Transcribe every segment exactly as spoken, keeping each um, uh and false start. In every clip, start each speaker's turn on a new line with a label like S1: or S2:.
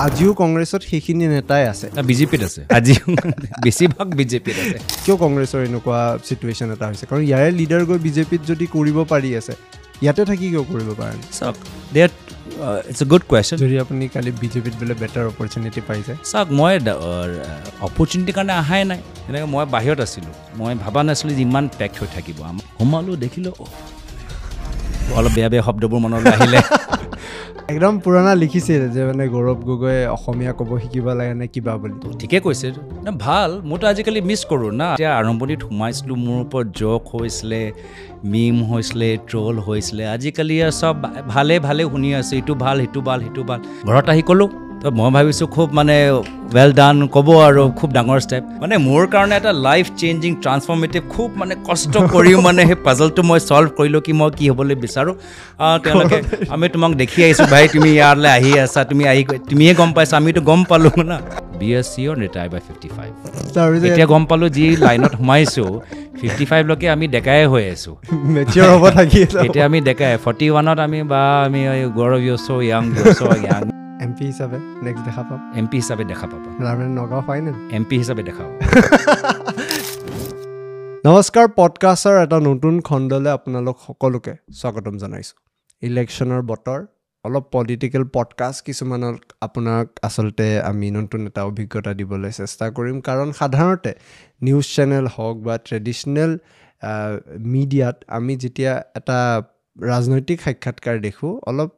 S1: আজিও কংগ্ৰেছত সেইখিনি নেতাই আছে,
S2: বিজেপিত আছে, আজিও বেছিভাগ বিজেপিত আছে।
S1: কিয় কংগ্ৰেছৰ এনেকুৱা চিটুৱেশ্যন এটা হৈছে? কাৰণ ইয়াৰে লিডাৰ গৈ বিজেপিত যদি কৰিব পাৰি আছে, ইয়াতে থাকি কিয় কৰিব পাৰে?
S2: চাওক, that it's a good question.
S1: যদি আপুনি কালি বিজেপিত বোলে বেটাৰ অপৰচুনিটি পাই যায়।
S2: চাওক, মই অপৰচুনিটিৰ কাৰণে অহাই নাই। তেনেকৈ মই বাহিৰত আছিলোঁ, মই ভবা নাছিলোঁ যে ইমান পেক্ট হৈ থাকিব। সোমালোঁ, দেখিলোঁ অলপ বেয়া বেয়া শব্দবোৰ মনলৈ আহিলে।
S1: একদম পুৰণা লিখিছিল যে মানে গৌৰৱ গগৈয়ে অসমীয়া ক'ব শিকিব লাগে নে কিবা বুলি।
S2: ঠিকে কৈছে না, ভাল। মইতো আজিকালি মিছ কৰোঁ না। এতিয়া আৰম্ভণিত সোমাইছিলোঁ, মোৰ ওপৰত জক হৈছিলে, মিম হৈছিলে, ট্ৰল হৈছিলে। আজিকালি চব ভালে ভালে শুনি আছোঁ, ইটো ভাল, সিটো ভাল, সিটো ভাল। ঘৰত আহি ক'লোঁ, তো মই ভাবিছোঁ খুব মানে ৱেল ডান ক'ব আৰু খুব ডাঙৰ ষ্টেপ। মানে মোৰ কাৰণে এটা লাইফ চেঞ্জিং ট্ৰান্সফৰ্মেটিভ, খুব মানে কষ্ট কৰিও মানে সেই পাজলটো মই ছল্ভ কৰিলোঁ কি মই কি হ'বলৈ বিচাৰোঁ। তেওঁলোকে আমি তোমাক দেখি আহিছোঁ ভাই, তুমি ইয়ালৈ আহি আছা, তুমি আহি তুমিয়ে গম পাইছা, আমিতো গম পালোঁ না। B S C or retire by fifty five. এতিয়া গম পালোঁ যি লাইনত সোমাইছোঁ, ফিফটি ফাইভলৈকে আমি ডেকাই হৈ আছোঁ, এতিয়া আমি ডেকাই। ফৰ্টি ওৱানত আমি বা আমি Gaurav you so young, you so young.
S1: M P হিচাপে নেক্সট দেখা পাম,
S2: এম পি হিচাপে দেখা পাবা,
S1: নগাঁও ফাইনেল
S2: এম পি হিচাপে দেখা পাম।
S1: নমস্কাৰ, পডকাষ্টৰ এটা নতুন খণ্ডলৈ আপোনালোক সকলোকে স্বাগতম জনাইছোঁ। ইলেকশ্যনৰ বতৰ, অলপ পলিটিকেল পডকাষ্ট কিছুমানক আপোনাক আচলতে আমি নতুন এটা অভিজ্ঞতা দিবলৈ চেষ্টা কৰিম। কাৰণ সাধাৰণতে নিউজ চেনেল হওক বা ট্ৰেডিশ্যনেল মিডিয়াত আমি যেতিয়া এটা ৰাজনৈতিক সাক্ষাৎকাৰ দেখোঁ, অলপ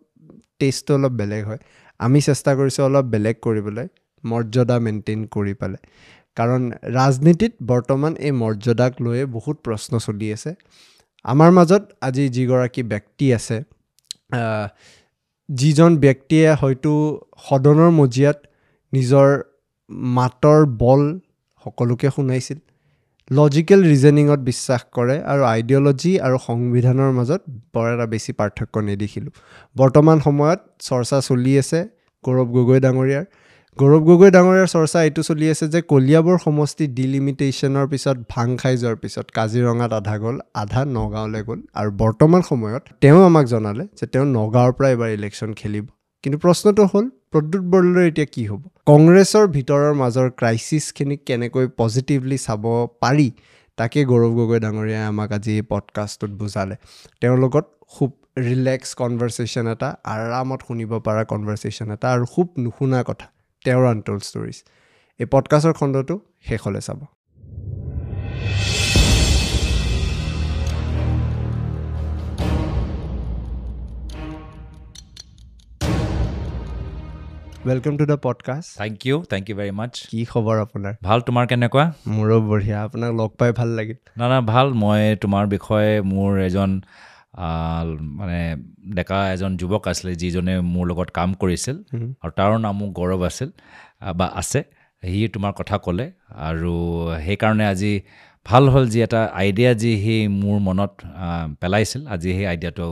S1: টেষ্টটো অলপ বেলেগ হয়। আমি চেষ্টা কৰিছোঁ অলপ বেলেগ কৰিবলৈ, মৰ্যাদা মেইনটেইন কৰি পেলাই। কাৰণ ৰাজনীতিত বৰ্তমান এই মৰ্যাদাক লৈয়ে বহুত প্ৰশ্ন চলি আছে। আমাৰ মাজত আজি যিগৰাকী ব্যক্তি আছে, যিজন ব্যক্তিয়ে হয়তো সদনৰ মজিয়াত নিজৰ মাতৰ বল সকলোকে শুনাইছিল, লজিকেল ৰিজনিঙত বিশ্বাস কৰে আৰু আইডিঅ'লজি আৰু সংবিধানৰ মাজত বৰ এটা বেছি পাৰ্থক্য নেদেখিলোঁ। বৰ্তমান সময়ত চৰ্চা চলি আছে গৌৰৱ গগৈ ডাঙৰীয়াৰ। গৌৰৱ গগৈ ডাঙৰীয়াৰ চৰ্চা এইটো চলি আছে যে কলিয়াবৰ সমষ্টি ডিলিমিটেশ্যনৰ পিছত ভাং খাই যোৱাৰ পিছত কাজিৰঙাত আধা গ'ল, আধা নগাঁৱলৈ গ'ল। আৰু বৰ্তমান সময়ত তেওঁ আমাক জনালে যে তেওঁ নগাঁৱৰ পৰা এইবাৰ ইলেকশ্যন খেলিব। কিন্তু প্ৰশ্নটো হ'ল, প্ৰদ্যুৎ বৰদলৈৰ এতিয়া কি হ'ব? কংগ্ৰেছৰ ভিতৰৰ মাজৰ ক্ৰাইচিছখিনিক কেনেকৈ পজিটিভলি চাব পাৰি, তাকে গৌৰৱ গগৈ ডাঙৰীয়াই আমাক আজি এই পডকাষ্টটোত বুজালে। তেওঁৰ লগত খুব ৰিলেক্স কনভাৰ্চেশ্যন এটা, আৰামত শুনিব পৰা কনভাৰ্চেশ্যন এটা, আৰু খুব নুশুনা কথা, তেওঁৰ আনটল্ড ষ্টৰিজ। এই পডকাষ্টৰ খণ্ডটো শেষলৈ চাব। Welcome to the podcast.
S2: Thank you, thank you very much.
S1: কি খবৰ আপোনাৰ?
S2: ভাল, তোমাৰ কেনেকুৱা?
S1: মোৰো বঢ়িয়া। আপোনাক লগ পাই ভাল লাগিল।
S2: না না, ভাল। মই তোমাৰ বিষয়ে মোৰ এজন মানে ডেকা এজন যুৱক আছিলে, যিজনে মোৰ লগত কাম কৰিছিল আৰু তাৰ নামো গৌৰৱ আছিল বা আছে, সি তোমাৰ কথা ক'লে আৰু সেইকাৰণে আজি ভাল হ'ল যি এটা আইডিয়া যি সি মোৰ মনত পেলাইছিল, আজি সেই আইডিয়াটো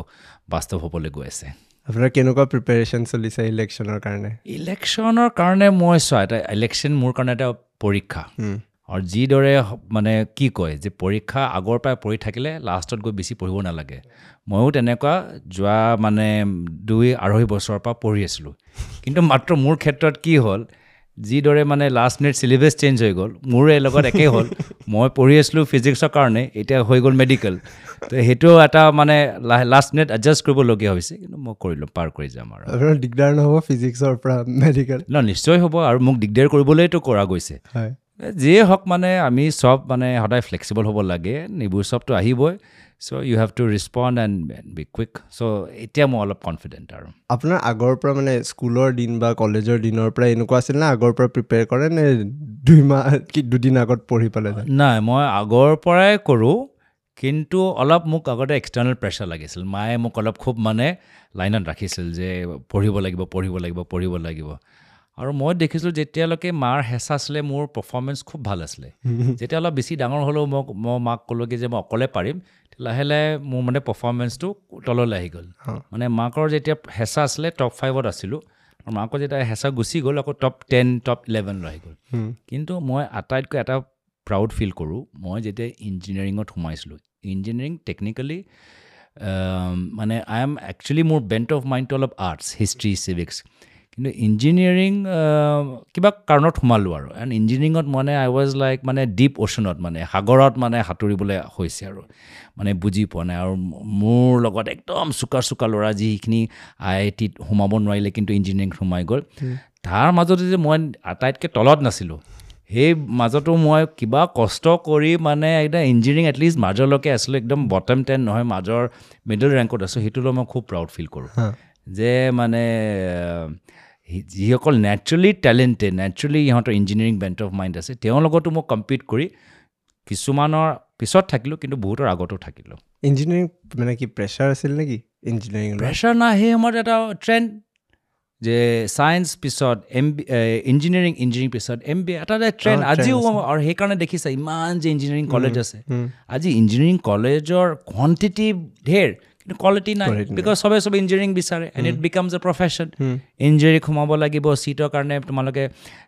S2: বাস্তৱ হ'বলৈ গৈ আছে।
S1: আপোনাৰ কেনেকুৱা প্ৰিপেৰেশ্যন চলিছে ইলেকশ্যনৰ কাৰণে?
S2: ইলেকশ্যনৰ কাৰণে মই চোৱা, এটা ইলেকশ্যন মোৰ কাৰণে এটা পৰীক্ষা। আৰু যিদৰে মানে কি কয় যে পৰীক্ষা আগৰ পৰাই পঢ়ি থাকিলে লাষ্টত গৈ বেছি পঢ়িব নালাগে। ময়ো তেনেকুৱা যোৱা মানে দুই আঢ়ৈ বছৰৰ পৰা পঢ়ি আছিলোঁ। কিন্তু মাত্ৰ মোৰ ক্ষেত্ৰত কি হ'ল, যিদৰে মানে লাষ্ট মিনিট চিলেবাছ চেঞ্জ হৈ গ'ল, মোৰো এই লগত একেই হ'ল। মই পঢ়ি আছিলোঁ ফিজিক্সৰ কাৰণে, এতিয়া হৈ গ'ল মেডিকেল। তো সেইটো এটা মানে লাষ্ট মিনিট এডজাষ্ট কৰিবলগীয়া হৈছে, কিন্তু মই কৰিলোঁ, পাৰ কৰি যাম। আৰু
S1: আপোনাৰ দিগদাৰ নহ'ব ফিজিক্সৰ পৰা মেডিকেল?
S2: ন, নিশ্চয় হ'ব। আৰু মোক দিগদাৰ কৰিবলৈতো কৰা গৈছে। যিয়ে হওক, মানে আমি চব মানে সদায় ফ্লেক্সিবল হ'ব লাগে। এইবোৰ চবতো আহিবই। So you have to respond and be quick. So এতিয়া মই অলপ কনফিডেণ্ট। আৰু
S1: আপোনাৰ আগৰ পৰা মানে স্কুলৰ দিন বা কলেজৰ দিনৰ পৰা এনেকুৱা আছিল নে আগৰ পৰা প্ৰিপেয়াৰ কৰে নে দুই মাহ কি দুদিন আগত পঢ়ি পেলাই?
S2: নাই, মই আগৰ পৰাই কৰোঁ, কিন্তু অলপ মোক আগতে এক্সটাৰ্নেল প্ৰেছাৰ লাগিছিল। মায়ে মোক অলপ খুব মানে লাইনত ৰাখিছিল যে পঢ়িব লাগিব, পঢ়িব লাগিব, পঢ়িব লাগিব। আৰু মই দেখিছিলোঁ যেতিয়ালৈকে মাৰ হেঁচা আছিলে মোৰ পাৰফৰ্মেঞ্চ খুব ভাল আছিলে। যেতিয়া অলপ বেছি ডাঙৰ হ'লেও মোক মই মাক ক'লোঁ কি যে মই অকলে পাৰিম, লাহে লাহে মোৰ মানে পাৰফৰ্মেঞ্চটো তললৈ আহি গ'ল। মানে মাকৰ যেতিয়া হেঁচা আছিলে টপ ফাইভত আছিলোঁ, আৰু মাকৰ যেতিয়া হেঁচা গুচি গ'ল আকৌ টপ টেন টপ ইলেভেনলৈ আহি গ'ল। কিন্তু মই আটাইতকৈ এটা প্ৰাউড ফিল কৰোঁ, মই যেতিয়া ইঞ্জিনিয়াৰিঙত সোমাইছিলোঁ, ইঞ্জিনিয়াৰিং টেকনিকেলি মানে I am actually মোৰ বেণ্ট অফ মাইণ্ডটো অলপ আৰ্টছ, হিষ্ট্ৰী, চিভিক্স, কিন্তু ইঞ্জিনিয়াৰিং কিবা কাৰণত সোমালোঁ আৰু এণ্ড ইঞ্জিনিয়াৰিঙত মানে আই ৱাজ লাইক মানে ডিপ অ'চনত মানে সাগৰত মানে সাঁতুৰিবলৈ হৈছে আৰু মানে বুজি পোৱা নাই আৰু মোৰ লগত একদম চোকা চোকা ল'ৰা যিখিনি আই আই টিত সোমাব নোৱাৰিলে কিন্তু ইঞ্জিনিয়াৰিং সোমাই গ'ল তাৰ মাজতে যে মই আটাইতকৈ তলত নাছিলোঁ সেই মাজতো মই কিবা কষ্ট কৰি মানে একদম ইঞ্জিনিয়াৰিং এটলিষ্ট মাজলৈকে আছিলোঁ একদম বটম টেন নহয় মাজৰ মিডল ৰেংকত আছোঁ সেইটো লৈ মই খুব প্ৰাউড ফিল কৰোঁ যে মানে যিসকল নেচাৰেলি টেলেণ্টেড নেচাৰেলি ইহঁতৰ ইঞ্জিনিয়াৰিং বেণ্ট অফ মাইণ্ড আছে তেওঁৰ লগতো মই কম্পিট কৰি কিছুমানৰ পিছত থাকিলোঁ কিন্তু বহুতৰ আগতো থাকিলোঁ
S1: ইঞ্জিনিয়াৰিং মানে কি প্ৰেছাৰ আছিল নেকি ইঞ্জিনিয়াৰিং
S2: প্ৰেছাৰ নাই সেই সময়ত এটা ট্ৰেণ্ড যে ছায়েন্স পিছত এম বি ইঞ্জিনিয়াৰিং ইঞ্জিনিয়াৰিং পিছত এম বি এ এটা এটা ট্ৰেণ্ড আজিও আৰু সেইকাৰণে দেখিছা ইমান যে ইঞ্জিনিয়াৰিং কলেজ আছে আজি ইঞ্জিনিয়াৰিং কলেজৰ কোৱান্টিটি ঢেৰ কিন্তু কোৱালিটি নাই because চবে চবে ইঞ্জিনিয়াৰিং বিচাৰে and it becomes a profession engineering সোমাব লাগিব ছিটৰ কাৰণে তোমালোকে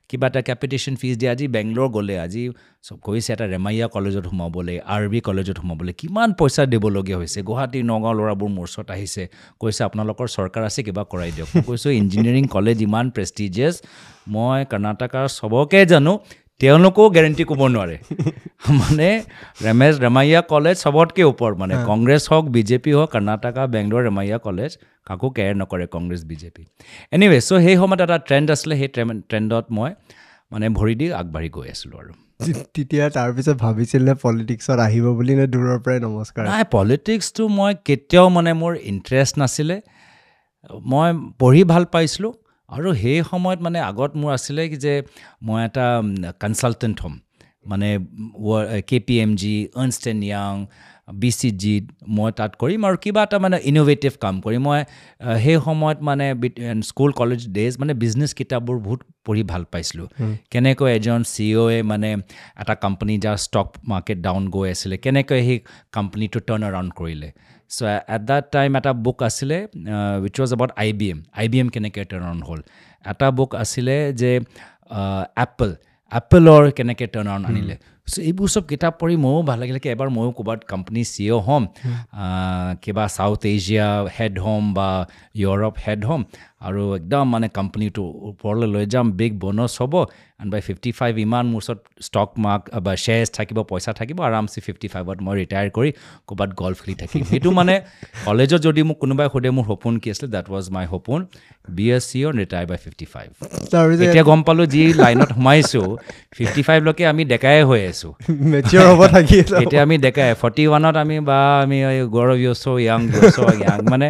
S2: কিবা এটা কেপিটেশ্যন ফিজ দিয়ে আজি বেংগলোৰ গ'লে আজি চব কৈছে এটা ৰেমাইয়া কলেজত সোমাবলৈ আৰ বি কলেজত সোমাবলৈ কিমান পইচা দিবলগীয়া হৈছে গুৱাহাটী নগাঁও ল'ৰাবোৰ মোৰ ওচৰত আহিছে কৈছে আপোনালোকৰ চৰকাৰ আছে কিবা কৰাই দিয়ক মই কৈছোঁ ইঞ্জিনিয়াৰিং কলেজ ইমান প্ৰেষ্টিজিয়াছ মই কৰ্ণাটকাৰ চবকে জানো তেওঁলোকেও গেৰেণ্টি ক'ব নোৱাৰে মানে ৰমেশ ৰমাইয়া কলেজ চবতকৈ ওপৰত মানে কংগ্ৰেছ হওক বিজেপি হওক কৰ্ণাটকা বেংগলোৰ ৰমাইয়া কলেজ কাকো কেয়াৰ নকৰে কংগ্ৰেছ বিজেপি এনিৱে চ' সেই সময়ত এটা ট্ৰেণ্ড আছিলে সেই ট্ৰেণ্ডত মই মানে ভৰি দি আগবাঢ়ি গৈ আছিলোঁ আৰু
S1: তেতিয়া তাৰপিছত ভাবিছিল নে পলিটিক্সত আহিব বুলি নে দূৰৰ পৰাই নমস্কাৰ
S2: নাই পলিটিক্সটো মই কেতিয়াও মানে মোৰ ইণ্টাৰেষ্ট নাছিলে মই পঢ়ি ভাল পাইছিলোঁ আৰু সেই সময়ত মানে আগত মোৰ আছিলে কি যে মই এটা কনচালটেণ্ট হ'ম মানে K P M G Ernst and young B C জিত মই তাত কৰিম আৰু কিবা এটা মানে ইন'ভেটিভ কাম কৰিম মই সেই সময়ত মানে স্কুল কলেজ ডেইজ মানে বিজনেছ কিতাপবোৰ বহুত পঢ়ি ভাল পাইছিলোঁ কেনেকৈ এজন চি অ'য়ে মানে এটা কোম্পানী যাৰ ষ্টক মাৰ্কেট ডাউন গৈ আছিলে কেনেকৈ সেই কোম্পানীটো টাৰ্ণ এৰাউণ্ড কৰিলে চ' এট that time এটা বুক আছিলে which was about I B M I B M কেনেকৈ টাৰ্ণ এৰাউণ্ড হ'ল এটা বুক আছিলে যে এপল এপলৰ কেনেকৈ টাৰ্ণ এৰাউণ্ড আনিলে চ' এইবোৰ চব কিতাপ পঢ়ি ময়ো ভাল লাগিলে কি এবাৰ ময়ো ক'ৰবাত কোম্পানী চি অ' হ'ম কিবা চাউথ এছিয়া হেড হ'ম বা ইউৰোপ হেড হ'ম আৰু একদম মানে কোম্পানীটো ওপৰলৈ লৈ যাম বিগ ব'নাছ হ'ব এণ্ড বাই ফিফটি ফাইভ ইমান মোৰ ওচৰত ষ্টক মাৰ্ক বা শ্বেয়াৰ্ছ থাকিব পইচা থাকিব আৰামছে ফিফটি ফাইভত মই ৰিটায়াৰ কৰি ক'ৰবাত গল্ফ খেলি থাকিম সেইটো মানে কলেজত যদি মোক কোনোবাই সোধে মোৰ সপোন কি আছিলে that was my সপোন be a CEO retire by fifty five এতিয়া গম পালোঁ যি লাইনত সোমাইছোঁ ফিফটি ফাইভলৈকে আমি ডেকাই হৈ আছোঁ এতিয়া আমি ডেকাই ফৰ্টি ওৱানত আমি বা আমি গৌৰৱ you so young you so young মানে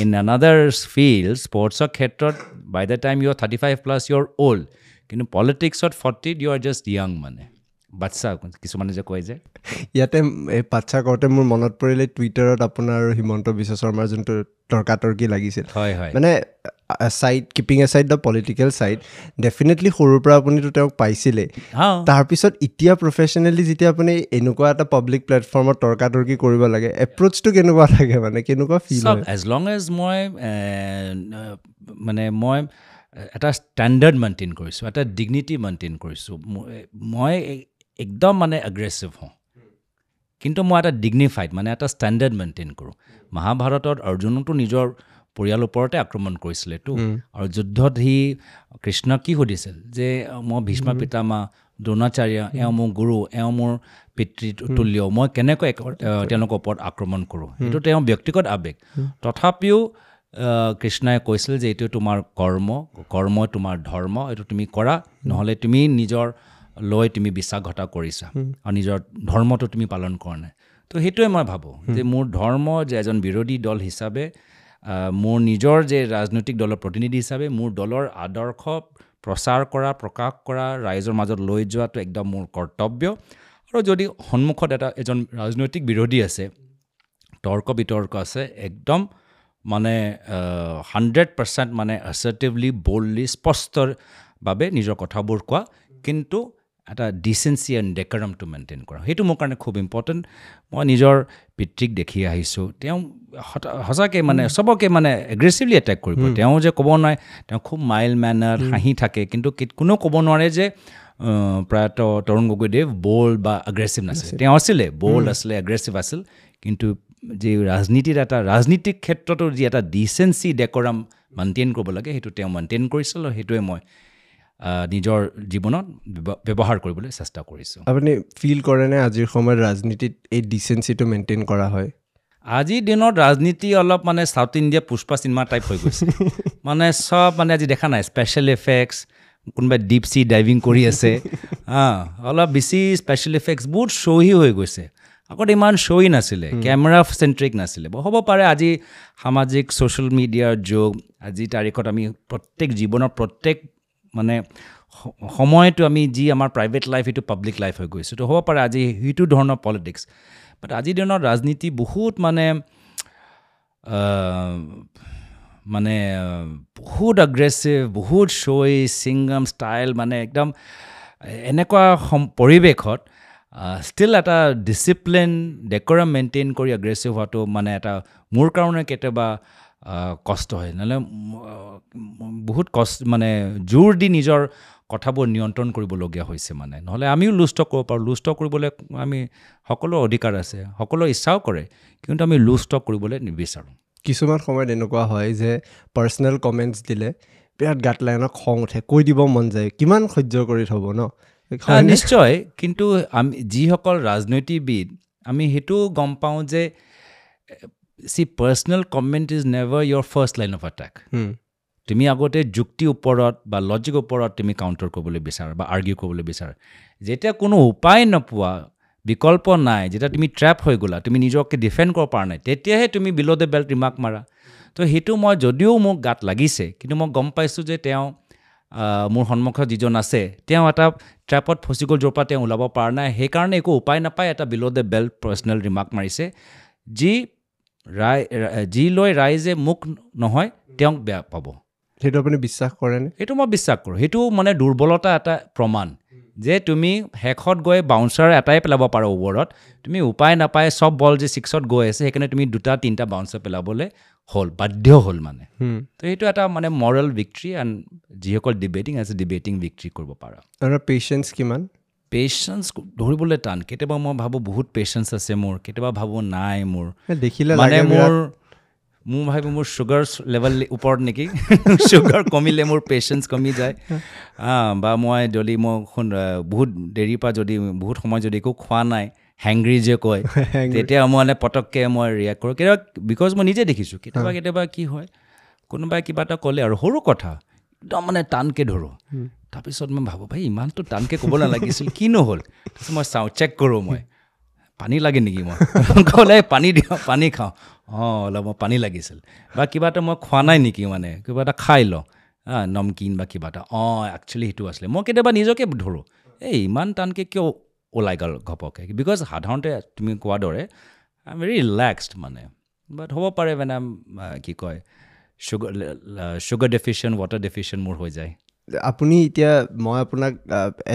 S2: ইন আনাডাৰ ফিল্ড স্পৰ্টছৰ ক্ষেত্ৰত by the time you are thirty five plus you are old কিন্তু পলিটিক্সত ফৰ্টিত you are just young মানে বাচ্ছা কিছুমানে যে কয় যে
S1: ইয়াতে এই বাচ্ছা কওঁতে মোৰ মনত পৰিলে টুইটাৰত আপোনাৰ হিমন্ত বিশ্ব শৰ্মাৰ যোনটো তৰ্কাতৰ্কি লাগিছিল
S2: হয় হয়
S1: মানে side keeping aside the political side definitely সৰুৰ পৰা আপুনিতো তেওঁক পাইছিলেই তাৰপিছত এতিয়া প্ৰফেচনেলি যেতিয়া আপুনি এনেকুৱা এটা পাব্লিক প্লেটফৰ্মত তৰ্কাতৰ্কি কৰিব লাগে এপ্ৰ'চটো কেনেকুৱা থাকে মানে কেনেকুৱা ফিল
S2: হয় এজ লং এজ মই মানে মই এটা ষ্টেণ্ডাৰ্ড মেইনটেইন কৰিছোঁ এটা ডিগনিটি মেইনটেইন কৰিছোঁ মই একদম মানে এগ্ৰেছিভ হওঁ কিন্তু মই এটা ডিগনিফাইড মানে এটা ষ্টেণ্ডাৰ্ড মেইনটেইন কৰোঁ মহাভাৰতত অৰ্জুনতো নিজৰ পৰিয়ালৰ ওপৰতে আক্ৰমণ কৰিছিলেতো আৰু যুদ্ধত সি কৃষ্ণক কি সুধিছিল যে মই ভীষ্ম পিতামহ দ্ৰোণাচাৰ্য এওঁ মোৰ গুৰু এওঁ মোৰ পিতৃ তুল্য মই কেনেকৈ তেওঁলোকৰ ওপৰত আক্ৰমণ কৰোঁ সেইটো তেওঁৰ ব্যক্তিগত আৱেগ তথাপিও কৃষ্ণই কৈছিল যে এইটো তোমাৰ কৰ্ম কৰ্ম তোমাৰ ধৰ্ম এইটো তুমি কৰা নহ'লে তুমি নিজৰ লৈ তুমি বিশ্বাসঘাত কৰিছা আৰু নিজৰ ধৰ্মটো তুমি পালন কৰা নাই তো সেইটোৱে মই ভাবোঁ যে মোৰ ধৰ্ম যে এজন বিৰোধী দল হিচাপে মোৰ নিজৰ যে ৰাজনৈতিক দলৰ প্ৰতিনিধি হিচাপে মোৰ দলৰ আদৰ্শ প্ৰচাৰ কৰা প্ৰকাশ কৰা ৰাইজৰ মাজত লৈ যোৱাটো একদম মোৰ কৰ্তব্য আৰু যদি সন্মুখত এটা এজন ৰাজনৈতিক বিৰোধী আছে তৰ্ক বিতৰ্ক আছে একদম মানে হাণ্ড্ৰেড পাৰ্চেণ্ট মানে এছাৰ্টিভলি বল্ডলি স্পষ্টভাৱে নিজৰ কথাবোৰ কোৱা কিন্তু এটা ডিচেঞ্চি এণ্ড ডেকাৰামটো মেইনটেইন কৰা সেইটো মোৰ কাৰণে খুব ইম্পৰ্টেণ্ট মই নিজৰ পিতৃক দেখি আহিছোঁ তেওঁ সঁচাকৈ মানে চবকে মানে এগ্ৰেছিভলি এটেক কৰিব তেওঁ যে ক'ব নোৱাৰে তেওঁ খুব মাইল্ড মেনাৰ হাঁহি থাকে কিন্তু কোনেও ক'ব নোৱাৰে যে প্ৰয়াত তৰুণ গগৈদেৱ বল্ড বা এগ্ৰেছিভ নাছিল তেওঁ আছিলে বল্ড আছিলে এগ্ৰেছিভ আছিল কিন্তু যি ৰাজনীতিৰ এটা ৰাজনীতিক ক্ষেত্ৰতো যি এটা ডিচেঞ্চি ডেকৰাম মেইনটেইন কৰিব লাগে, সেইটো তেওঁ মেইনটেইন কৰিছিল আৰু সেইটোৱে মই নিজৰ জীৱনত ব্যৱহাৰ কৰিবলৈ চেষ্টা কৰিছোঁ।
S1: আপুনি ফিল কৰেনে আজিৰ সময়ত ৰাজনীতিত এই ডিচেঞ্চিটো মেইনটেইন কৰা হয়?
S2: আজিৰ দিনত ৰাজনীতি অলপ মানে south India Pushpa cinema type হৈ গৈছে। মানে চব মানে আজি দেখা নাই স্পেচিয়েল এফেক্টছ, কোনোবাই ডিপ চি ডাইভিং কৰি আছে, অঁ অলপ বেছি স্পেচিয়েল এফেক্টছ, বহুত শ্ব'হি হৈ গৈছে। আগতে ইমান শ্ব'ই নাছিলে, কেমেৰা চেণ্ট্ৰিক নাছিলে। হ'ব পাৰে আজি সামাজিক ছ'চিয়েল মিডিয়াৰ যুগ, আজিৰ তাৰিখত আমি প্ৰত্যেক জীৱনৰ প্ৰত্যেক মানে সময়টো আমি যি আমাৰ প্ৰাইভেট লাইফ সেইটো পাব্লিক লাইফ হৈ গৈছে। তো হ'ব পাৰে আজি সেইটো ধৰণৰ পলিটিক্স। বাট আজিৰ দিনত ৰাজনীতি বহুত মানে মানে বহুত এগ্ৰেছিভ, বহুত শ্ব'ই, ছিংগাম ষ্টাইল, মানে একদম এনেকুৱা পৰিৱেশত ষ্টিল এটা ডিচিপ্লিন, ডেক'ৰাম মেইনটেইন কৰি এগ্ৰেছিভ হোৱাটো মানে এটা মোৰ কাৰণে কেতিয়াবা কষ্ট হয়। নহ'লে বহুত কষ্ট, মানে জোৰ দি নিজৰ কথাবোৰ নিয়ন্ত্ৰণ কৰিবলগীয়া হৈছে। মানে নহ'লে আমিও লুজ টক কৰিব পাৰোঁ, লুজ টক কৰিবলৈ আমি সকলো অধিকাৰ আছে, সকলো ইচ্ছাও কৰে, কিন্তু আমি লুজ টক কৰিবলৈ নিবিচাৰোঁ।
S1: কিছুমান সময়ত এনেকুৱা হয় যে পাৰ্চনেল কমেণ্টছ দিলে বিৰাট গাত লাগে, খং উঠে, কৈ দিব মন যায়, কিমান সহ্য কৰি থ'ব ন?
S2: নিশ্চয়। কিন্তু আমি যিসকল ৰাজনীতিবিদ আমি সেইটোও গম পাওঁ যে see personal comment is never your first line of attack. তুমি আগতে যুক্তিৰ ওপৰত বা লজিকৰ ওপৰত তুমি কাউণ্টাৰ কৰিবলৈ বিচাৰা বা আৰ্গিউ কৰিবলৈ বিচাৰা। যেতিয়া কোনো উপায় নোপোৱা, বিকল্প নাই, যেতিয়া তুমি ট্ৰেপ হৈ গ'লা, তুমি নিজকে ডিফেণ্ড কৰিব পৰা নাই, তেতিয়াহে তুমি বিল' the belt remark মাৰা। তো সেইটো মই যদিও মোক গাত লাগিছে, কিন্তু মই গম পাইছোঁ যে তেওঁ মোৰ সন্মুখত যিজন আছে তেওঁ এটা ট্ৰেপত ফচি গ'ল, য'ৰ পৰা তেওঁ ওলাব পৰা নাই, সেইকাৰণে একো উপায় নাপায় এটা below the belt personal remark মাৰিছে, যি ৰাই যি লৈ ৰাইজে মোক নহয় তেওঁক বেয়া পাব।
S1: সেইটো আপুনি বিশ্বাস কৰেনে?
S2: সেইটো মই বিশ্বাস কৰোঁ। সেইটো মানে দুৰ্বলতা এটা প্ৰমাণ যে তুমি শেষত গৈ বাউন্সাৰ এটাই পেলাব পাৰা অভাৰত, তুমি উপায় নাপায় চব বল যে ছিক্সত গৈ আছে, সেইকাৰণে তুমি দুটা তিনিটা বাউন্সাৰ পেলাবলৈ হ'ল, বাধ্য হ'ল মানে। তো সেইটো এটা মানে মৰেল ভিক্টৰী, এণ্ড যিসকল ডিবেটিং আছে ডিবেটিং ভিক্টৰী কৰিব পাৰা।
S1: আৰু পেচেঞ্চ কিমান?
S2: পেচেঞ্চ ধৰিবলৈ টান। কেতিয়াবা মই ভাবোঁ বহুত পেচেঞ্চ আছে মোৰ, কেতিয়াবা ভাবোঁ নাই মোৰ,
S1: দেখিলে
S2: মানে মোৰ মোৰ ভাবোঁ মোৰ চুগাৰ লেভেল ওপৰত নেকি, চুগাৰ কমিলে মোৰ পেচেঞ্চ কমি যায়। বা মই যদি মই বহুত দেৰিৰ পৰা যদি বহুত সময় যদি একো খোৱা নাই, হেংগ্ৰি যে কয়, তেতিয়া মই মানে পটককৈ মই ৰিয়েক্ট কৰোঁ কেতিয়াবা, because মই নিজে দেখিছোঁ কেতিয়াবা কেতিয়াবা কি হয়, কোনোবাই কিবা এটা ক'লে আৰু সৰু কথা একদম মানে টানকৈ ধৰোঁ, তাৰপিছত মই ভাবোঁ ভাই ইমানটো টানকৈ ক'ব নালাগিছিল, কিনো হ'ল। তাৰপিছত মই চাওঁ, চেক কৰোঁ, মই পানী লাগে নেকি, মই ক'লে পানী দিওঁ, পানী খাওঁ, অঁ অলপ মই পানী লাগিছিল, বা কিবা এটা মই খোৱা নাই নেকি, মানে কিবা এটা খাই লওঁ, নমকিন বা কিবা এটা, অঁ একচুৱেলি সেইটো আছিলে। মই কেতিয়াবা নিজকে ধৰোঁ, এই ইমান টানকৈ কিয় ওলাই গ'ল ঘপককৈ, because সাধাৰণতে তুমি কোৱাৰ দৰে I am very relaxed মানে, বাট হ'ব পাৰে মানে কি কয় sugar sugar deficient, water deficient মোৰ হৈ যায়।
S1: আপুনি এতিয়া মই আপোনাক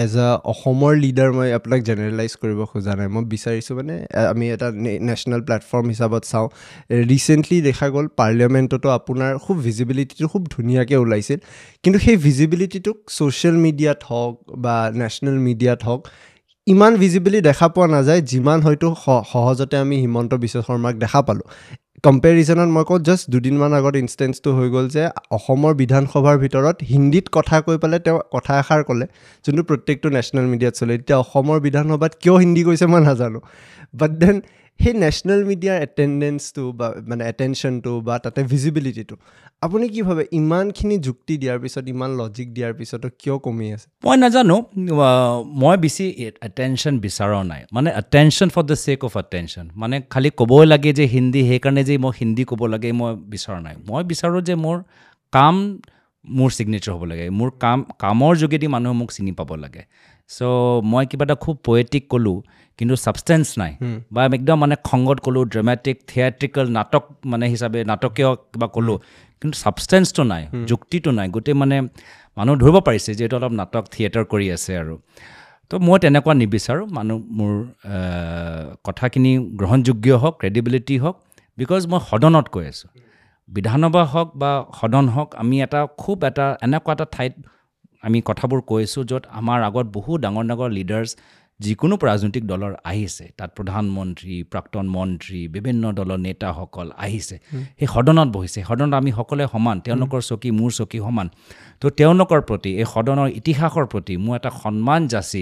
S1: এজ আ অসমৰ লিডাৰ মই আপোনাক জেনেৰেলাইজ কৰিব খোজা নাই, মই বিচাৰিছোঁ মানে আমি এটা নেশ্যনেল প্লেটফৰ্ম হিচাপত চাওঁ। ৰিচেণ্টলি দেখা গ'ল পাৰ্লিয়ামেণ্টতো আপোনাৰ খুব ভিজিবিলিটিটো খুব ধুনীয়াকৈ ওলাইছিল, কিন্তু সেই ভিজিবিলিটিটোক ছ'চিয়েল মিডিয়াত হওক বা নেশ্যনেল মিডিয়াত হওক ইমান ভিজিবিলি দেখা পোৱা নাযায় যিমান হয়তো সহজতে আমি হিমন্ত বিশ্ব শৰ্মাক দেখা পালোঁ। কম্পেৰিজনত মই কওঁ জাষ্ট দুদিনমান আগত ইনষ্টেঞ্চটো হৈ গ'ল যে অসমৰ বিধানসভাৰ ভিতৰত হিন্দীত কথা কৈ পেলাই তেওঁ কথা এষাৰ ক'লে, যোনটো প্ৰত্যেকটো নেশ্যনেল মিডিয়াত চলে। এতিয়া অসমৰ বিধানসভাত কিয় হিন্দী কৈছে মই নাজানো, বাট then সেই নেশ্যনেল মিডিয়াৰ এটেণ্ডেঞ্চটো বা মানে এটেনশ্যনটো বা তাতে ভিজিবিলিটিটো আপুনি কি ভাবে ইমানখিনি যুক্তি দিয়াৰ পিছত, ইমান লজিক দিয়াৰ পিছতো কিয় কমি আছে?
S2: মই নাজানো, মই বেছি এটেনশ্যন বিচৰা নাই, মানে attention for the sake of attention, মানে খালি ক'বই লাগে যে হিন্দী, সেইকাৰণে যে মই হিন্দী ক'ব লাগে মই বিচৰা নাই। মই বিচাৰোঁ যে মোৰ কাম মোৰ ছিগনেচাৰ হ'ব লাগে, মোৰ কাম কামৰ যোগেদি মানুহে মোক চিনি পাব লাগে। চ' মই কিবা এটা খুব পয়েটিক ক'লোঁ কিন্তু ছাবষ্টেঞ্চ নাই, বা একদম মানে খঙত ক'লোঁ, ড্ৰামেটিক থিয়েট্ৰিকেল নাটক মানে হিচাপে নাটকীয় কিবা ক'লোঁ, কিন্তু ছাবষ্টেঞ্চটো নাই, যুক্তিটো নাই, গোটেই মানে মানুহ ধৰিব পাৰিছে যে এইটো অলপ নাটক থিয়েটাৰ কৰি আছে আৰু। তো মই তেনেকুৱা নিবিচাৰোঁ, মানুহ মোৰ কথাখিনি গ্ৰহণযোগ্য হওক, ক্ৰেডিবিলিটি হওক, because মই সদনত কৈ আছোঁ, বিধানসভা হওক বা সদন হওক, আমি এটা খুব এটা এনেকুৱা এটা ঠাইত আমি কথাবোৰ কৈ আছোঁ য'ত আমাৰ আগত বহুত ডাঙৰ ডাঙৰ লিডাৰ্ছ, যিকোনো ৰাজনৈতিক দলৰ আহিছে, তাত প্ৰধানমন্ত্ৰী, প্ৰাক্তন মন্ত্ৰী, বিভিন্ন দলৰ নেতাসকল আহিছে, সেই সদনত বহিছে। সদনত আমি সকলোৱে সমান, তেওঁলোকৰ চকী মোৰ চকী সমান। তো তেওঁলোকৰ প্ৰতি, এই সদনৰ ইতিহাসৰ প্ৰতি মোৰ এটা সন্মান যাচি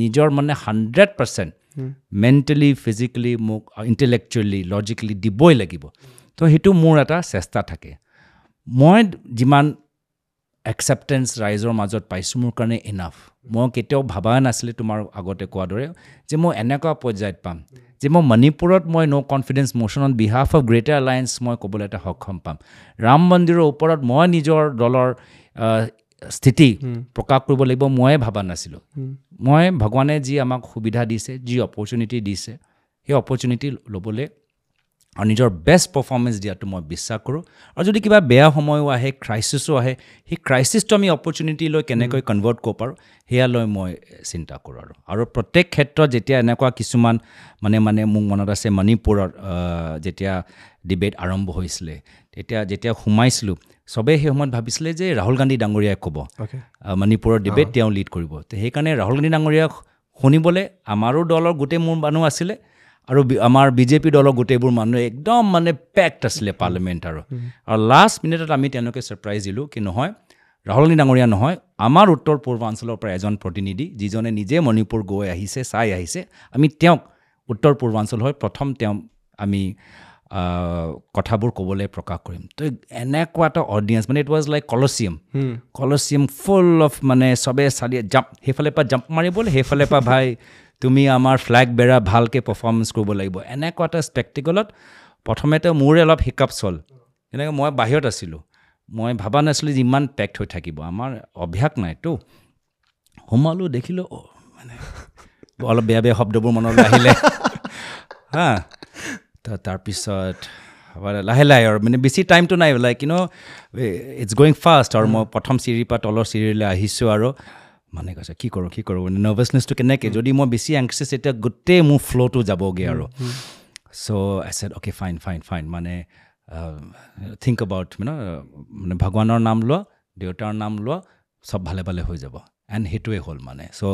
S2: নিজৰ মানে হাণ্ড্ৰেড পাৰ্চেণ্ট মেণ্টেলি, ফিজিকেলি, মোক ইণ্টেলেকচুৱেলি, লজিকেলি দিবই লাগিব। তো সেইটো মোৰ এটা চেষ্টা থাকে। মই যিমান একচেপ্টেঞ্চ ৰাইজৰ মাজত পাইছোঁ, মোৰ কাৰণে ইনাফ। মই কেতিয়াও ভবা নাছিলোঁ তোমাৰ আগতে কোৱাৰ দৰে যে মই এনেকুৱা পৰ্যায়ত পাম যে মই মণিপুৰত মই no confidence motion on behalf of Greater Alliance মই ক'বলৈ এটা সক্ষম পাম। ৰাম মন্দিৰৰ ওপৰত মই নিজৰ দলৰ স্থিতি প্ৰকাশ কৰিব লাগিব, ময়ে ভবা নাছিলোঁ। মই ভগৱানে যি আমাক সুবিধা দিছে, যি অপৰচুনিটি দিছে, সেই অপৰচুনিটি ল'বলৈ আৰু নিজৰ বেষ্ট পাৰফৰ্মেঞ্চ দিয়াটো মই বিশ্বাস কৰোঁ। আৰু যদি কিবা বেয়া সময়ো আহে, ক্ৰাইচিছো আহে, সেই ক্ৰাইচিছটো আমি অপৰচুনিটি লৈ কেনেকৈ কনভাৰ্ট কৰিব পাৰোঁ, সেয়া লৈ মই চিন্তা কৰোঁ। আৰু আৰু প্ৰত্যেক ক্ষেত্ৰত যেতিয়া এনেকুৱা কিছুমান মানে মানে মোক মনত আছে, মণিপুৰত যেতিয়া ডিবেট আৰম্ভ হৈছিলে, তেতিয়া যেতিয়া সোমাইছিলোঁ, চবেই সেই সময়ত ভাবিছিলে যে ৰাহুল গান্ধী ডাঙৰীয়াই ক'ব, মণিপুৰৰ ডিবেট তেওঁ লিড কৰিব। তো সেইকাৰণে ৰাহুল গান্ধী ডাঙৰীয়াক শুনিবলৈ আমাৰো দলৰ গোটেই মোৰ মানুহ আছিলে আৰু আমাৰ বিজেপি দলৰ গোটেইবোৰ মানুহ একদম মানে পেক্ট আছিলে পাৰ্লিমেণ্ট। আৰু আৰু লাষ্ট মিনিটত আমি তেওঁলোকে ছাৰপ্ৰাইজ দিলোঁ কি নহয়, ৰাহুল গান্ধী ডাঙৰীয়া নহয়, আমাৰ উত্তৰ পূৰ্বাঞ্চলৰ পৰা এজন প্ৰতিনিধি যিজনে নিজে মণিপুৰ গৈ আহিছে, চাই আহিছে, আমি তেওঁক উত্তৰ পূৰ্বাঞ্চল হৈ প্ৰথম তেওঁ আমি কথাবোৰ ক'বলৈ প্ৰকাশ কৰিম। তো এনেকুৱা এটা অডিয়েঞ্চ, মানে it was like Colosseum, Colosseum full of মানে চবে চালি জাম্প, সেইফালে পৰা জাম্প মাৰিবলৈ, সেইফালে পৰা ভাই তুমি আমাৰ ফ্লেগ বেৰা ভালকৈ পাৰফৰ্মেঞ্চ কৰিব লাগিব। এনেকুৱা এটা স্পেক্টিকলত প্ৰথমতে মোৰে অলপ হিকাপছ হ'ল। যেনেকৈ মই বাহিৰত আছিলোঁ, মই ভবা নাছিলোঁ যে ইমান পেক্ট হৈ থাকিব, আমাৰ অভ্যাস নাইতো। সোমালোঁ, দেখিলোঁ মানে অলপ বেয়া বেয়া শব্দবোৰ মনলৈ আহিলে। হা, তাৰপিছত লাহে লাহে আৰু মানে বেছি টাইমটো নাই, like you know it's going fast. আৰু মই প্ৰথম চিৰিৰ পৰা তলৰ চিৰিলৈ আহিছোঁ আৰু মানে কৈছে কি কৰোঁ কি কৰোঁ, মানে নাৰ্ভাছনেছটো কেনেকৈ, যদি মই বেছি এংচিয়াছ তেতিয়া গোটেই মোৰ ফ্ল'টো যাবগৈ আৰু। So I said okay fine fine fine, মানে থিংক এবাউট মানে মানে ভগৱানৰ নাম লোৱা, দেউতাৰ নাম লোৱা, চব ভালে ভালে হৈ যাব। এণ্ড সেইটোৱে হ'ল মানে। So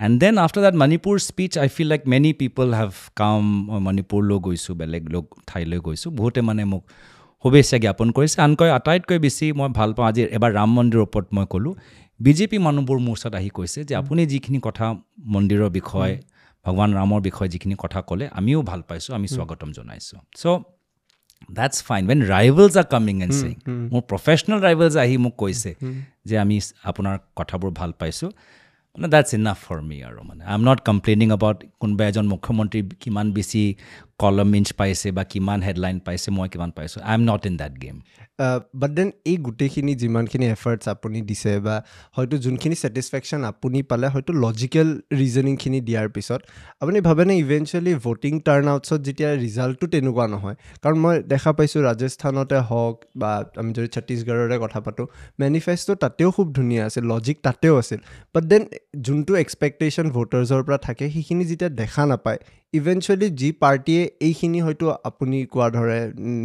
S2: and then after that Manipur speech, I feel like many people have come. মই মণিপুৰলৈ গৈছোঁ, বেলেগ লোক ঠাইলৈ গৈছোঁ, বহুতে মানে মোক শুভেচ্ছা জ্ঞাপন কৰিছে। আনকৈ আটাইতকৈ বেছি মই ভাল পাওঁ, আজি এবাৰ ৰাম মন্দিৰৰ ওপৰত মই ক'লোঁ, বিজেপি মানুহবোৰ মোৰ ওচৰত আহি কৈছে যে আপুনি যিখিনি কথা মন্দিৰৰ বিষয়ে, ভগৱান ৰামৰ বিষয়ে যিখিনি কথা ক'লে, আমিও ভাল পাইছোঁ, আমি স্বাগতম জনাইছোঁ। So that's fine when rivals are coming and saying. মোৰ প্ৰফেচনেল ৰাইভেলছ আহি মোক কৈছে যে আমি আপোনাৰ কথাবোৰ ভাল পাইছোঁ, মানে that's enough for me. আৰু মানে I am not complaining about কোনোবা এজন মুখ্যমন্ত্ৰী কিমান বেছি কলম ইঞ্চ পাইছে বা কিমান হেডলাইন পাইছে, মই কিমান পাইছোঁ, I am not in that game.
S1: But then এই গোটেইখিনি যিমানখিনি এফাৰ্টছ আপুনি দিছে বা হয়তো যোনখিনি ছেটিছফেকশ্যন আপুনি পালে, হয়তো লজিকেল ৰিজনিংখিনি দিয়াৰ পিছত আপুনি ভাবেনে ইভেঞ্চুৱেলি ভোটিং টাৰ্ণ আউটছত যেতিয়া ৰিজাল্টটো তেনেকুৱা নহয়? কাৰণ মই দেখা পাইছোঁ ৰাজস্থানতে হওক বা আমি যদি ছত্তীশগড়ৰে কথা পাতোঁ, মেনিফেষ্টো তাতেও খুব ধুনীয়া আছিল, লজিক তাতেও আছিল, বাট then যোনটো এক্সপেক্টেশ্যন ভোটাৰ্ছৰ পৰা থাকে সেইখিনি যেতিয়া দেখা নাপায়, ইভেঞ্চুৱেলি যি পাৰ্টীয়ে এইখিনি হয়তো আপুনি কোৱাৰ দৰে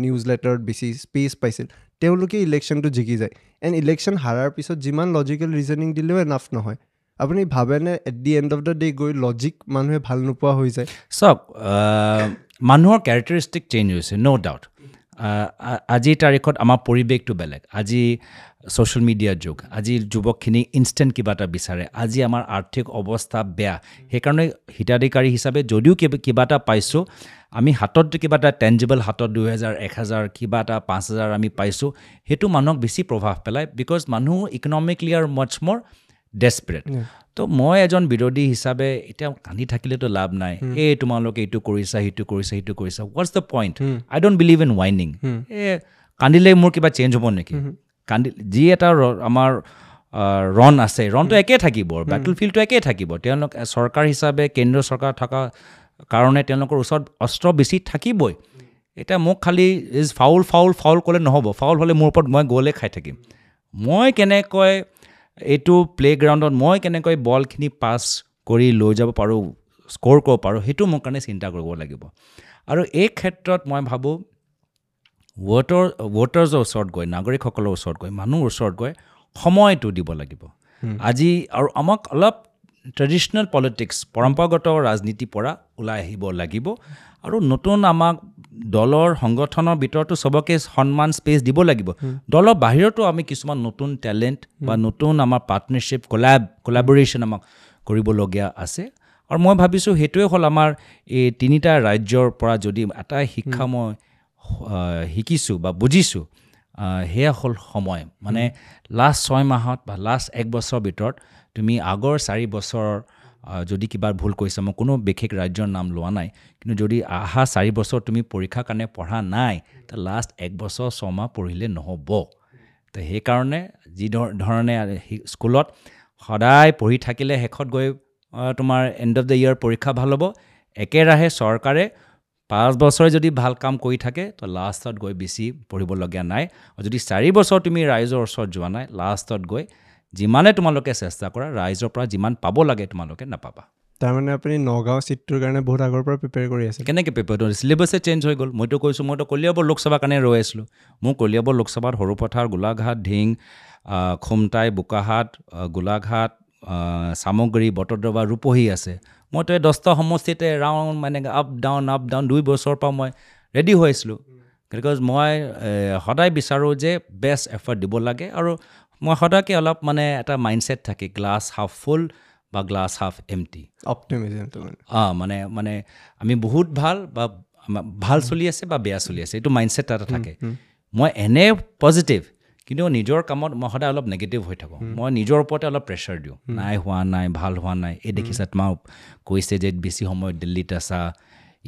S1: নিউজ লেটাৰত বেছি স্পেচ পাইছিল, তেওঁলোকে ইলেকশ্যনটো জিকি যায়। এণ্ড ইলেকশ্যন হাৰাৰ পিছত যিমান লজিকেল ৰিজনিং দিলেও এনাফ নহয়। আপুনি ভাবেনে at the end of the day গৈ লজিক মানুহে ভাল নোপোৱা হৈ যায়?
S2: চাওক, মানুহৰ কেৰেক্টাৰিষ্টিক চেঞ্জ হৈছে, ন' ডাউট। আজিৰ তাৰিখত আমাৰ পৰিৱেশটো বেলেগ, আজি ছ'চিয়েল মিডিয়াৰ যুগ, আজি যুৱকখিনি ইনষ্টেণ্ট কিবা এটা বিচাৰে, আজি আমাৰ আৰ্থিক অৱস্থা বেয়া, সেইকাৰণে হিতাধিকাৰী হিচাপে যদিও কিবা এটা পাইছোঁ, আমি হাতত কিবা এটা টেঞ্জিবল হাতত দুহেজাৰ, এক হাজাৰ, কিবা এটা পাঁচ হাজাৰ আমি পাইছোঁ, সেইটো মানুহক বেছি প্ৰভাৱ পেলায়, because মানুহ ইকনমিকলি আৰ মাছ মোৰ ডেছপাৰেট। তো মই এজন বিৰোধী হিচাপে এতিয়া কান্দি থাকিলেতো লাভ নাই, এই তোমালোকে এইটো কৰিছা, সেইটো কৰিছা, সেইটো কৰিছা, what's the point? I don't believe in whining. এই কান্দিলে মোৰ কিবা চেঞ্জ হ'ব নেকি? কান্দি যি এটা আমাৰ ৰণ আছে, ৰণটো একেই থাকিব, বেটল ফিল্ডটো একেই থাকিব। তেওঁলোক চৰকাৰ হিচাপে কেন্দ্ৰীয় চৰকাৰ থকা কাৰণে তেওঁলোকৰ ওচৰত অস্ত্ৰ বেছি থাকিবই। এতিয়া মোক খালি is foul foul foul ক'লে নহ'ব, ফাউল হ'লে মোৰ ওপৰত মই গ'লে খাই থাকিম। মই কেনেকৈ এইটো প্লে'গ্ৰাউণ্ডত মই কেনেকৈ বলখিনি পাছ কৰি লৈ যাব পাৰোঁ, স্ক'ৰ কৰিব পাৰোঁ, সেইটো মোৰ কাৰণে চিন্তা কৰিব লাগিব। আৰু এই ক্ষেত্ৰত মই ভাবোঁ ভোটৰ ভোটাৰ্ছৰ ওচৰত গৈ, নাগৰিকসকলৰ ওচৰত গৈ, মানুহৰ ওচৰত গৈ সময়টো দিব লাগিব আজি। আৰু আমাক অলপ ট্ৰেডিশ্যনেল পলিটিক্স, পৰম্পৰাগত ৰাজনীতিৰ পৰা ওলাই আহিব লাগিব আৰু নতুন আমাক দলৰ সংগঠনৰ ভিতৰতো চবকে সন্মান স্পেচ দিব লাগিব। দলৰ বাহিৰতো আমি কিছুমান নতুন টেলেণ্ট বা নতুন আমাৰ পাৰ্টনাৰশ্বিপ, কলাব কলাবৰেশ্যন আমাক কৰিবলগীয়া আছে। আৰু মই ভাবিছোঁ সেইটোৱে হ'ল আমাৰ এই তিনিটা ৰাজ্যৰ পৰা যদি এটা শিক্ষা মই শিকিছোঁ বা বুজিছোঁ, সেয়া হ'ল সময়। মানে লাষ্ট ছয় মাহত বা লাষ্ট এক বছৰৰ ভিতৰত তুমি আগৰ চাৰি বছৰৰ যদি কিবা ভুল কৰিছা, মই কোনো বিশেষ ৰাজ্যৰ নাম লোৱা নাই, কিন্তু যদি অহা চাৰি বছৰ তুমি পৰীক্ষাৰ কাৰণে পঢ়া নাই, তো লাষ্ট এক বছৰ ছমাহ পঢ়িলে নহ'ব। তো সেইকাৰণে যি ধৰণে স্কুলত সদায় পঢ়ি থাকিলে শেষত গৈ তোমাৰ এণ্ড অফ the year পৰীক্ষা ভাল হ'ব, একেৰাহে চৰকাৰে পাঁচ বছৰে যদি ভাল কাম কৰি থাকে তো লাষ্টত গৈ বেছি পঢ়িবলগীয়া নাই। আৰু যদি চাৰি বছৰ তুমি ৰাইজৰ ওচৰত যোৱা নাই, লাষ্টত গৈ যিমানে তোমালোকে চেষ্টা কৰা ৰাইজৰ পৰা যিমান পাব লাগে তোমালোকে নাপাবা।
S1: তাৰমানে আপুনি নগাঁও ছিটটোৰ কাৰণে বহুত আগৰ পৰা প্ৰিপেয়াৰ কৰি আছে?
S2: কেনেকৈ প্ৰিপেয়াৰ কৰি, চিলেবাছে চেঞ্জ হৈ গ'ল। মইতো কৈছোঁ, মইতো কলিয়াবৰ লোকসভাৰ কাৰণে ৰৈ আছিলোঁ। মোৰ কলিয়াবৰ লোকসভাত সৰুপথাৰ, গোলাঘাট, ঢিং, খুমটাই, বোকাহাট, গোলাঘাট, চামগুৰি, বটদ্ৰৱা, ৰূপহী আছে। মইতো এই দহটা সমষ্টিতে ৰাউণ্ড মানে আপ ডাউন আপ ডাউন দুই বছৰৰ পৰা মই ৰেডি হৈ আছিলোঁ। Because মই সদায় বিচাৰোঁ যে বেষ্ট এফৰ্ট দিব লাগে আৰু মই সদায়কে অলপ মানে এটা মাইণ্ডছেট থাকে গ্লাছ হাফ ফুল বা গ্লাছ হাফ এমটি।
S1: অপটিমিজমটো মানে
S2: অঁ মানে মানে আমি বহুত ভাল বা ভাল চলি আছে বা বেয়া চলি আছে, এইটো মাইণ্ডছেট এটা থাকে। মই এনে পজিটিভ, কিন্তু নিজৰ কামত মই সদায় অলপ নেগেটিভ হৈ থাকোঁ। মই নিজৰ ওপৰতে অলপ প্ৰেছাৰ দিওঁ, নাই হোৱা নাই, ভাল হোৱা নাই, এই দেখিছা তোমাক কৈছে যে বেছি সময় দিল্লীত আছা,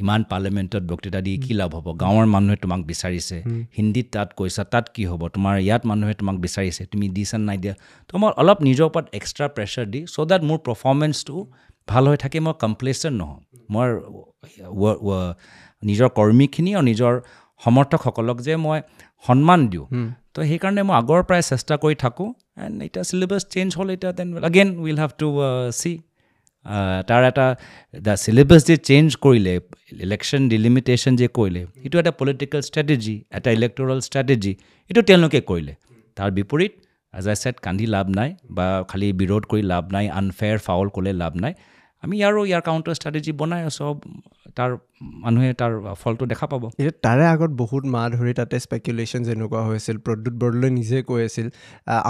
S2: ইমান পাৰ্লিয়ামেণ্টত বক্তৃতা দি কি লাভ হ'ব, গাঁৱৰ মানুহে তোমাক বিচাৰিছে, হিন্দীত তাত কৈছা তাত কি হ'ব, তোমাৰ ইয়াত মানুহে তোমাক বিচাৰিছে, তুমি দিছা নাই দিয়া। তো মই অলপ নিজৰ ওপৰত extra pressure the so' that মোৰ পাৰফৰ্মেঞ্চটো ভাল হৈ থাকে, মই কমপ্লেচেণ্ট নহওঁ। মই নিজৰ কৰ্মীখিনি আৰু নিজৰ সমৰ্থকসকলক যে মই সন্মান দিওঁ, তো সেইকাৰণে মই আগৰ পৰাই চেষ্টা কৰি থাকোঁ। এণ্ড এতিয়া চিলেবাছ চেঞ্জ হ'ল, এতিয়া then again will have to see তাৰ এটা the syllabus যে চেঞ্জ কৰিলে, ইলেকশ্যন ডিলিমিটেশ্যন যে কৰিলে, এইটো এটা পলিটিকেল ষ্ট্ৰেটেজি, এটা ইলেক্টৰেল ষ্ট্ৰেটেজি, এইটো তেওঁলোকে কৰিলে। তাৰ বিপৰীত এজ আই ছেড, কান্দি লাভ নাই বা খালি বিৰোধ কৰি লাভ নাই, আনফেয়াৰ ফাউল ক'লে লাভ নাই। আমি ইয়াৰো ইয়াৰ কাউণ্টাৰ ষ্ট্ৰেটেজি বনাই চব তাৰ মানুহে তাৰ ফলটো দেখা পাব।
S1: এতিয়া তাৰে আগত বহুত মাহ ধৰি তাতে স্পেকুলেশ্যন যেনেকুৱা হৈছিল, প্ৰদ্যুৎ বৰদলৈ নিজে কৈ আছিল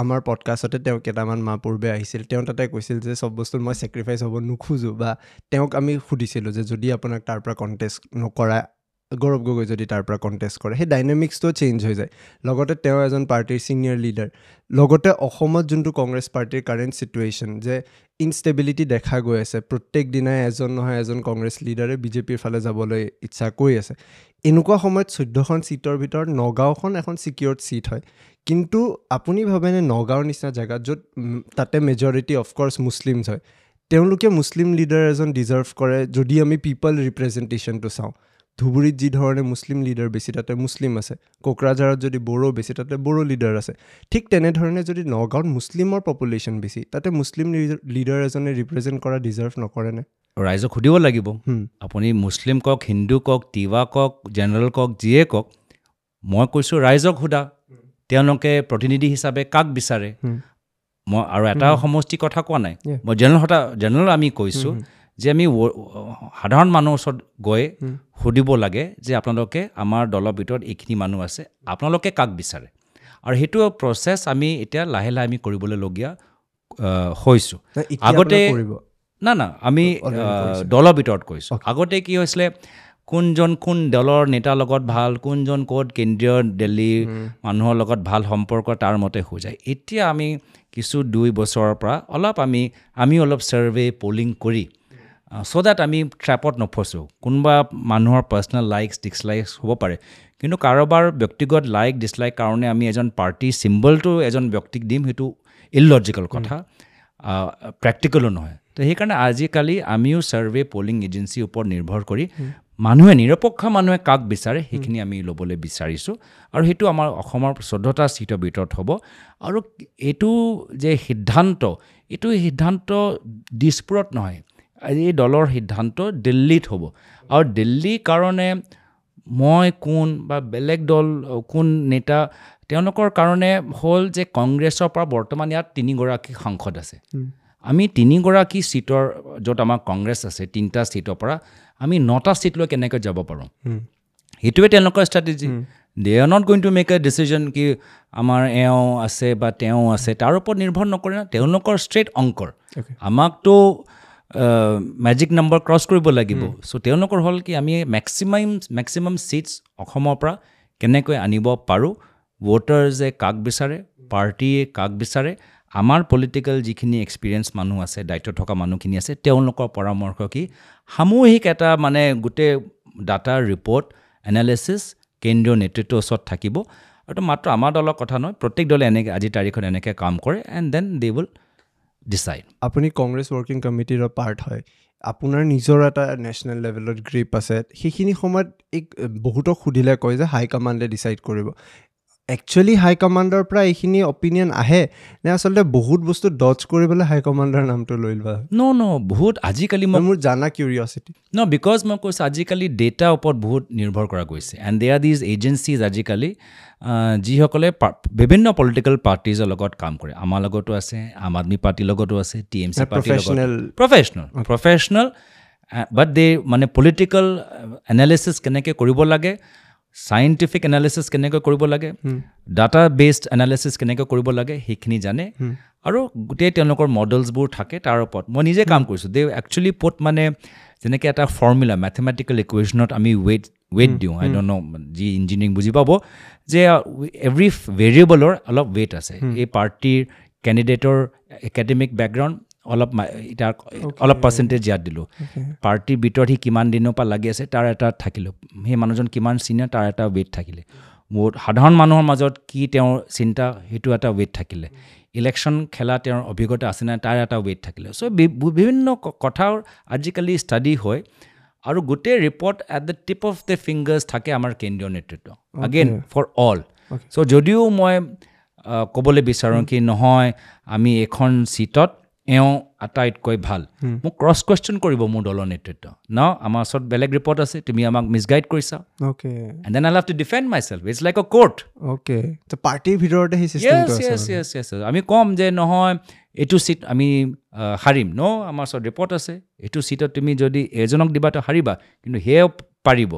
S1: আমাৰ পডকাষ্টতে, তেওঁ কেইটামান মাহ পূৰ্বে আহিছিল, তেওঁ তাতে কৈছিল যে চব বস্তুত মই ছেক্ৰিফাইচ হ'ব নোখোজোঁ। বা তেওঁক আমি সুধিছিলোঁ যে যদি আপোনাক তাৰ পৰা কণ্টেষ্ট নকৰা, গৌৰৱ গগৈ যদি তাৰ পৰা কণ্টেষ্ট কৰে, সেই ডাইনামিক্সটো চেঞ্জ হৈ যায়। লগতে তেওঁ এজন পাৰ্টীৰ ছিনিয়ৰ লিডাৰ, লগতে অসমত যোনটো কংগ্ৰেছ পাৰ্টীৰ কাৰেণ্ট ছিটুৱেশ্যন যে ইনষ্টেবিলিটি দেখা গৈ আছে, প্ৰত্যেক দিনাই এজন নহয় এজন কংগ্ৰেছ লিডাৰে বিজেপিৰ ফালে যাবলৈ ইচ্ছা কৰি আছে। এনেকুৱা সময়ত চৈধ্যখন ছিটৰ ভিতৰত নগাঁওখন এখন ছিকিয়ৰ্ড ছিট হয়, কিন্তু আপুনি ভাবেনে নগাঁৱৰ নিচিনা জেগাত য'ত তাতে মেজৰিটি অফক'ৰ্ছ মুছলিমছ হয়, তেওঁলোকে মুছলিম লিডাৰ এজন ডিজাৰ্ভ কৰে? যদি আমি পিপল ৰিপ্ৰেজেণ্টেশ্যনটো চাওঁ, ধুবুৰীত যি ধৰণে মুছলিম লিডাৰ বেছি তাতে মুছলিম আছে, কোকৰাঝাৰত যদি বড়ো বেছি তাতে বড়ো লিডাৰ আছে, ঠিক তেনেধৰণে যদি নগাঁৱত মুছলিমৰ পপুলেশ্যন বেছি তাতে মুছলিম লিডাৰ এজনে ৰিপ্ৰেজেণ্ট কৰা ডিজাৰ্ভ নকৰেনে?
S2: ৰাইজক সুধিব লাগিব। আপুনি মুছলিম কওক, হিন্দু কওক, তিৱা কওক, জেনেৰেল কওক, যিয়ে কওক, মই কৈছোঁ ৰাইজক সোধা, তেওঁলোকে প্ৰতিনিধি হিচাপে কাক বিচাৰে। মই আৰু এটা সমষ্টিৰ কথা কোৱা নাই, মই জেনেৰেল কথা জেনেৰেল আমি কৈছোঁ যে আমি সাধাৰণ মানুহৰ ওচৰত গৈ সুধিব লাগে যে আপোনালোকে আমাৰ দলৰ ভিতৰত এইখিনি মানুহ আছে, আপোনালোকে কাক বিচাৰে। আৰু সেইটো প্ৰচেছ আমি এতিয়া লাহে লাহে আমি কৰিবলগীয়া হৈছোঁ। আগতে না না আমি দলৰ ভিতৰত কৰিছোঁ। আগতে কি হৈছিলে, কোনজন কোন দলৰ নেতাৰ লগত ভাল, কোনজন ক'ত কেন্দ্ৰীয় দিল্লীৰ মানুহৰ লগত ভাল সম্পৰ্ক, তাৰ মতে হৈ যায়। এতিয়া আমি কিছু দুই বছৰৰ পৰা অলপ আমি আমি অলপ ছাৰ্ভে পলিং কৰি চ' that আমি ট্ৰেপত নফচোঁ। কোনোবা মানুহৰ পাৰ্চনেল লাইকছ ডিছলাইকছ হ'ব পাৰে, কিন্তু কাৰোবাৰ ব্যক্তিগত লাইক ডিছলাইক কাৰণে আমি এজন পাৰ্টি চিম্বলটো এজন ব্যক্তিক দিম, সেইটো ইললজিকেল কথা, প্ৰেক্টিকেলো নহয়। তো সেইকাৰণে আজিকালি আমিও ছাৰ্ভে পলিং এজেঞ্চিৰ ওপৰত নিৰ্ভৰ কৰি মানুহে, নিৰপেক্ষ মানুহে কাক বিচাৰে সেইখিনি আমি ল'বলৈ বিচাৰিছোঁ। আৰু সেইটো আমাৰ অসমৰ চৈধ্যটা ছিটৰ ভিতৰত হ'ব। আৰু এইটো যে সিদ্ধান্ত, এইটো সিদ্ধান্ত দিছপুৰত নহয়, এই দলৰ সিদ্ধান্ত দিল্লীত হ'ব। আৰু দিল্লীৰ কাৰণে মই কোন বা বেলেগ দল কোন নেতা, তেওঁলোকৰ কাৰণে হ'ল যে কংগ্ৰেছৰ পৰা বৰ্তমান ইয়াত তিনিগৰাকী সাংসদ আছে। আমি তিনিগৰাকী ছিটৰ য'ত আমাৰ কংগ্ৰেছ আছে তিনিটা ছিটৰ পৰা আমি নটা ছিট লৈ কেনেকৈ যাব পাৰোঁ সেইটোৱে তেওঁলোকৰ strategy they are not going to make a decision কি আমাৰ এওঁ আছে বা তেওঁ আছে তাৰ ওপৰত নিৰ্ভৰ নকৰে না তেওঁলোকৰ ষ্ট্ৰেইট অংকৰ আমাকতো মেজিক নম্বৰ ক্ৰছ কৰিব লাগিব চ' তেওঁলোকৰ হ'ল কি আমি মেক্সিমাম মেক্সিমাম ছিটছ অসমৰ পৰা কেনেকৈ আনিব পাৰোঁ ভোটাৰ্ছে কাক বিচাৰে পাৰ্টীয়ে কাক বিচাৰে আমাৰ পলিটিকেল যিখিনি এক্সপিৰিয়েঞ্চ মানুহ আছে দায়িত্ব থকা মানুহখিনি আছে তেওঁলোকৰ পৰামৰ্শ কি সামূহিক এটা মানে গোটেই ডাটা ৰিপৰ্ট এনালিচিছ কেন্দ্ৰীয় নেতৃত্বৰ ওচৰত থাকিব আৰু মাত্ৰ আমাৰ দলৰ কথা নহয় প্ৰত্যেক দলে এনেকৈ আজিৰ তাৰিখত এনেকৈ কাম কৰে and then they will decide
S1: আপুনি কংগ্ৰেছ ৱৰ্কিং কমিটিৰ পাৰ্ট হয় আপোনাৰ নিজৰ এটা নেশ্যনেল লেভেলত গ্ৰিপ আছে সেইখিনি সময়ত এই বহুতক সুধিলে কয় যে হাইকমাণ্ডে ডিচাইড কৰিব একচুৱেলি হাইকমাণ্ডৰ পৰা এইখিনি অপিনিয়ন আহে নে আচলতে বহুত বস্তু ডজ কৰিবলৈ হাইকমাণ্ডৰ নামটো লৈ লোৱা হয়
S2: ন ন বহুত আজিকালি মই
S1: মোৰ জানা কিউৰিয়চিটি
S2: ন because মই কৈছোঁ আজিকালি ডেটাৰ ওপৰত বহুত নিৰ্ভৰ কৰা গৈছে and there are these agencies আজিকালি যিসকলে বিভিন্ন পলিটিকেল পাৰ্টিজৰ লগত কাম কৰে আমাৰ লগতো আছে আম আদমি পাৰ্টীৰ লগতো আছে টি এম চি পাৰ্টীৰ লগত প্ৰফেচনেল প্ৰফেচনেল বাট দে মানে পলিটিকেল এনালিচিছ কেনেকৈ কৰিব লাগে চাইণ্টিফিক এনালিচিছ কেনেকৈ কৰিব লাগে ডাটা বেছড এনালিচিছ কেনেকৈ কৰিব লাগে সেইখিনি জানে আৰু গোটেই তেওঁলোকৰ মডেলছবোৰ থাকে তাৰ ওপৰত মই নিজে কাম কৰিছোঁ দে একচুৱেলি পুট মানে যেনেকৈ এটা ফৰ্মুলা মেথমেটিকেল ইকুৱেশ্যনত আমি ৱেইট ৱেইট দিওঁ আই don't ন' যি ইঞ্জিনিয়াৰিং বুজি পাব যে এভৰি ভেৰিয়েবলৰ অলপ ৱেইট আছে এই পাৰ্টীৰ কেণ্ডিডেটৰ একাডেমিক বেকগ্ৰাউণ্ড অলপ তাৰ অলপ পাৰ্চেণ্টেজ ইয়াত দিলোঁ পাৰ্টীৰ ভিতৰত সি কিমান দিনৰ পৰা লাগি আছে তাৰ এটা থাকিলোঁ সেই মানুহজন কিমান চিনিয়ৰ তাৰ এটা ৱেইট থাকিলে বহুত সাধাৰণ মানুহৰ মাজত কি তেওঁৰ চিন্তা সেইটো এটা ৱেইট থাকিলে ইলেকশ্যন খেলা তেওঁৰ অভিজ্ঞতা আছে নাই তাৰ এটা ৱেইট থাকিলে চ' বিভিন্ন কথাৰ আজিকালি ষ্টাডি হয় আৰু গোটেই report at the tip of the fingers থাকে আমাৰ কেন্দ্ৰীয় নেতৃত্ব আগেইন ফৰ অল চ' যদিও মই ক'বলৈ বিচাৰোঁ কি নহয় আমি এইখন ছিটত এওঁ আটাইতকৈ ভাল মোক ক্ৰছ কুৱেশ্যন কৰিব মোৰ দলৰ নেতৃত্ব ন আমাৰ ওচৰত বেলেগ ৰিপৰ্ট আছে তুমি আমাক মিছগাইড কৰিছা and then I have to defend myself it's like a court
S1: okay পাৰ্টীৰ ভিতৰতে
S2: আমি ক'ম যে নহয় এইটো ছিট আমি হাৰিম ন আমাৰ ওচৰত ৰিপৰ্ট আছে এইটো ছিটত তুমি যদি এজনক দিবা তো হাৰিবা কিন্তু সেয়াও পাৰিব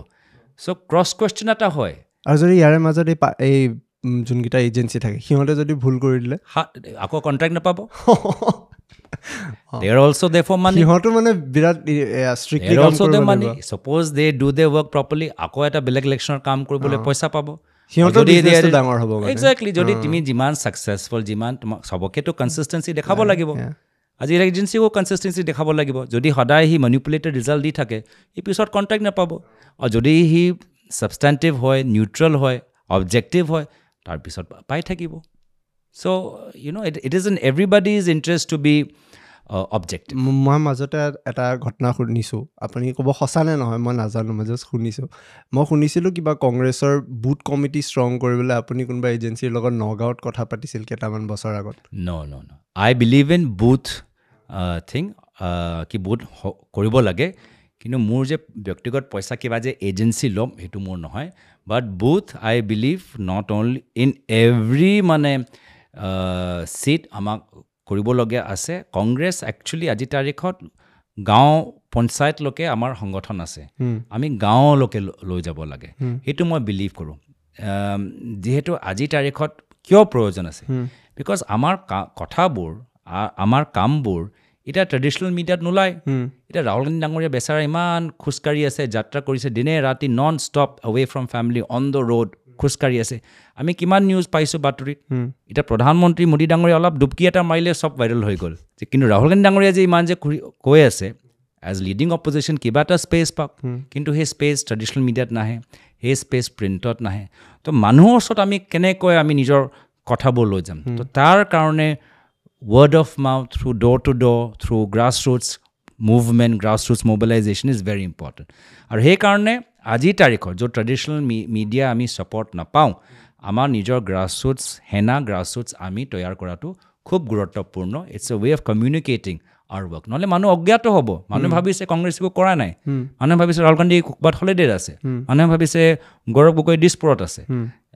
S2: চ' ক্ৰছ কুৱেশ্যন এটা হয়
S1: আৰু যদি ইয়াৰে মাজত এই এই যোনকেইটা এজেঞ্চি থাকে সিহঁতে যদি ভুল কৰি দিলে
S2: আকৌ কণ্ট্ৰেক্ট নাপাব They are also there for money.
S1: সিহঁতো মানে বিৰাট
S2: strictly also the money. Suppose they do their work properly, আকৌ এটা বেলেগ ইলেকশ্যনৰ কাম কৰিবলৈ পইচা পাব
S1: সিহঁতৰ বিজনেছটো ডাঙৰ হ'ব মানে
S2: একজেক্টলি যদি তুমি যিমান ছাকচেছফুল যিমান তোমাক চবকেতো কনচিষ্টেঞ্চি দেখাব লাগিব আজি এজেঞ্চিও কনচিষ্টেঞ্চি দেখাব লাগিব যদি সদায় সি মেনিপুলেটেড ৰিজাল্ট দি থাকে সি পিছত কণ্ট্ৰেক্ট নাপাব আৰু যদি সি ছাবষ্টেণ্টিভ হয় নিউট্ৰেল হয় অবজেক্টিভ হয় তাৰপিছত পাই থাকিব so you know it it is in everybody's interest to be objective
S1: মই মাজতে এটা ঘটনা শুনিছোঁ আপুনি ক'ব সঁচা নে নহয় মই নাজানো মই জাষ্ট শুনিছোঁ মই শুনিছিলোঁ কিবা কংগ্ৰেছৰ বুথ কমিটি ষ্ট্ৰং কৰিবলৈ আপুনি কোনোবা এজেঞ্চিৰ লগত নগাঁৱত কথা পাতিছিল কেইটামান বছৰ আগত
S2: no no no I believe in booth thing কি বুথ কৰিব লাগে কিন্তু মোৰ যে ব্যক্তিগত পইচা কিবা যে এজেঞ্চি ল'ম সেইটো মোৰ নহয় but booth I believe not only in every মানে ছিট আমাক কৰিবলগীয়া আছে কংগ্ৰেছ একচুৱেলি আজিৰ তাৰিখত গাঁও পঞ্চায়তলৈকে আমাৰ সংগঠন আছে আমি গাঁৱলৈকে লৈ যাব লাগে সেইটো মই বিলিভ কৰোঁ যিহেতু আজিৰ তাৰিখত কিয় প্ৰয়োজন আছে because আমাৰ কথাবোৰ আমাৰ কামবোৰ এতিয়া ট্ৰেডিশ্যনেল মিডিয়াত নোলায় এতিয়া ৰাহুল গান্ধী ডাঙৰীয়া বেচেৰা ইমান খোজকাঢ়ি আছে যাত্ৰা কৰিছে দিনে ৰাতি non stop away from family on the road খোজকাঢ়ি আছে আমি কিমান নিউজ পাইছোঁ বাতৰিত এতিয়া প্ৰধানমন্ত্ৰী মোদী ডাঙৰীয়া অলপ ডুবকি এটা মাৰিলে চব ভাইৰেল হৈ গ'ল কিন্তু ৰাহুল গান্ধী ডাঙৰীয়া যে ইমান যে কৈ আছে এজ লিডিং অপজিশ্যন কিবা এটা স্পেচ পাওক কিন্তু সেই স্পেচ ট্ৰেডিশ্যনেল মিডিয়াত নাহে সেই স্পেচ প্ৰিণ্টত নাহে তো মানুহৰ ওচৰত আমি কেনেকৈ আমি নিজৰ কথাবোৰ লৈ যাম তো তাৰ কাৰণে word of mouth through door to door through grass roots movement grass roots mobilization is very important আৰু সেইকাৰণে আজিৰ তাৰিখত য'ত ট্ৰেডিশ্যনেল মিডিয়া আমি ছাপৰ্ট নাপাওঁ আমাৰ নিজৰ গ্ৰাছ ৰুটছ সেনা গ্ৰাছ ৰুটছ আমি তৈয়াৰ কৰাটো খুব গুৰুত্বপূৰ্ণ it's a way of communicating our work নহ'লে মানুহ অজ্ঞাত হ'ব মানুহে ভাবিছে কংগ্ৰেছ একো কৰা নাই মানুহে ভাবিছে ৰাহুল গান্ধী ক'ৰবাত হলিডেত আছে মানুহে ভাবিছে গৌৰৱ গগৈ দিছপুৰত আছে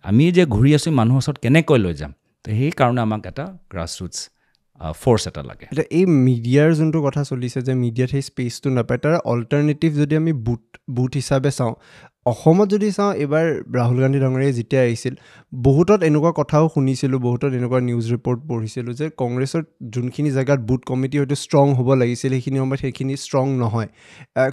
S2: আমি যে ঘূৰি আছোঁ মানুহৰ ওচৰত কেনেকৈ লৈ যাম তো সেইকাৰণে আমাক এটা গ্ৰাছ ৰুটছ ফ'ৰ্চ এটা লাগে।
S1: এতিয়া এই মিডিয়াৰ যোনটো কথা চলিছে যে মিডিয়াত সেই স্পেচটো নাপায়, তাৰ অল্টাৰনেটিভ যদি আমি বুথ বুথ হিচাপে চাওঁ, অসমত যদি চাওঁ, এইবাৰ ৰাহুল গান্ধী ডাঙৰীয়াই যেতিয়া আহিছিল, বহুতত এনেকুৱা কথাও শুনিছিলোঁ, বহুতত এনেকুৱা নিউজ ৰিপৰ্ট পঢ়িছিলোঁ যে কংগ্ৰেছৰ যোনখিনি জেগাত বুথ কমিটি হয়তো ষ্ট্ৰং হ'ব লাগিছিল, সেইখিনি সময়ত সেইখিনি ষ্ট্ৰং নহয়।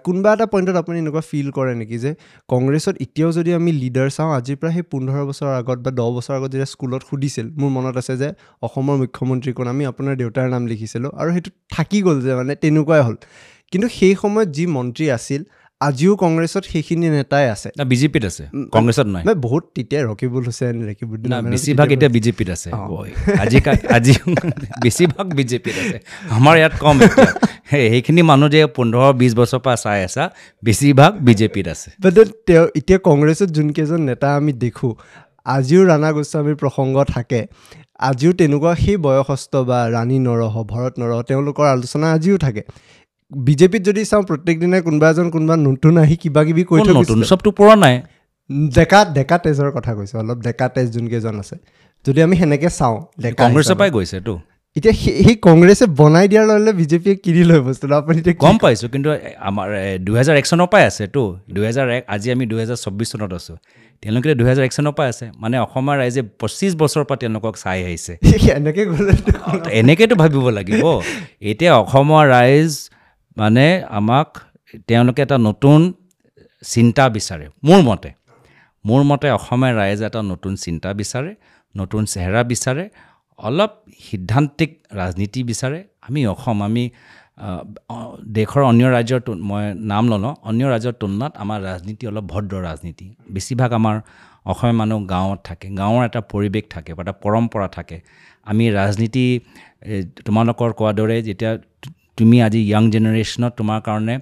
S1: কোনোবা এটা পইণ্টত আপুনি এনেকুৱা ফিল কৰে নেকি যে কংগ্ৰেছত এতিয়াও যদি আমি লিডাৰ চাওঁ, আজিৰ পৰা সেই পোন্ধৰ বছৰৰ আগত বা দহ বছৰৰ আগত যেতিয়া স্কুলত সুধিছিল, মোৰ মনত আছে যে অসমৰ মুখ্যমন্ত্ৰী কোন, আমি আপোনাৰ দেউতাৰ নাম লিখিছিলোঁ আৰু সেইটো থাকি গ'ল যে মানে তেনেকুৱাই হ'ল। কিন্তু সেই সময়ত যি মন্ত্ৰী আছিল, আজিও কংগ্ৰেছত সেইখিনি নেতাই আছে।
S2: বিজেপিত আছে, কংগ্ৰেছত নাই।
S1: বহুত তেতিয়া ৰকিবুল হুছেইন, ৰকিবুদ্দিন,
S2: বেছিভাগ এতিয়া বিজেপিত আছে। আজি আজি বেছিভাগ বিজেপিত আছে, আমাৰ ইয়াত কম। সেইখিনি মানুহ যে পোন্ধৰ বিছ বছৰৰ পৰা চাই আছা, বেছিভাগ বিজেপিত আছে।
S1: বাট তেওঁ এতিয়া কংগ্ৰেছত যোনকেইজন নেতা আমি দেখোঁ, আজিও ৰাণা গোস্বামীৰ প্ৰসংগ থাকে, আজিও তেনেকুৱা সেই বয়সস্থ বা ৰাণী নৰহ, ভৰত নৰহ, তেওঁলোকৰ আলোচনা আজিও থাকে। বিজেপিত যদি চাওঁ, প্ৰত্যেক দিনাই কোনোবা এজন কোনোবা নতুন আহি কিবা কিবি কৈ
S2: থৈ, নতুন চবটো পৰা নাই।
S1: ডেকা ডেকা তেজৰ কথা কৈছোঁ, অলপ ডেকা তেজ যোনকেইজন আছে, যদি আমি সেনেকৈ চাওঁ,
S2: ডেকা কংগ্ৰেছৰ পৰাই গৈছেতো।
S1: এতিয়া সেই কংগ্ৰেছে বনাই দিয়াৰ লগে লগে বিজেপিয়ে কিনি লয় বস্তুটো, আপুনি এতিয়া
S2: গম পাইছোঁ। কিন্তু আমাৰ দুহেজাৰ এক চনৰ পৰাই আছেতো, দুহেজাৰ এক, আজি আমি দুহেজাৰ চৌব্বিছ চনত আছোঁ, তেওঁলোকে দুহেজাৰ এক চনৰ পৰাই আছে। মানে অসমৰ ৰাইজে পঁচিছ বছৰৰ পৰা তেওঁলোকক চাই আহিছে।
S1: এনেকৈ গ'লে
S2: এনেকৈতো ভাবিব লাগিব। এতিয়া অসমৰ ৰাইজ মানে আমাক তেওঁলোকে এটা নতুন চিন্তা বিচাৰে। মোৰ মতে মোৰ মতে অসমীয়া ৰাইজে এটা নতুন চিন্তা বিচাৰে, নতুন চেহেৰা বিচাৰে, অলপ সিদ্ধান্তিক ৰাজনীতি বিচাৰে। আমি অসম, আমি দেশৰ অন্য ৰাজ্যৰ, মই নাম নলওঁ, অন্য ৰাজ্যৰ তুলনাত আমাৰ ৰাজনীতি অলপ ভদ্ৰ ৰাজনীতি। বেছিভাগ আমাৰ অসমীয়া মানুহ গাঁৱত থাকে, গাঁৱৰ এটা পৰিৱেশ থাকে বা এটা পৰম্পৰা থাকে। আমি ৰাজনীতি তোমালোকৰ কোৱাৰ দৰে, যেতিয়া তুমি আজি য়াং জেনেৰেশ্যনত তোমাৰ কাৰণে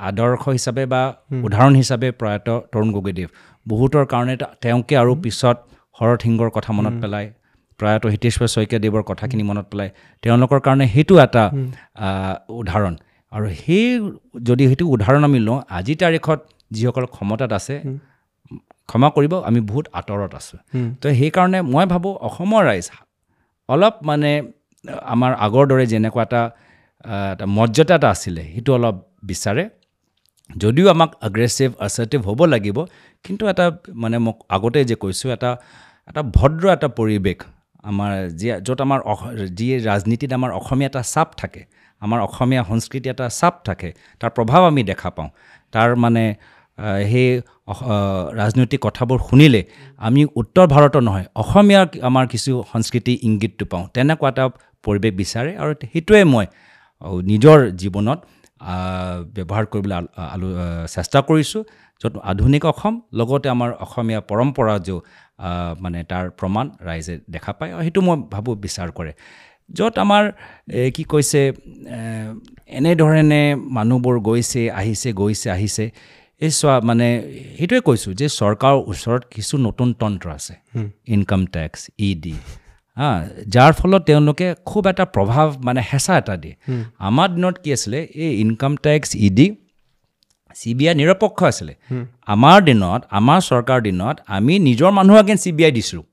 S2: আদৰ্শ হিচাপে বা উদাহৰণ হিচাপে প্ৰয়াত তৰুণ গগৈদেৱ, বহুতৰ কাৰণে তেওঁকে আৰু পিছত শৰৎ সিংহৰ কথা মনত পেলায়, প্ৰয়াত হিতেশ্বৰ শইকীয়াদেৱৰ কথাখিনি মনত পেলায়, তেওঁলোকৰ কাৰণে সেইটো এটা উদাহৰণ। আৰু সেই যদি সেইটো উদাহৰণ আমি লওঁ, আজিৰ তাৰিখত যিসকল ক্ষমতাত আছে, ক্ষমা কৰিব, আমি বহুত আঁতৰত আছোঁ। তো সেইকাৰণে মই ভাবোঁ অসমৰ ৰাইজ অলপ মানে আমাৰ আগৰ দৰে যেনেকুৱা এটা এটা মৰ্যাদা এটা আছিলে, সেইটো অলপ বিচাৰে। যদিও আমাক এগ্ৰেছিভ এছাৰ্টিভ হ'ব লাগিব, কিন্তু এটা মানে মোক আগতে যে কৈছোঁ, এটা এটা ভদ্ৰ এটা পৰিৱেশ আমাৰ যি য'ত আমাৰ যি ৰাজনীতিত আমাৰ অসমীয়া এটা চাপ থাকে, আমাৰ অসমীয়া সংস্কৃতি এটা চাপ থাকে, তাৰ প্ৰভাৱ আমি দেখা পাওঁ। তাৰ মানে সেই ৰাজনৈতিক কথাবোৰ শুনিলে আমি উত্তৰ ভাৰতৰ নহয়, অসমীয়া আমাৰ কিছু সংস্কৃতি ইংগিতটো পাওঁ। তেনেকুৱা এটা পৰিৱেশ বিচাৰে আৰু সেইটোৱে মই নিজৰ জীৱনত ব্যৱহাৰ কৰিবলৈ আলো চেষ্টা কৰিছোঁ, য'ত আধুনিক অসম লগতে আমাৰ অসমীয়া পৰম্পৰা যো মানে তাৰ প্ৰমাণ ৰাইজে দেখা পায় আৰু সেইটো মই ভাবোঁ বিচাৰ কৰে। য'ত আমাৰ কি কৈছে, এনেধৰণে মানুহবোৰ গৈছে আহিছে, গৈছে আহিছে, এই চোৱা মানে সেইটোৱে কৈছোঁ যে চৰকাৰৰ ওচৰত কিছু নতুন তন্ত্ৰ আছে, ইনকাম টেক্স, ই ডি, হা, যাৰ ফলত তেওঁলোকে খুব এটা প্ৰভাৱ মানে হেঁচা এটা দিয়ে। আমাৰ দিনত কি আছিলে, এই income tax, E D, C B I নিৰপেক্ষ আছিলে। আমাৰ দিনত, আমাৰ চৰকাৰৰ দিনত আমি নিজৰ মানুহ আগেন চি বি আই দিছিলোঁ।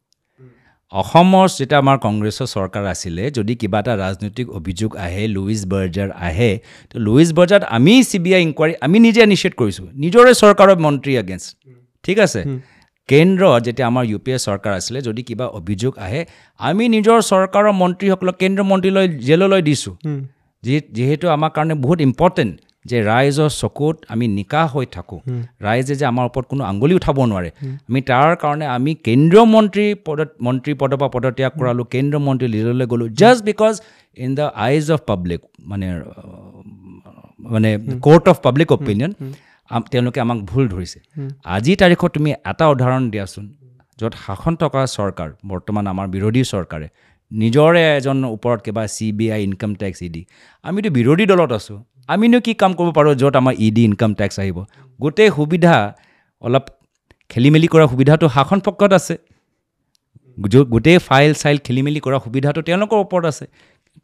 S2: অসমৰ যেতিয়া আমাৰ কংগ্ৰেছৰ চৰকাৰ আছিলে, যদি কিবা এটা ৰাজনৈতিক অভিযোগ আহে, লুইচ বাৰ্জাৰ আহে, তো লুইচ বাৰ্জাৰত আমি চি বি আই ইনকুৱাৰী আমি নিজে ইনিচিয়েট কৰিছোঁ, নিজৰে চৰকাৰৰ মন্ত্ৰী এগেইনষ্ট। ঠিক আছে, কেন্দ্ৰত যেতিয়া আমাৰ ইউ পি এ চৰকাৰ আছিলে, যদি কিবা অভিযোগ আহে, আমি নিজৰ চৰকাৰৰ মন্ত্ৰীসকলক কেন্দ্ৰীয় মন্ত্ৰীলৈ জেললৈ দিছোঁ। যি যিহেতু আমাৰ কাৰণে বহুত ইম্পৰ্টেণ্ট যে ৰাইজৰ চকুত আমি নিকা হৈ থাকোঁ, ৰাইজে যে আমাৰ ওপৰত কোনো আঙুলি উঠাব নোৱাৰে, আমি তাৰ কাৰণে আমি কেন্দ্ৰীয় মন্ত্ৰী পদত মন্ত্ৰী পদৰ পৰা পদত্যাগ কৰালোঁ, কেন্দ্ৰীয় মন্ত্ৰী লিডলৈ গ'লোঁ, just because in the eyes of public, মানে মানে কোৰ্ট অফ পাব্লিক অপিনিয়ন, তেওঁলোকে আমাক ভুল ধৰিছে। আজিৰ তাৰিখত তুমি এটা উদাহৰণ দিয়াচোন য'ত শাসন থকা চৰকাৰ, বৰ্তমান আমাৰ বিৰোধী চৰকাৰে নিজৰে এজন ওপৰত কিবা C B I, income tax, E D, আমিতো বিৰোধী দলত আছোঁ, আমিনো কি কাম কৰিব পাৰোঁ য'ত আমাৰ ই ডি, ইনকাম টেক্স আহিব? গোটেই সুবিধা অলপ খেলি মেলি কৰা সুবিধাটো শাসন পক্ষত আছে, গোটেই ফাইল চাইল খেলি মেলি কৰা সুবিধাটো তেওঁলোকৰ ওপৰত আছে,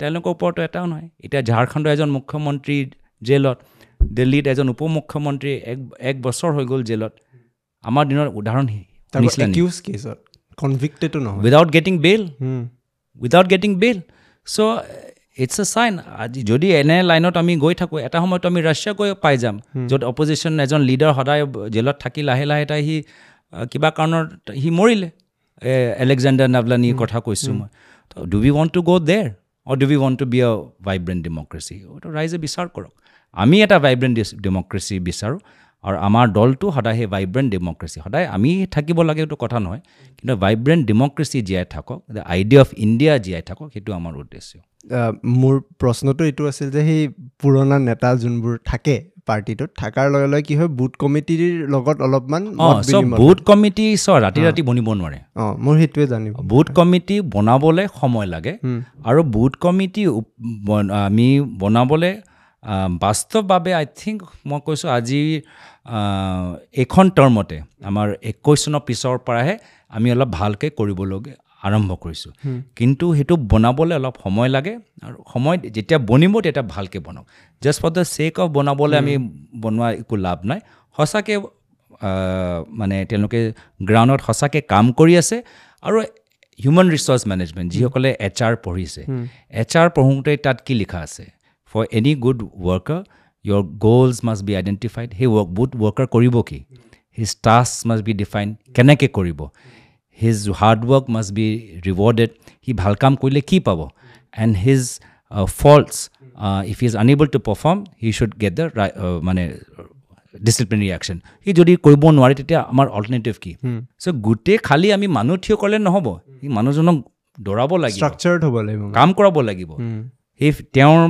S2: তেওঁলোকৰ ওপৰতো এটাও নহয়। এতিয়া ঝাৰখণ্ডৰ এজন মুখ্যমন্ত্ৰী জেলত, দিল্লীত এজন উপ মুখ্যমন্ত্ৰী এক এক বছৰ হৈ গ'ল জেলত। আমাৰ দিনৰ উদাহৰণ
S1: কনভিক্টেডো নহয়,
S2: without getting bail, without getting bail. So It's a sign আজি যদি এনে লাইনত আমি গৈ থাকোঁ এটা সময়ত আমি ৰাছিয়া গৈ পাই যাম য'ত অপজিশ্যন এজন লিডাৰ সদায় জেলত থাকি লাহে লাহে তাই সি কিবা কাৰণত সি মৰিলে এলেকজেণ্ডাৰ নাভলানীৰ কথা কৈছোঁ মই do we want to go there or do we want to be a vibrant democracy এইটো ৰাইজে বিচাৰ কৰক আমি এটা ভাইব্ৰেণ্ট ডেম'ক্ৰেচি বিচাৰোঁ আৰু আমাৰ দলটো সদায় সেই ভাইব্ৰেণ্ট ডেম'ক্ৰেচি সদায় আমি থাকিব লাগে এইটো কথা নহয় কিন্তু ভাইব্ৰেণ্ট ডেম'ক্ৰেচি জীয়াই থাকক the idea of India জীয়াই থাকক সেইটো আমাৰ উদ্দেশ্য
S1: মোৰ প্ৰশ্নটো এইটো আছিল যে সেই পুৰণা নেতা যোনবোৰ থাকে পাৰ্টিটোত থকাৰ লগে লগে কি হয় বুথ কমিটিৰ লগত অলপমান
S2: অঁ চব বুথ কমিটি চ ৰাতি ৰাতি বনিব নোৱাৰে
S1: অঁ মোৰ সেইটোৱে জানিব
S2: বুথ কমিটি বনাবলৈ সময় লাগে আৰু বুথ কমিটি আমি বনাবলৈ বাস্তৱভাৱে আই থিংক মই কৈছোঁ আজি এইখন টাৰ্মতে আমাৰ একৈছ চনৰ পিছৰ পৰাহে আমি অলপ ভালকৈ কৰিবলগীয়া আৰম্ভ কৰিছোঁ কিন্তু সেইটো বনাবলৈ অলপ সময় লাগে আৰু সময় যেতিয়া বনিব তেতিয়া ভালকৈ বনাওক just for the sake of বনাবলৈ আমি বনোৱা একো লাভ নাই সঁচাকৈ মানে তেওঁলোকে গ্ৰাউণ্ডত সঁচাকৈ কাম কৰি আছে আৰু হিউমেন ৰিচ'ৰ্চ মেনেজমেণ্ট যিসকলে এইচ আৰ পঢ়িছে এইচ আৰ পঢ়োঁতে তাত কি লিখা আছে for any good worker your goals must be identified সেই ৱৰ্ক বুথ ৱৰ্কাৰ কৰিব কি his task must be define কেনেকৈ কৰিব his hard work must be rewarded সি ভাল কাম কৰিলে কি পাব and his faults if is unable to perform he should get the মানে ডিচিপ্লিনাৰী একশ্যন সি যদি কৰিব নোৱাৰে তেতিয়া আমাৰ অল্টাৰনেটিভ কি চ' গোটেই খালী আমি মানুহ থিয় কৰিলে নহ'ব সি মানুহজনক দৌৰাব লাগিব
S1: ষ্ট্ৰাকচাৰ্ড হ'ব লাগিব
S2: কাম কৰাব লাগিব সেই তেওঁৰ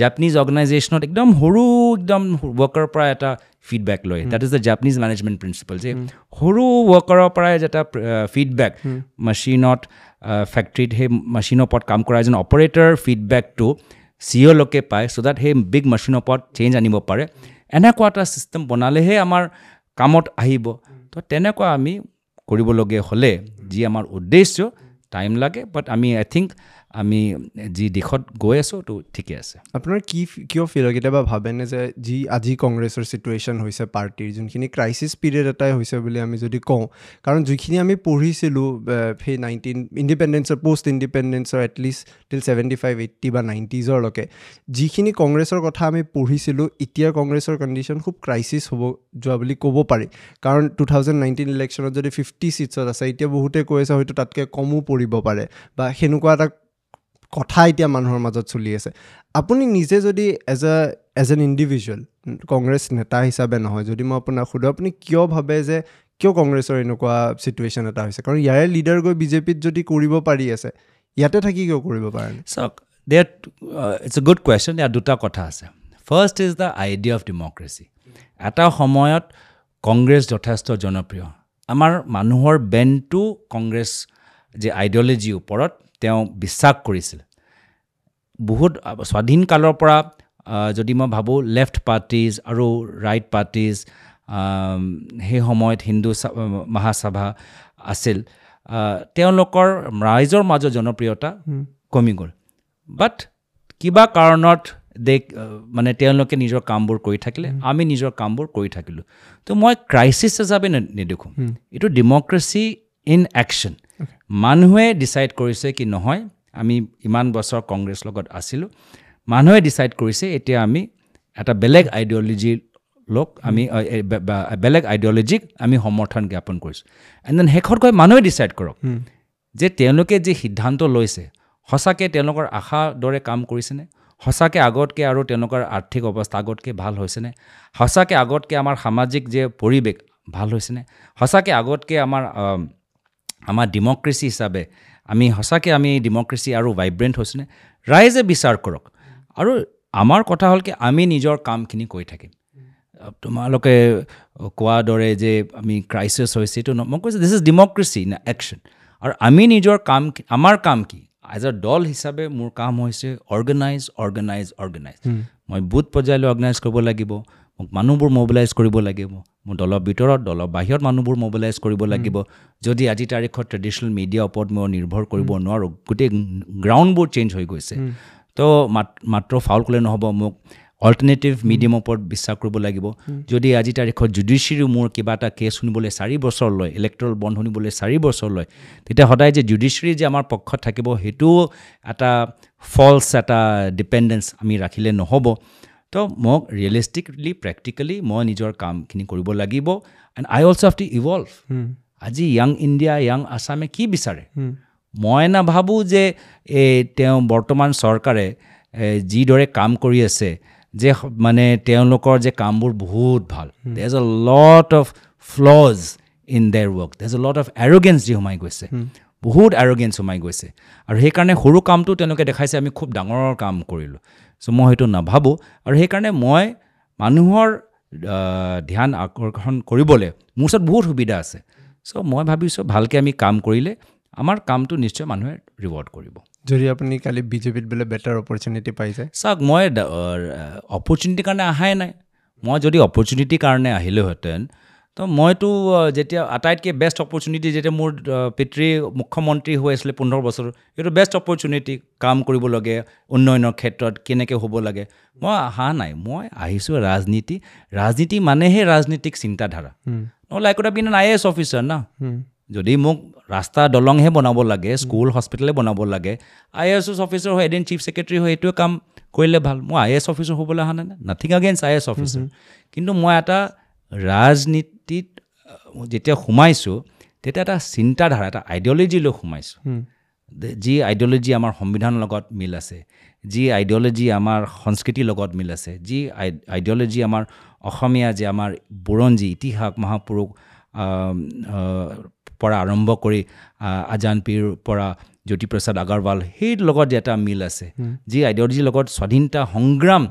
S2: জাপানিজ অৰ্গেনাইজেশ্যনত একদম সৰু একদম ৱৰ্কাৰৰ পৰা এটা ফিডবেক লয় that is the Japanese management principle যে সৰু ৱৰ্কাৰৰ পৰাই এটা ফিডবেক মেচিনত ফেক্টৰীত সেই মেচিনৰ ওপৰত কাম কৰা এজন অপাৰেটৰ ফিডবেকটো চি অ'লৈকে পায় চ' that সেই বিগ মেচিনৰ ওপৰত চেঞ্জ আনিব পাৰে এনেকুৱা এটা ছিষ্টেম বনালেহে আমাৰ কামত আহিব তো তেনেকুৱা আমি কৰিবলগীয়া হ'লে যি আমাৰ উদ্দেশ্য টাইম লাগে বাট আমি আই থিংক আমি যি দিশত গৈ আছোঁ তো ঠিকে আছে
S1: আপোনাৰ কি কিয় ফিল হয় কেতিয়াবা ভাবেনে যে যি আজি কংগ্ৰেছৰ চিটুৱেশ্যন হৈছে পাৰ্টীৰ যোনখিনি ক্ৰাইচিছ পিৰিয়ড এটাই হৈছে বুলি আমি যদি কওঁ কাৰণ যিখিনি আমি পঢ়িছিলোঁ সেই নাইনটিন ইণ্ডিপেণ্ডেঞ্চৰ পষ্ট ইণ্ডিপেণ্ডেঞ্চৰ at least till seventy five eighty বা নাইণ্টিজৰলৈকে যিখিনি কংগ্ৰেছৰ কথা আমি পঢ়িছিলোঁ এতিয়া কংগ্ৰেছৰ কণ্ডিশ্যন খুব ক্ৰাইচিছ হ'ব যোৱা বুলি ক'ব পাৰি কাৰণ টু থাউজেণ্ড নাইনটিন ইলেকশ্যনত যদি ফিফটি ছিটছত আছে এতিয়া বহুতে কৈ আছে হয়তো তাতকৈ কমো পৰিব পাৰে বা সেনেকুৱা এটা কথা এতিয়া মানুহৰ মাজত চলি আছে আপুনি নিজে যদি as a as an individual Congress নেতা হিচাপে নহয় যদি মই আপোনাক সোধোঁ আপুনি কিয় ভাবে যে কিয় কংগ্ৰেছৰ এনেকুৱা চিটুৱেশ্যন এটা হৈছে কাৰণ ইয়াৰে লিডাৰ গৈ বিজেপিত যদি কৰিব পাৰি আছে ইয়াতে থাকি কিয় কৰিব পাৰে নাই
S2: চাওক that it's a good question ইয়াত দুটা কথা আছে first is the idea of democracy এটা সময়ত কংগ্ৰেছ যথেষ্ট জনপ্ৰিয় আমাৰ মানুহৰ বেণ্ডটো কংগ্ৰেছ যে আইডিঅ'লজিৰ ওপৰত তেওঁ বিশ্বাস কৰিছিল বহুত স্বাধীন কালৰ পৰা যদি মই ভাবোঁ লেফ্ট পাৰ্টিজ আৰু ৰাইট পাৰ্টিজ সেই সময়ত হিন্দু মহাসভা আছিল তেওঁলোকৰ ৰাইজৰ মাজত জনপ্ৰিয়তা কমি গ'ল বাট কিবা কাৰণত দে মানে তেওঁলোকে নিজৰ কামবোৰ কৰি থাকিলে আমি নিজৰ কামবোৰ কৰি থাকিলোঁ তো মই ক্ৰাইচিছ হিচাপে নেদেখোঁ এইটো ডেম'ক্ৰেচি ইন একশ্যন মানুহে ডিচাইড কৰিছে কি নহয় আমি ইমান বছৰ কংগ্ৰেছ লগত আছিলোঁ মানুহে ডিচাইড কৰিছে এতিয়া আমি এটা বেলেগ আইডিঅ'লজি লোক আমি বেলেগ আইডিঅ'লজিক আমি সমৰ্থন জ্ঞাপন কৰিছোঁ এণ্ড then শেষত গৈ মানুহে ডিচাইড কৰক যে তেওঁলোকে যি সিদ্ধান্ত লৈছে সঁচাকৈ তেওঁলোকৰ আশা দৰে কাম কৰিছেনে সঁচাকৈ আগতকৈ আৰু তেওঁলোকৰ আৰ্থিক অৱস্থা আগতকৈ ভাল হৈছেনে সঁচাকৈ আগতকৈ আমাৰ সামাজিক যে পৰিৱেশ ভাল হৈছেনে সঁচাকৈ আগতকৈ আমাৰ আমাৰ ডেম'ক্ৰেচি হিচাপে আমি সঁচাকৈ আমি ডেম'ক্ৰেচি আৰু ভাইব্ৰেণ্ট হৈছেনে ৰাইজে বিচাৰ কৰক আৰু আমাৰ কথা হ'ল কি আমি নিজৰ কামখিনি কৰি থাকিম তোমালোকে কোৱাৰ দৰে যে আমি ক্ৰাইচিছ হৈছে এইটো মই কৈছোঁ this is democracy in action আৰু আমি নিজৰ কাম আমাৰ কাম কি এজ এ দল হিচাপে মোৰ কাম হৈছে অৰ্গেনাইজ অৰ্গেনাইজ অৰ্গেনাইজ মই বুথ পৰ্যায়লৈ অৰ্গেনাইজ কৰিব লাগিব মোক মানুহবোৰ মবিলাইজ কৰিব লাগিব মোৰ দলৰ ভিতৰত দলৰ বাহিৰত মানুহবোৰ মবিলাইজ কৰিব লাগিব যদি আজি তাৰিখত ট্ৰেডিশ্যনেল মিডিয়াৰ ওপৰত মই নিৰ্ভৰ কৰিব নোৱাৰোঁ গোটেই গ্ৰাউণ্ডবোৰ চেঞ্জ হৈ গৈছে তো মাত্ৰ ফাউল ক'লে নহ'ব মোক অল্টাৰনেটিভ মিডিয়ামৰ ওপৰত বিশ্বাস কৰিব লাগিব যদি আজি তাৰিখত জুডিচিয়েৰী মোৰ কিবা এটা কেছ শুনিবলৈ চাৰি বছৰ লয় ইলেক্ট্ৰল বণ্ড শুনিবলৈ চাৰি বছৰ লয় তেতিয়া সদায় যে জুডিচিয়েৰী যে আমাৰ পক্ষত থাকিব সেইটোও এটা ফল্ছ এটা ডিপেণ্ডেঞ্চ আমি ৰাখিলে নহ'ব তো মোক ৰিয়েলিষ্টিকলি প্ৰেক্টিকেলি মই নিজৰ কামখিনি কৰিব লাগিব and I also have to evolve আজি য়াং ইণ্ডিয়া য়াং আছামে কি বিচাৰে মই নাভাবোঁ যে এই তেওঁ বৰ্তমান চৰকাৰে যিদৰে কাম কৰি আছে যে মানে তেওঁলোকৰ যে কামবোৰ বহুত ভাল there is a lot of flaws in their work there is a lot of arrogance যি সোমাই গৈছে বহুত এৰগেঞ্চ সোমাই গৈছে আৰু সেইকাৰণে সৰু কামটো তেওঁলোকে দেখাইছে আমি খুব ডাঙৰ কাম কৰিলোঁ চ' মই সেইটো নাভাবোঁ আৰু সেইকাৰণে মই মানুহৰ ধ্যান আকৰ্ষণ কৰিবলৈ মোৰ ওচৰত বহুত সুবিধা আছে চ' মই ভাবিছোঁ ভালকৈ আমি কাম কৰিলে আমাৰ কামটো নিশ্চয় মানুহে ৰিৱাৰ্ড কৰিব
S1: যদি আপুনি কালি বিজেপিত বোলে বেটাৰ অপৰচুনিটি পাই যায়
S2: চাওক মই অপৰচুনিটিৰ কাৰণে অহাই নাই মই যদি অপৰচুনিটিৰ কাৰণে আহিলোহেঁতেন তো মইতো যেতিয়া আটাইতকৈ বেষ্ট অপৰচুনিটি যেতিয়া মোৰ পিতৃ মুখ্যমন্ত্ৰী হৈ আছিলে পোন্ধৰ বছৰ সেইটো বেষ্ট অপৰচুনিটি কাম কৰিব লাগে উন্নয়নৰ ক্ষেত্ৰত কেনেকৈ হ'ব লাগে মই অহা নাই মই আহিছোঁ ৰাজনীতি ৰাজনীতি মানেহে ৰাজনীতিক চিন্তাধাৰা নহ'লে I could been an IAS officer না যদি মোক ৰাস্তা দলংহে বনাব লাগে স্কুল হস্পিটেলে বনাব লাগে I A S officer হৈ এদিন চিফ ছেক্ৰেটেৰী হৈ এইটোৱে কাম কৰিলে ভাল মই I A S officer হ'বলৈ অহা নাই nothing against IAS officer কিন্তু মই এটা ৰাজনীতিত যেতিয়া সোমাইছোঁ তেতিয়া এটা চিন্তাধাৰা এটা আইডিঅ'লজি লৈ সোমাইছোঁ যি আইডিঅ'লজি আমাৰ সংবিধানৰ লগত মিল আছে যি আইডিঅ'লজি আমাৰ সংস্কৃতিৰ লগত মিল আছে যি আইডিঅ'লজি আমাৰ অসমীয়া যে আমাৰ বুৰঞ্জী ইতিহাস মহাপুৰুষ পৰা আৰম্ভ কৰি আজান পীৰ পৰা জ্যোতিপ্ৰসাদ আগৰৱাল সেই লগত যে এটা মিল আছে যি আইডিঅ'লজিৰ লগত স্বাধীনতা সংগ্ৰাম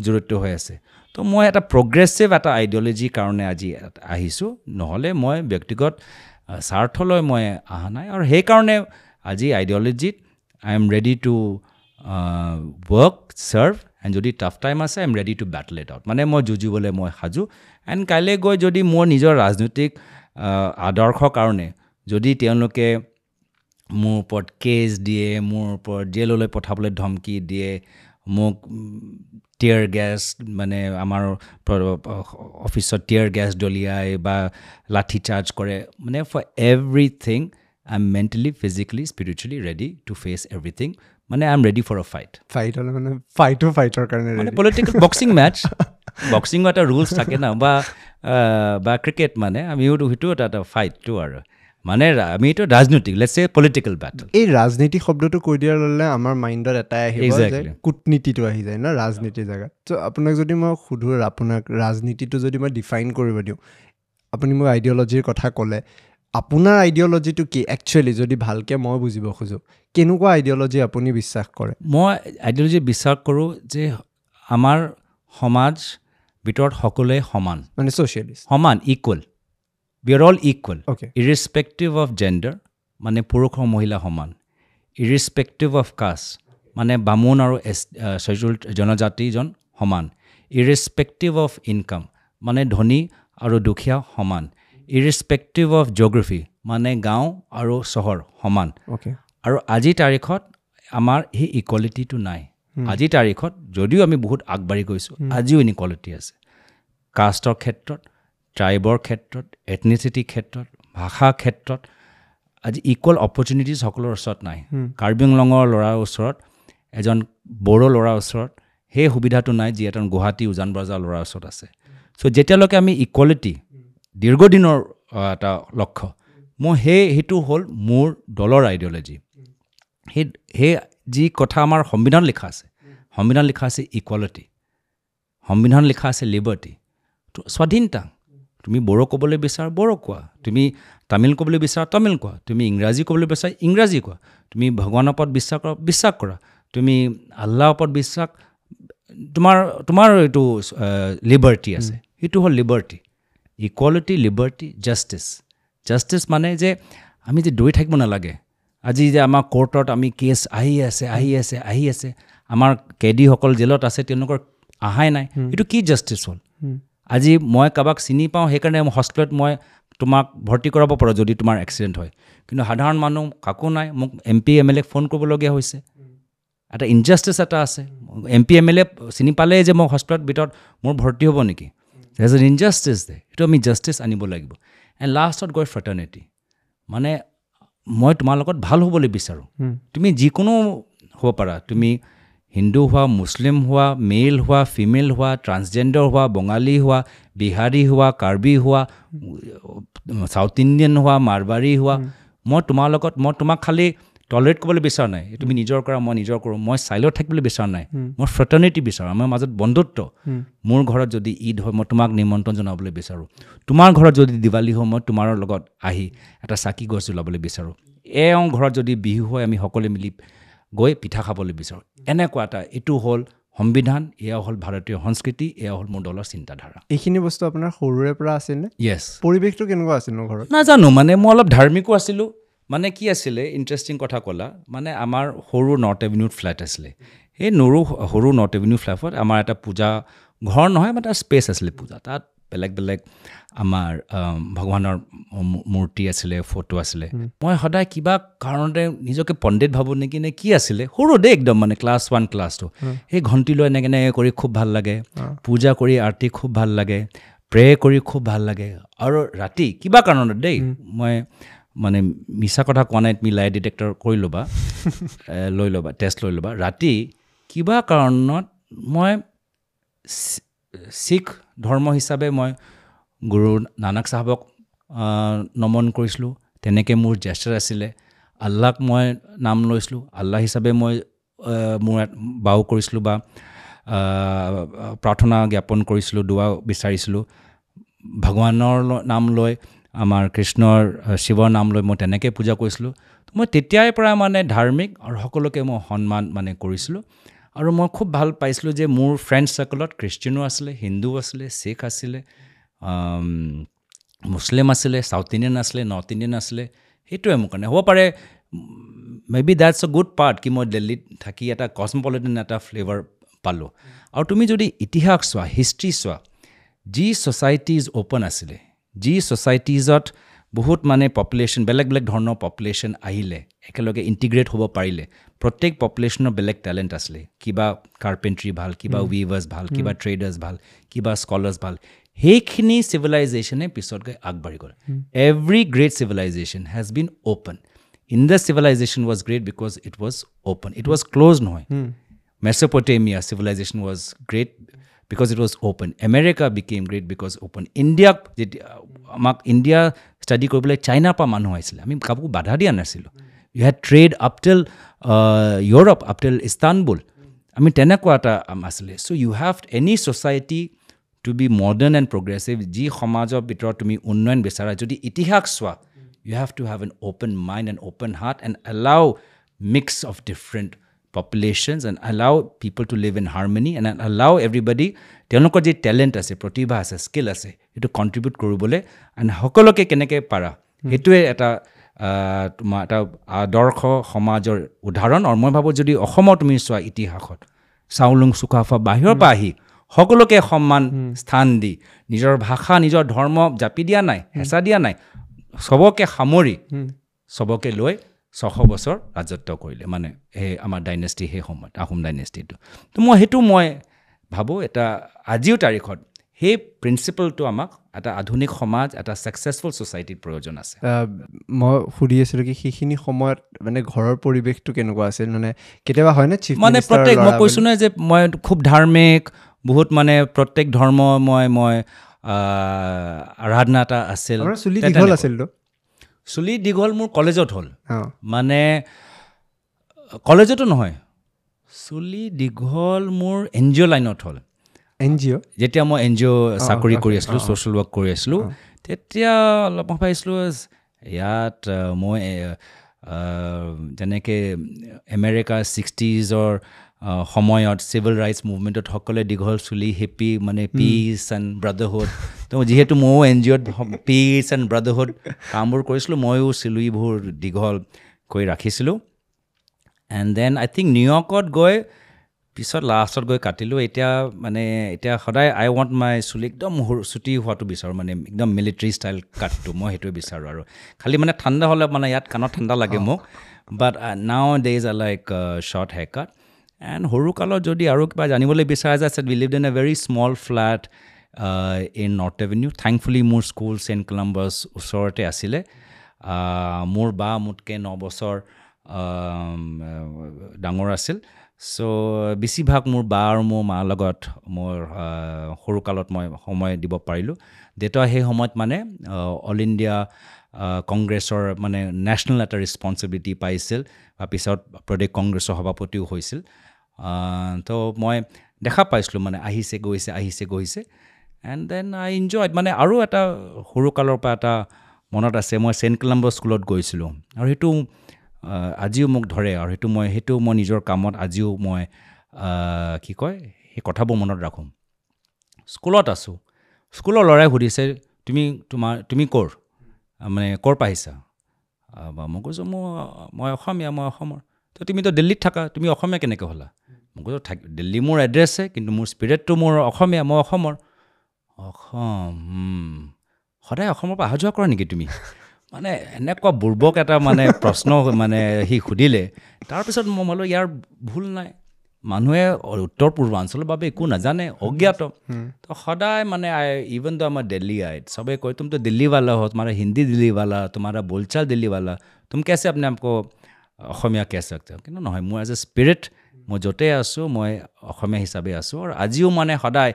S2: জড়িত হৈ আছে তো মই এটা প্ৰগ্ৰেছিভ এটা আইডিঅ'লজিৰ কাৰণে আজি আহিছোঁ নহ'লে মই ব্যক্তিগত স্বাৰ্থলৈ মই অহা নাই আৰু সেইকাৰণে আজি আইডিঅ'লজিত I am ready to work serve and যদি টাফ টাইম আছে I am ready to battle it out মানে মই যুঁজিবলৈ মই সাজু এণ্ড কাইলৈ গৈ যদি মোৰ নিজৰ ৰাজনৈতিক আদৰ্শৰ কাৰণে যদি তেওঁলোকে মোৰ ওপৰত কেছ দিয়ে মোৰ ওপৰত জেললৈ পঠাবলৈ ধমকি দিয়ে মোক টিয়াৰ গেছ মানে আমাৰ অফিচত টিয়াৰ গেছ দলিয়াই বা লাঠি চাৰ্জ কৰে মানে for everything I am mentally physically spiritually ready to face everything মানে I am ready for a fight
S1: fight হ'লে মানে ফাইটো ফাইটৰ কাৰণে
S2: মানে পলিটিকেল বক্সিং মেটচ বক্সিঙৰ এটা ৰুলছ থাকে ন বা বা ক্ৰিকেট মানে আমিও সেইটো এটা এটা ফাইটটো আৰু মানে আমি এইটো ৰাজনৈতিক let's say political battle
S1: এই ৰাজনীতি শব্দটো কৈ দিয়াৰ লগে আমাৰ মাইণ্ডত এটাই আহিব যে কূটনীতিটো আহি যায় ন ৰাজনীতিৰ জেগাত চ' আপোনাক যদি মই সোধোঁ আপোনাক ৰাজনীতিটো যদি মই ডিফাইন কৰিব দিওঁ আপুনি মোক আইডিঅ'লজিৰ কথা ক'লে আপোনাৰ আইডিঅ'লজিটো কি একচুৱেলি যদি ভালকৈ মই বুজিব খোজোঁ কেনেকুৱা আইডিঅ'লজি আপুনি বিশ্বাস কৰে
S2: মই আইডিঅ'লজি বিশ্বাস কৰোঁ যে আমাৰ সমাজ ভিতৰত সকলোৱে সমান
S1: মানে ছ'চিয়েলিষ্ট
S2: সমান equal we are all equal
S1: okay
S2: irrespective of gender মানে পুৰুষ আৰু মহিলা সমান ইৰিছপেক্টিভ অফ কাষ্ট মানে বামুণ আৰু এছ শ্বেডিউল্ড জনজাতিজন সমান ইৰিছপেক্টিভ অফ ইনকাম মানে ধনী আৰু দুখীয়া সমান ইৰিছপেক্টিভ অফ জিঅ'গ্ৰাফী মানে গাঁও আৰু চহৰ সমান
S1: অ'কে
S2: আৰু আজিৰ তাৰিখত আমাৰ সেই ইকুৱেলিটিটো নাই আজিৰ তাৰিখত যদিও আমি বহুত আগবাঢ়ি গৈছোঁ আজিও ইনইকুৱালিটি আছে কাষ্টৰ ক্ষেত্ৰত ট্ৰাইবৰ ক্ষেত্ৰত এথনিচিটিৰ ক্ষেত্ৰত ভাষাৰ ক্ষেত্ৰত আজি ইকুৱেল অপৰচুনিটিজ সকলোৰ ওচৰত নাই কাৰ্বি আংলঙৰ ল'ৰাৰ ওচৰত এজন বড়ো ল'ৰাৰ ওচৰত সেই সুবিধাটো নাই যি এজন গুৱাহাটী উজান বজাৰ ল'ৰাৰ ওচৰত আছে চ' যেতিয়ালৈকে আমি ইকুৱেলিটি দীৰ্ঘদিনৰ এটা লক্ষ্য মই সেই সেইটো হ'ল মোৰ দলৰ আইডিঅ'লজি সেই সেই যি কথা আমাৰ সংবিধান লিখা আছে সংবিধান লিখা আছে ইকুৱালিটি সংবিধান লিখা আছে লিবাৰ্টি স্বাধীনতা তুমি বড়ো ক'বলৈ বিচাৰা বড়ো কোৱা তুমি তামিল ক'বলৈ বিচাৰা তামিল কোৱা তুমি ইংৰাজী ক'বলৈ বিচাৰা ইংৰাজী কোৱা তুমি ভগৱানৰ ওপৰত বিশ্বাস কৰা বিশ্বাস কৰা তুমি আল্লাহৰ ওপৰত বিশ্বাস তোমাৰ তোমাৰ এইটো লিবাৰ্টি আছে সেইটো হ'ল liberty equality liberty justice justice মানে যে আমি যে দৌৰি থাকিব নালাগে আজি যে আমাৰ কোৰ্টত আমি কেছ আহি আছে আহি আছে আহি আছে আমাৰ কেদীসকল জেলত আছে তেওঁলোকৰ অহাই নাই এইটো কি জাষ্টিছ হ'ল আজি মই কাৰোবাক চিনি পাওঁ সেইকাৰণে হস্পিটেলত মই তোমাক ভৰ্তি কৰাব পাৰোঁ যদি তোমাৰ এক্সিডেণ্ট হয় কিন্তু সাধাৰণ মানুহ কাকো নাই মোক এম পি এম এল এক ফোন কৰিবলগীয়া হৈছে এটা ইনজাষ্টিছ এটা আছে M P M L এ চিনি পালেই যে মই হস্পিটেলত ভিতৰত মোৰ ভৰ্তি হ'ব নেকি there is an injustice দে সেইটো আমি জাষ্টিছ আনিব লাগিব এণ্ড লাষ্টত গৈ ফ্ৰেটাৰ্নিটি মানে মই তোমাৰ লগত ভাল হ'বলৈ বিচাৰোঁ তুমি যিকোনো হ'ব পাৰা তুমি হিন্দু হোৱা মুছলিম হোৱা মেল হোৱা ফিমেল হোৱা ট্ৰান্সজেণ্ডাৰ হোৱা বঙালী হোৱা বিহাৰী হোৱা কাৰ্বি হোৱা চাউথ ইণ্ডিয়ান হোৱা মাৰবাৰী হোৱা মই তোমাৰ লগত মই তোমাক খালি টলাৰেট কৰিবলৈ বিচৰা নাই তুমি নিজৰ কৰা মই নিজৰ কৰোঁ মই চাইলত থাকিবলৈ বিচৰা নাই মই ফ্ৰেটাৰ্নিটি বিচাৰোঁ আমাৰ মাজত বন্ধুত্ব মোৰ ঘৰত যদি ঈদ হয় মই তোমাক নিমন্ত্ৰণ জনাবলৈ বিচাৰোঁ তোমাৰ ঘৰত যদি দিৱালী হয় মই তোমাৰ লগত আহি এটা চাকি গছ জ্বলাবলৈ বিচাৰোঁ এওঁ ঘৰত যদি বিহু হয় আমি সকলোৱে মিলি গৈ পিঠা খাবলৈ বিচাৰোঁ এনেকুৱা এটা এইটো হ'ল সংবিধান এয়া হ'ল ভাৰতীয় সংস্কৃতি এয়া হ'ল মোৰ দলৰ চিন্তাধাৰা
S1: এইখিনি বস্তু আপোনাৰ সৰুৰে পৰা আছিল নে
S2: য়েছ
S1: পৰিৱেশটো কেনেকুৱা আছিল নো ঘৰত
S2: নাজানো মানে মই অলপ ধাৰ্মিকো আছিলোঁ মানে কি আছিলে ইণ্টাৰেষ্টিং কথা ক'লা মানে আমাৰ সৰু নৰ্থ এভিনিউত ফ্লেট আছিলে সেই নৰু সৰু নৰ্থ এভিনিউ ফ্লেটত আমাৰ এটা পূজা ঘৰ নহয় মানে এটা স্পেচ আছিলে পূজা তাত বেলেগ বেলেগ আমাৰ ভগৱানৰ মূৰ্তি আছিলে ফটো আছিলে মই সদায় কিবা কাৰণতে নিজকে পণ্ডিত ভাবোঁ নেকি নে কি আছিলে সৰু দেই একদম মানে ক্লাছ ওৱান ক্লাছ টু সেই ঘণ্টি লৈ এনেকৈ এনেকৈ কৰি খুব ভাল লাগে পূজা কৰি আৰতি খুব ভাল লাগে প্ৰে কৰি খুব ভাল লাগে আৰু ৰাতি কিবা কাৰণত দেই মই মানে মিছা কথা কোৱা নাই তুমি লাই ডিটেক্টৰ কৰি ল'বা লৈ ল'বা টেষ্ট লৈ ল'বা ৰাতি কিবা কাৰণত মই শিখ ধৰ্ম হিচাপে মই গুৰু নানক চাহাবক নমন কৰিছিলোঁ তেনেকৈ মোৰ জেষ্টাৰ আছিলে আল্লাক মই নাম লৈছিলোঁ আল্লাহ হিচাপে মই মোৰ বাও কৰিছিলোঁ বা প্ৰাৰ্থনা জ্ঞাপন কৰিছিলোঁ দোৱা বিচাৰিছিলোঁ ভগৱানৰ নাম লৈ আমাৰ কৃষ্ণৰ শিৱৰ নাম লৈ মই তেনেকৈ পূজা কৰিছিলোঁ মই তেতিয়াৰ পৰা মানে ধাৰ্মিক আৰু সকলোকে মই সন্মান মানে কৰিছিলোঁ আৰু মই খুব ভাল পাইছিলোঁ যে মোৰ ফ্ৰেণ্ড চাৰ্কলত খ্ৰীষ্টিয়ানো আছিলে হিন্দু আছিলে শিখ আছিলে মুছলিম আছিলে চাউথ ইণ্ডিয়ান আছিলে নৰ্থ ইণ্ডিয়ান আছিলে সেইটোৱে মোৰ কাৰণে হ'ব পাৰে maybe that's a good part কি মই দিল্লীত থাকি এটা কচমপলিটান এটা ফ্লেভাৰ পালোঁ আৰু তুমি যদি ইতিহাস চোৱা হিষ্ট্ৰী চোৱা যি ছ'চাইটিজ অ'পেন আছিলে যি ছ'চাইটিজত বহুত মানে পপুলেশ্যন বেলেগ বেলেগ ধৰণৰ পপুলেশ্যন আহিলে একেলগে ইণ্টিগ্ৰেট হ'ব পাৰিলে প্ৰত্যেক পপুলেশ্যনৰ বেলেগ টেলেণ্ট আছিলে কিবা কাৰ্পেণ্ট্ৰি ভাল কিবা উইভাৰ্ছ ভাল কিবা ট্ৰেডাৰ্ছ ভাল কিবা স্কলাৰ্ছ ভাল সেইখিনি চিভিলাইজেশ্যনে পিছত গৈ আগবাঢ়ি গ'ল every great civilization has been open Indus civilization was great because it was open it was close নহয় Mesopotamia civilization was great because it was open America became great because open ইণ্ডিয়াক যেতিয়া আমাক ইণ্ডিয়া ষ্টাডি কৰিবলৈ চাইনাৰ পৰা মানুহ আহিছিলে আমি কাকো বাধা দিয়া নাছিলোঁ you had trade up till Europe up till Istanbul আমি তেনেকুৱা এটা আছিলে so you have any society to be modern and progressive যি সমাজৰ ভিতৰত তুমি উন্নয়ন বিচাৰা যদি ইতিহাস চোৱা you have to have an open mind and open heart and allow mix of different populations and allow people to live in harmony and allow everybody তেওঁলোকৰ যি টেলেণ্ট আছে প্ৰতিভা আছে স্কিল আছে সেইটো কণ্ট্ৰিবিউট কৰিবলৈ এণ্ড সকলোকে কেনেকৈ পাৰা সেইটোৱে এটা তোমাৰ এটা আদৰ্শ সমাজৰ উদাহৰণ আৰু মই ভাবোঁ যদি অসমত তুমি চোৱা ইতিহাসত চাওলুং চুকাফা বাহিৰৰ পৰা আহি সকলোকে সন্মান স্থান দি নিজৰ ভাষা নিজৰ ধৰ্ম জাপি দিয়া নাই হেঁচা দিয়া নাই চবকে সামৰি চবকে লৈ ছশ বছৰ ৰাজত্ব কৰিলে মানে সেই আমাৰ ডাইনেষ্টি সেই সময়ত আহোম ডাইনেষ্টিটো তো মই সেইটো মই ভাবোঁ এটা আজিও তাৰিখত সেই প্ৰিন্সিপলটো আমাক এটা আধুনিক সমাজ এটা ছাকচেছফুল ছ'চাইটিৰ প্ৰয়োজন আছে
S1: মই সুধি আছিলোঁ কি সেইখিনি সময়ত মানে ঘৰৰ পৰিৱেশটো কেনেকুৱা আছিল মানে কেতিয়াবা হয়নে চিফ
S2: মানে প্ৰত্যেক মই কৈছোঁ নহয় যে মই খুব ধাৰ্মিক বহুত মানে প্ৰত্যেক ধৰ্ম মই মই আৰাধনা এটা আছিল
S1: চুলি দীঘল আছিলতো
S2: চুলি দীঘল মোৰ কলেজত হ'ল মানে কলেজতো নহয় চুলি দীঘল মোৰ এন জি অ' লাইনত হ'ল
S1: এন জি অ'
S2: যেতিয়া মই এন জি অ' চাকৰি কৰি আছিলোঁ ছ'চিয়েল ৱৰ্ক কৰি আছিলোঁ তেতিয়া অলপ মই ভাবিছিলোঁ ইয়াত মই যেনেকৈ আমেৰিকা ছিক্সটিজৰ সময়ত চিভিল ৰাইটছ মুভমেণ্টত সকলোৱে দীঘল চুলি হিপি মানে পিচ এণ্ড ব্ৰাদাৰহুড তো যিহেতু ময়ো এন জি অ'ত পিচ এণ্ড ব্ৰাদাৰহুড কামবোৰ কৰিছিলোঁ ময়ো চুলিবোৰ দীঘল কৰি ৰাখিছিলোঁ এণ্ড then I think নিউয়ৰ্কত গৈ পিছত লাষ্টত গৈ কাটিলোঁ এতিয়া মানে এতিয়া সদায় আই ৱান্ট মাই চুলি একদম সৰু চুটি হোৱাটো বিচাৰোঁ মানে একদম মিলিটাৰী ষ্টাইল কাটটো মই সেইটোৱে বিচাৰোঁ আৰু খালি মানে ঠাণ্ডা হ'লে মানে ইয়াত কাণত ঠাণ্ডা লাগে মোক but nowadays I like short hair cut and সৰুকালত যদি আৰু কিবা জানিবলৈ বিচৰা যায় we lived in a very small flat in North Avenue thankfully মোৰ স্কুল ছেইণ্ট কলাম্বাছ ওচৰতে আছিলে মোৰ বা মোতকৈ ন বছৰ ডাঙৰ আছিল চ' বেছিভাগ মোৰ বা আৰু মোৰ মাৰ লগত মোৰ সৰুকালত মই সময় দিব পাৰিলোঁ দেউতা সেই সময়ত মানে অল ইণ্ডিয়া কংগ্ৰেছৰ মানে নেশ্যনেল এটা ৰেচপনচিবিলিটি পাইছিল বা পিছত প্ৰদেশ কংগ্ৰেছৰ সভাপতিও হৈছিল তো মই দেখা পাইছিলোঁ মানে আহিছে গৈছে আহিছে গৈছে এণ্ড then I enjoy মানে আৰু এটা সৰুকালৰ পৰা এটা মনত আছে মই ছেইণ্ট কলাম্বাছ স্কুলত গৈছিলোঁ আৰু সেইটো আজিও মোক ধৰে আৰু সেইটো মই সেইটো মই নিজৰ কামত আজিও মই কি কয় সেই কথাবোৰ মনত ৰাখোঁ স্কুলত আছোঁ স্কুলৰ ল'ৰাই সুধিছে তুমি তোমাৰ তুমি ক'ৰ মানে ক'ৰ পৰা আহিছা বা মই কৈছোঁ মোৰ মই অসমীয়া মই অসমৰ তো তুমিতো দিল্লীত থাকা তুমি অসমীয়া কেনেকৈ হ'লা মই কৈছোঁ থাক দিল্লী মোৰ এড্ৰেছে কিন্তু মোৰ স্পিৰিটটো মোৰ অসমীয়া মই অসমৰ অসম সদায় অসমৰ পৰা অহা যোৱা কৰা নেকি তুমি মানে এনেকুৱা বুৰ্বক এটা মানে প্ৰশ্ন মানে সি সুধিলে তাৰপিছত মই বোলো ইয়াৰ ভুল নাই মানুহে উত্তৰ পূৰ্বাঞ্চলৰ বাবে একো নাজানে অজ্ঞাত তো সদায় মানে আই ইভেন দ আমাৰ দিল্লী আইট চবে কয় तुम तो दिल्ली वाला हो तुम्हारा हिंदी दिल्ली वाला तुम्हारा बोलचाल दिल्ली वाला तुम कैसे अपने आप को অসমীয়া कह सकते हो কিন্তু নহয় মোৰ এজ এ স্পিৰিট মই য'তেই আছোঁ মই অসমীয়া হিচাপে আছোঁ আৰু আজিও মানে সদায়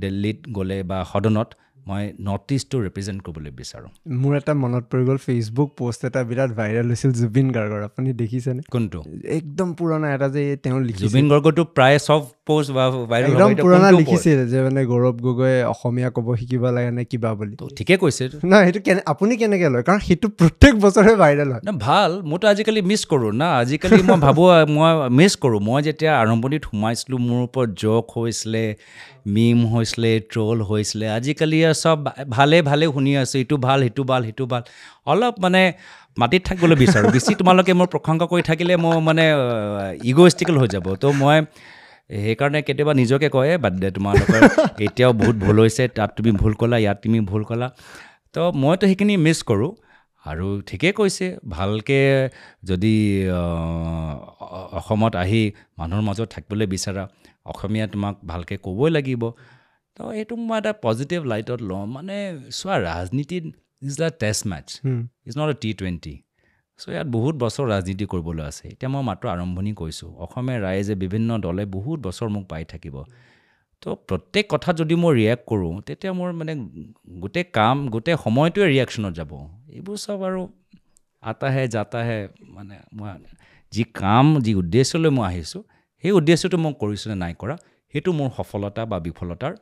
S2: দিল্লীত গ'লে বা সদনত মই নৰ্থ ইষ্টটো ৰিপ্ৰেজেণ্ট কৰিবলৈ বিচাৰোঁ
S1: মোৰ এটা মনত পৰি গ'ল ফেচবুক পষ্ট এটা বিৰাট ভাইৰেল হৈছিল জুবিন গাৰ্গৰ আপুনি দেখিছেনে
S2: কোনটো
S1: একদম পুৰণা এটা যে তেওঁ লিখিছিল
S2: জুবিন গাৰ্গৰটো প্ৰায় চব পষ্ট ভাইৰেল
S1: একদম পুৰণা লিখিছিল যে মানে গৌৰৱ গগৈয়ে অসমীয়া ক'ব শিকিব লাগে নে কিবা বুলি
S2: ঠিকে কৈছে
S1: নহয় সেইটো কেনে আপুনি কেনেকৈ লয় কাৰণ সেইটো প্ৰত্যেক বছৰে ভাইৰেল হয়
S2: না ভাল মইতো আজিকালি মিছ কৰোঁ না আজিকালি মই ভাবোঁ মই মিছ কৰোঁ মই যেতিয়া আৰম্ভণিত সোমাইছিলোঁ মোৰ ওপৰত জ'ক হৈছিলে মিম হৈছিলে ট্ৰল হৈছিলে আজিকালি আৰু চব ভালে ভালে শুনি আছোঁ ইটো ভাল সিটো ভাল সিটো ভাল অলপ মানে মাটিত থাকিবলৈ বিচাৰোঁ বেছি তোমালোকে মোৰ প্ৰশংসা কৰি থাকিলে মই মানে ইগ'ইষ্টিকেল হৈ যাব তো মই সেইকাৰণে কেতিয়াবা নিজকে কয় বাদ দে তোমালোকৰ এতিয়াও বহুত ভুল হৈছে তাত তুমি ভুল ক'লা ইয়াত তুমি ভুল ক'লা তো মইতো সেইখিনি মিছ কৰোঁ আৰু ঠিকেই কৈছে ভালকৈ যদি অসমত আহি মানুহৰ মাজত থাকিবলৈ বিচাৰা অসমীয়া তোমাক ভালকৈ ক'বই লাগিব তো এইটো মই এটা পজিটিভ লাইটত লওঁ মানে চোৱা ৰাজনীতিত is the test match is not a T twenty so ইয়াত বহুত বছৰ ৰাজনীতি কৰিবলৈ আছে এতিয়া মই মাত্ৰ আৰম্ভণি কৰিছোঁ অসমীয়া ৰাইজে বিভিন্ন দলে বহুত বছৰ মোক পাই থাকিব তো প্ৰত্যেক কথাত যদি মই ৰিয়েক্ট কৰোঁ তেতিয়া মোৰ মানে গোটেই কাম গোটেই সময়টোৱে ৰিয়েকশ্যনত যাব এইবোৰ চব আৰু आता है जाता है মানে মই যি কাম যি উদ্দেশ্যলৈ মই আহিছোঁ সেই উদ্দেশ্যটো মই কৰিছোঁ নে নাই কৰা সেইটো মোৰ সফলতা বা বিফলতাৰ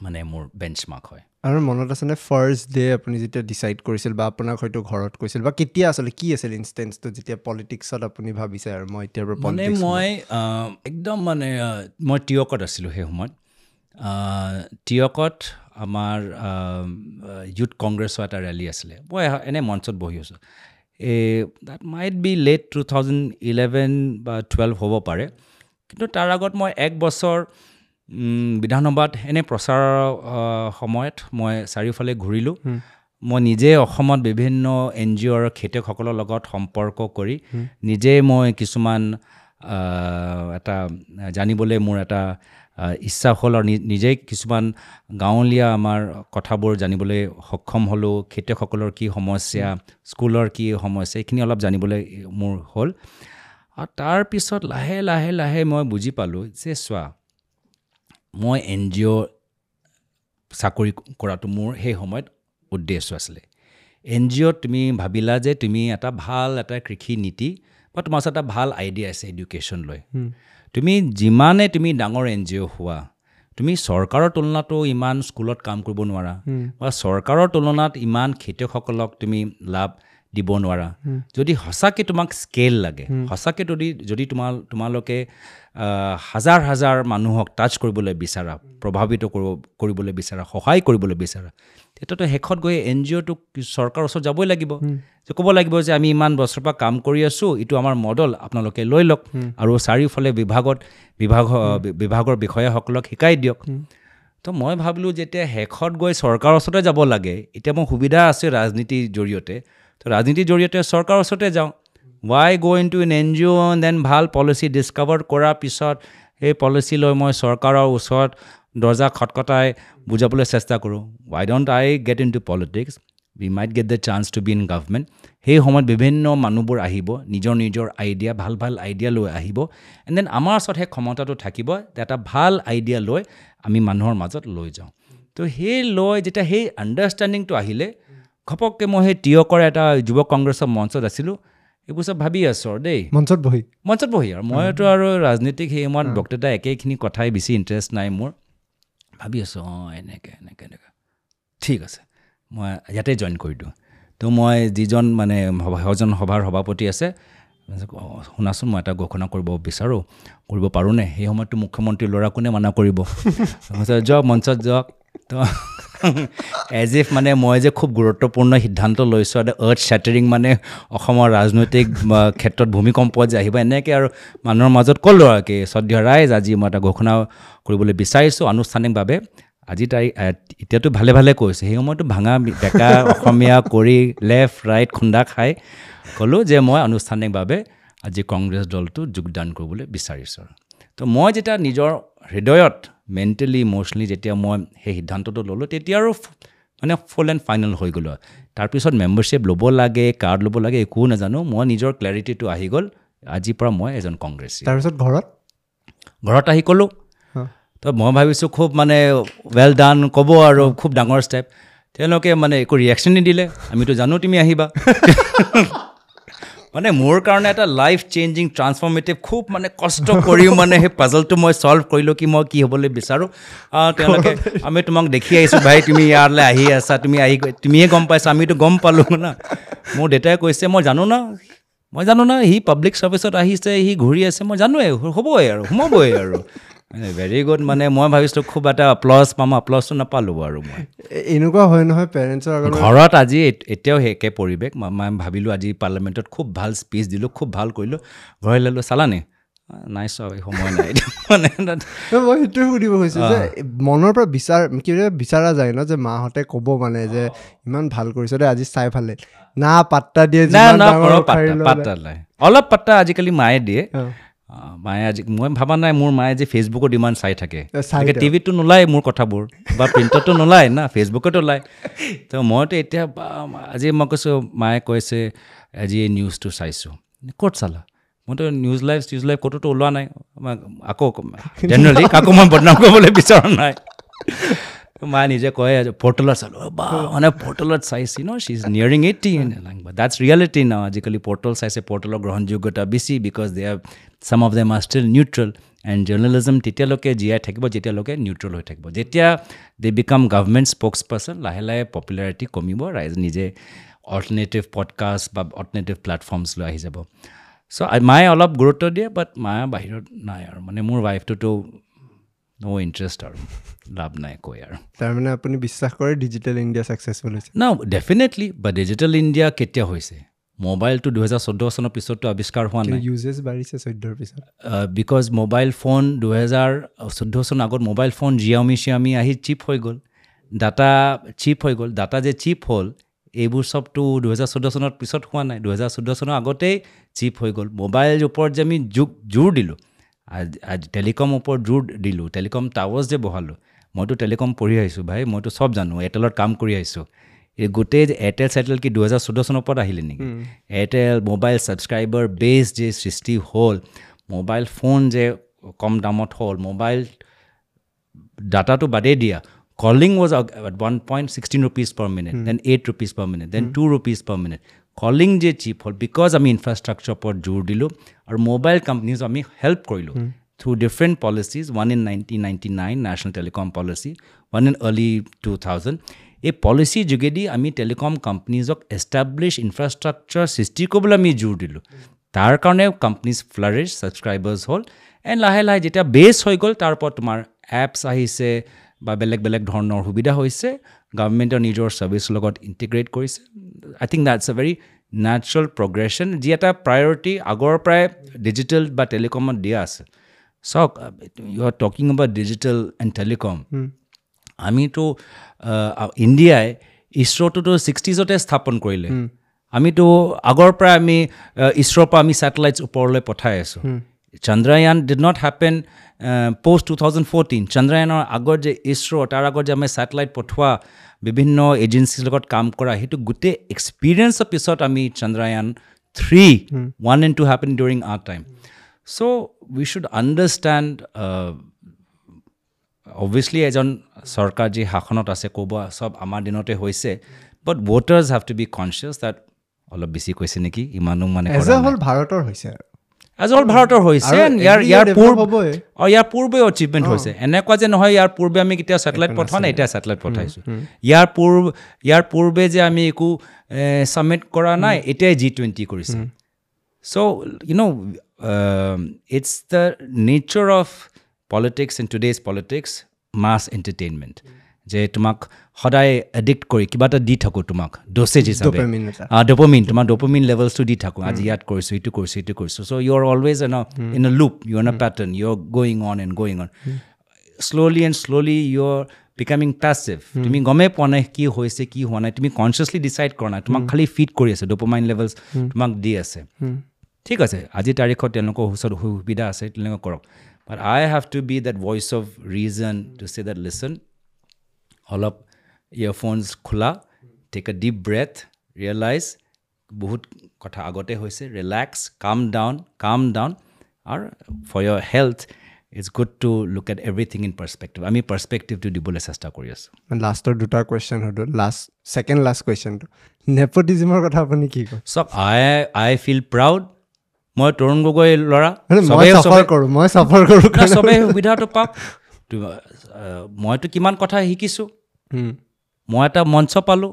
S2: মানে মোৰ বেঞ্চমাৰ্ক হয়
S1: আৰু মনত আছেনে ফাৰ্ষ্ট ডে আপুনি যেতিয়া ডিচাইড কৰিছিল বা আপোনাক হয়তো ঘৰত কৈছিল বা কেতিয়া আচলতে কি আছিল ইনষ্টেঞ্চটো যেতিয়া পলিটিক্সত আপুনি ভাবিছে আৰু মই এতিয়াৰ পৰা
S2: মানে মই একদম মানে মই টিয়কত আছিলোঁ সেই সময়ত টিয়কত আমাৰ ইউথ কংগ্ৰেছৰ এটা ৰেলী আছিলে মই এনেই মঞ্চত বহি আছোঁ এই that might be late two thousand eleven বা টুৱেল্ভ হ'ব পাৰে কিন্তু তাৰ আগত মই এক বছৰ বিধানসভাত এনেই প্ৰচাৰৰ সময়ত মই চাৰিওফালে ঘূৰিলোঁ মই নিজে অসমত বিভিন্ন এন জি অ'ৰ খেতিয়কসকলৰ লগত সম্পৰ্ক কৰি নিজে মই কিছুমান এটা জানিবলৈ মোৰ এটা ইচ্ছা হ'ল আৰু নিজেই কিছুমান গাঁৱলীয়া আমাৰ কথাবোৰ জানিবলৈ সক্ষম হ'লোঁ খেতিয়কসকলৰ কি সমস্যা স্কুলৰ কি সমস্যা এইখিনি অলপ জানিবলৈ মোৰ হ'ল আৰু তাৰপিছত লাহে লাহে লাহে মই বুজি পালোঁ যে চোৱা মই এন জি অ' চাকৰি কৰাটো মোৰ সেই সময়ত উদ্দেশ্য আছিলে এন জি অ'ত তুমি ভাবিলা যে তুমি এটা ভাল এটা কৃষি নীতি বা তোমাৰ ওচৰত এটা ভাল আইডিয়া আছে এডুকেশ্যন লৈ তুমি যিমানে তুমি ডাঙৰ এন জি অ' হোৱা তুমি চৰকাৰৰ তুলনাতো ইমান স্কুলত কাম কৰিব নোৱাৰা বা চৰকাৰৰ তুলনাত ইমান খেতিয়কসকলক তুমি লাভ দিব নোৱাৰা যদি সঁচাকৈ তোমাক স্কেল লাগে সঁচাকৈ যদি যদি তোমাৰ তোমালোকে হাজাৰ হাজাৰ মানুহক টাচ কৰিবলৈ বিচাৰা প্ৰভাৱিত কৰিব কৰিবলৈ বিচাৰা সহায় কৰিবলৈ বিচাৰা তেতিয়াতো শেষত গৈ এন জি অ'টোক চৰকাৰৰ ওচৰত যাবই লাগিব যে ক'ব লাগিব যে আমি ইমান বছৰৰ পৰা কাম কৰি আছোঁ এইটো আমাৰ মডেল আপোনালোকে লৈ লওক আৰু চাৰিওফালে বিভাগত বিভাগ বিভাগৰ বিষয়াসকলক শিকাই দিয়ক তো মই ভাবিলোঁ যেতিয়া শেষত গৈ চৰকাৰৰ ওচৰতে যাব লাগে এতিয়া মোৰ সুবিধা আছে ৰাজনীতিৰ জৰিয়তে তো ৰাজনীতিৰ জৰিয়তে চৰকাৰৰ ওচৰতে যাওঁ Why go into an NGO then ভাল পলিচি ডিছকাভাৰ কৰাৰ পিছত সেই পলিচি লৈ মই চৰকাৰৰ ওচৰত দৰ্জা খটখটাই বুজাবলৈ চেষ্টা কৰোঁ Why don't I get into politics we might get the chance to be in government সেই সময়ত বিভিন্ন মানুহবোৰ আহিব নিজৰ নিজৰ আইডিয়া ভাল ভাল আইডিয়া লৈ আহিব এণ্ড then আমাৰ ওচৰত সেই ক্ষমতাটো থাকিব যে এটা ভাল আইডিয়া লৈ আমি মানুহৰ মাজত লৈ যাওঁ তো সেই লৈ যেতিয়া সেই আণ্ডাৰষ্টেণ্ডিংটো আহিলে ঘপককৈ মই সেই টীয়কৰ এটা যুৱ কংগ্ৰেছৰ মঞ্চত আছিলোঁ এইবোৰ চব ভাবি আছোঁ আৰু দেই
S1: মঞ্চত বহি
S2: মঞ্চত বহি আৰু মইতো আৰু ৰাজনীতিক সেই সময়ত বক্তৃতা একেখিনি কথাই বেছি ইণ্টাৰেষ্ট নাই মোৰ ভাবি আছোঁ অঁ এনেকৈ এনেকৈ এনেকৈ ঠিক আছে মই ইয়াতে জইন কৰি দিওঁ তো মই যিজন মানে সজন সভাৰ সভাপতি আছে শুনাচোন মই এটা ঘোষণা কৰিব বিচাৰোঁ কৰিব পাৰোঁনে সেই সময়ততো মুখ্যমন্ত্ৰীৰ ল'ৰা কোনে মানা কৰিব যাওক মঞ্চত যাওক তো এজ if মানে মই যে খুব গুৰুত্বপূৰ্ণ সিদ্ধান্ত লৈছোঁ এটা আৰ্থ শ্বেটাৰিং মানে অসমৰ ৰাজনৈতিক ক্ষেত্ৰত ভূমিকম্প যে আহিব এনেকৈ আৰু মানুহৰ মাজত ক'লোঁ আৰু কি শ্ৰদ্ধেয় ৰাইজ আজি মই এটা ঘোষণা কৰিবলৈ বিচাৰিছোঁ আনুষ্ঠানিকভাৱে আজি তাৰিখ এতিয়াতো ভালে ভালে কৈছে সেই সময়তো ভাঙা বেকা অসমীয়া কৰি লেফ্ট ৰাইট খুন্দা খাই ক'লোঁ যে মই আনুষ্ঠানিকভাৱে আজি কংগ্ৰেছ দলটো যোগদান কৰিবলৈ বিচাৰিছোঁ তো মই যেতিয়া নিজৰ হৃদয়ত মেণ্টেলি ইম'চনেলি যেতিয়া মই সেই সিদ্ধান্তটো ল'লোঁ তেতিয়া আৰু মানে ফুল এণ্ড ফাইনেল হৈ গ'লোঁ তাৰপিছত মেম্বাৰশ্বিপ ল'ব লাগে কাৰ্ড ল'ব লাগে একো নাজানো মই নিজৰ ক্লেৰিটিটো আহি গ'ল আজিৰ পৰা মই এজন কংগ্ৰেছী
S1: তাৰপিছত ঘৰত
S2: ঘৰত আহি ক'লোঁ তো মই ভাবিছোঁ খুব মানে ৱেল ডান ক'ব আৰু খুব ডাঙৰ ষ্টেপ তেওঁলোকে মানে একো ৰিয়েকশ্যন নিদিলে আমিতো জানো তুমি আহিবা মানে মোৰ কাৰণে এটা লাইফ চেঞ্জিং ট্ৰান্সফৰ্মেটিভ খুব মানে কষ্ট কৰিও মানে সেই পাজলটো মই ছল্ভ কৰিলোঁ কি মই কি হ'বলৈ বিচাৰোঁ তেওঁলোকে আমি তোমাক দেখি আহিছোঁ ভাই তুমি ইয়ালৈ আহি আছা তুমি আহি তুমিয়ে গম পাইছা আমিতো গম পালোঁ না মোৰ দেউতাই কৈছে মই জানো না মই জানো না সি পাব্লিক ছাৰ্ভিচত আহিছে সি ঘূৰি আছে মই জানোৱেই হ'বই আৰু সোমাবই আৰু ভেৰি গুড মানে মই ভাবিছিলোঁ খুব এটা এপ্লজ পাম এপ্লজটো নাপালোঁ আৰু মই
S1: এনেকুৱা হয় নহয় পেৰেণ্টছৰ আগত
S2: ঘৰত আজি এতিয়াও সেই একে পৰিৱেশ মই ভাবিলোঁ আজি পাৰ্লামেণ্টত খুব ভাল স্পীচ দিলোঁ খুব ভাল কৰিলোঁ ঘৰলৈ ল'লোঁ চালানে নাই চোৱা সময় নাই মানে
S1: মই সেইটোৱে সুধিব খুজিছোঁ যে মনৰ পৰা বিচাৰ কিবা বিচৰা যায় ন যে মাহঁতে ক'ব মানে যে ইমান ভাল কৰিছ দেই আজি চাই ভাল লাগিল না পাত্তা দিয়ে
S2: পাত্তা নাই অলপ পাত্তা আজিকালি মায়ে দিয়ে মায়ে আজি মই ভবা নাই মোৰ মায়ে যে ফেচবুকত ইমান চাই থাকে টিভিতটো নোলায় মোৰ কথাবোৰ বা প্ৰিণ্টতটো নোলায় না ফেচবুকত ওলায় তো মইতো এতিয়া আজি মই কৈছোঁ মায়ে কৈছে আজি এই নিউজটো চাইছোঁ ক'ত চালা মইতো নিউজ লাইভ চিউজ লাইভ ক'তোতো ওলোৱা নাই আকৌ জেনেৰেলি কাকো মই বদনাম কৰিবলৈ বিচৰা নাই মায়ে নিজে কয় পৰ্টেলত চালোঁ বা মানে পৰ্টেলত চাইছি ন she is nearing eighty that's reality ন আজিকালি পৰ্টেল চাইছে পৰ্টেলৰ গ্ৰহণযোগ্যতা বেছি because they are some of them are still neutral and journalism তেতিয়ালৈকে জীয়াই থাকিব যেতিয়ালৈকে নিউট্ৰেল হৈ থাকিব যেতিয়া they become government spokesperson লাহে লাহে পপুলাৰিটি কমিব ৰাইজ নিজে অল্টাৰনেটিভ পডকাষ্ট বা অল্টাৰনেটিভ প্লেটফৰ্মছ লৈ আহি যাব চ' মায়ে অলপ গুৰুত্ব দিয়ে বাট মায়ে বাহিৰত নাই আৰু মানে মোৰ ৱাইফটোতো ন' ইণ্টাৰেষ্ট আৰু লাভ নাই কৈ আৰু
S1: তাৰমানে আপুনি বিশ্বাস কৰে ডিজিটেল ইণ্ডিয়া ছাকচেছফুল হৈছে
S2: ন ডেফিনেটলি বা ডিজিটেল ইণ্ডিয়া কেতিয়া হৈছে মোবাইলটো দুহেজাৰ চৈধ্য চনৰ পিছততো আৱিষ্কাৰ হোৱা নাই
S1: ইউজেছ বাঢ়িছে চৈধ্যৰ পিছত
S2: because mobile phone দুহেজাৰ চৈধ্য চনৰ আগত মোবাইল ফোন জিয়ামি চিয়ামি আহি চিপ হৈ গ'ল ডাটা চিপ হৈ গ'ল ডাটা যে চিপ হ'ল এইবোৰ চবতো দুহেজাৰ চৈধ্য চনৰ পিছত হোৱা নাই দুহেজাৰ চৈধ্য চনৰ আগতেই চিপ হৈ গ'ল মোবাইল ওপৰত যে আমি যোগ জোৰ দিলোঁ আজি টেলিকম ওপৰত জোৰ দিলোঁ টেলিকম টাৱাৰ্ছ যে বহালোঁ মইতো টেলিকম পঢ়ি আহিছোঁ ভাই মইতো চব জানো এয়াৰটেলত কাম কৰি আহিছোঁ এই গোটেই এয়াৰটেল চেয়াৰটেল কি দুহেজাৰ চৈধ্য চনৰ ওপৰত আহিলে নেকি এয়াৰটেল মোবাইল ছাবস্ক্ৰাইবাৰ বেছ যে সৃষ্টি হ'ল মোবাইল ফোন যে কম দামত হ'ল মোবাইল ডাটাটো বাদেই দিয়া calling was at one point sixteen rupees per minute then eight rupees per minute then two rupees per minute calling যে চিপ হ'ল because আমি ইনফ্ৰাষ্ট্ৰাকচাৰ ওপৰত জোৰ দিলোঁ আৰু মোবাইল কোম্পানীজ আমি হেল্প কৰিলোঁ through different policies one in nineteen ninety nine national telecom policy one in early two thousand এই পলিচিৰ যোগেদি আমি টেলিকম কোম্পানীজক এষ্টাব্লিছ ইনফ্ৰাষ্ট্ৰাকচাৰ সৃষ্টি কৰিবলৈ আমি জোৰ দিলোঁ তাৰ কাৰণে কোম্পানীজ ফ্লাৰিছ ছাবস্ক্ৰাইবাৰ্ছ হ'ল এণ্ড লাহে লাহে যেতিয়া বেছ হৈ গ'ল তাৰ ওপৰত তোমাৰ এপছ আহিছে বা বেলেগ বেলেগ ধৰণৰ সুবিধা হৈছে গভৰ্ণমেণ্টৰ নিজৰ ছাৰ্ভিচৰ লগত ইণ্টিগ্ৰেট কৰিছে I think that's a very natural progression যি এটা প্ৰায়ৰিটি আগৰ পৰাই ডিজিটেল বা টেলিকমত দিয়া আছে চাওক you are talking about digital and telecom আমিতো ইণ্ডিয়াই ইছৰ'টোতো ছিক্সটিজতে স্থাপন কৰিলে আমিতো আগৰ পৰাই আমি ইছৰোৰ পৰা আমি ছেটেলাইটছ ওপৰলৈ পঠাই আছোঁ Chandrayaan did not happen post two thousand fourteen চন্দ্ৰায়নৰ আগত যে ইছৰ' তাৰ আগত যে আমি ছেটেলাইট পঠোৱা বিভিন্ন এজেঞ্চিৰ লগত কাম কৰা সেইটো গোটেই এক্সপিৰিয়েঞ্চৰ পিছত আমি Chandrayaan three one and two happen during our time so we should understand obviously এজন চৰকাৰ যি শাসনত আছে ক'ব চব আমাৰ দিনতে হৈছে but voters have to be conscious that অলপ বেছি কৈছে নেকি ইমানো মানে
S1: এজ এ হ'ল ভাৰতৰ হৈছে আৰু
S2: এজ অল ভাৰতৰ হৈছে ইয়াৰ ইয়াৰ পূৰ্ব অঁ ইয়াৰ পূৰ্বে এচিভমেণ্ট হৈছে এনেকুৱা যে নহয় ইয়াৰ পূৰ্বে আমি কেতিয়াও ছেটেলাইট পঠোৱা নাই এতিয়া ছেটেলাইট পঠাইছোঁ ইয়াৰ পূৰ্ব ইয়াৰ পূৰ্বে যে আমি একো ছাবমিট কৰা নাই এতিয়াই জি টুৱেণ্টি কৰিছে so you know it's the nature of politics in today's politics mass entertainment যে তোমাক সদায় এডিক্ট কৰি কিবা এটা দি থাকোঁ তোমাক ড'চেজ হিচাপে ডপমিন তোমাৰ ডপমিন লেভেলছটো দি থাকোঁ আজি ইয়াত কৰিছোঁ ইটো কৰিছোঁ ইটো কৰিছোঁ so you are always in in a loop you in a pattern you are going on and going on slowly and slowly you are becoming passive তুমি গমেই পোৱা নাই কি হৈছে কি হোৱা নাই তুমি কনচিয়াছলি ডিচাইড কৰা নাই তোমাক খালি ফিড কৰি আছে ডপমাইন লেভেলছ তোমাক দি আছে ঠিক আছে আজিৰ তাৰিখত তেওঁলোকৰ ওচৰত সুবিধা আছে তেওঁলোকে কৰক but I have to be that voice of reason to say that listen অলপ ইয়েৰফোনছ খোলা take a deep breath realize বহুত কথা আগতে হৈছে relax calm down calm down আৰু for your health it's good to look at everything in perspective আমি পাৰ্চপেক্টিভটো দিবলৈ চেষ্টা কৰি আছোঁ
S1: লাষ্টৰ দুটা কুৱেশ্যন সুধোঁ লাষ্ট ছেকেণ্ড লাষ্ট কুৱেশ্যনটো নেপটিজিমৰ কথা আপুনি কি কয়
S2: চাওক I I feel proud মই তৰুণ গগৈ ল'ৰা
S1: মই চাফাৰ কৰোঁ মই চাফাৰ কৰোঁ
S2: চবেই সুবিধাটো পাওক মইতো কিমান কথা শিকিছোঁ মই এটা মঞ্চ পালোঁ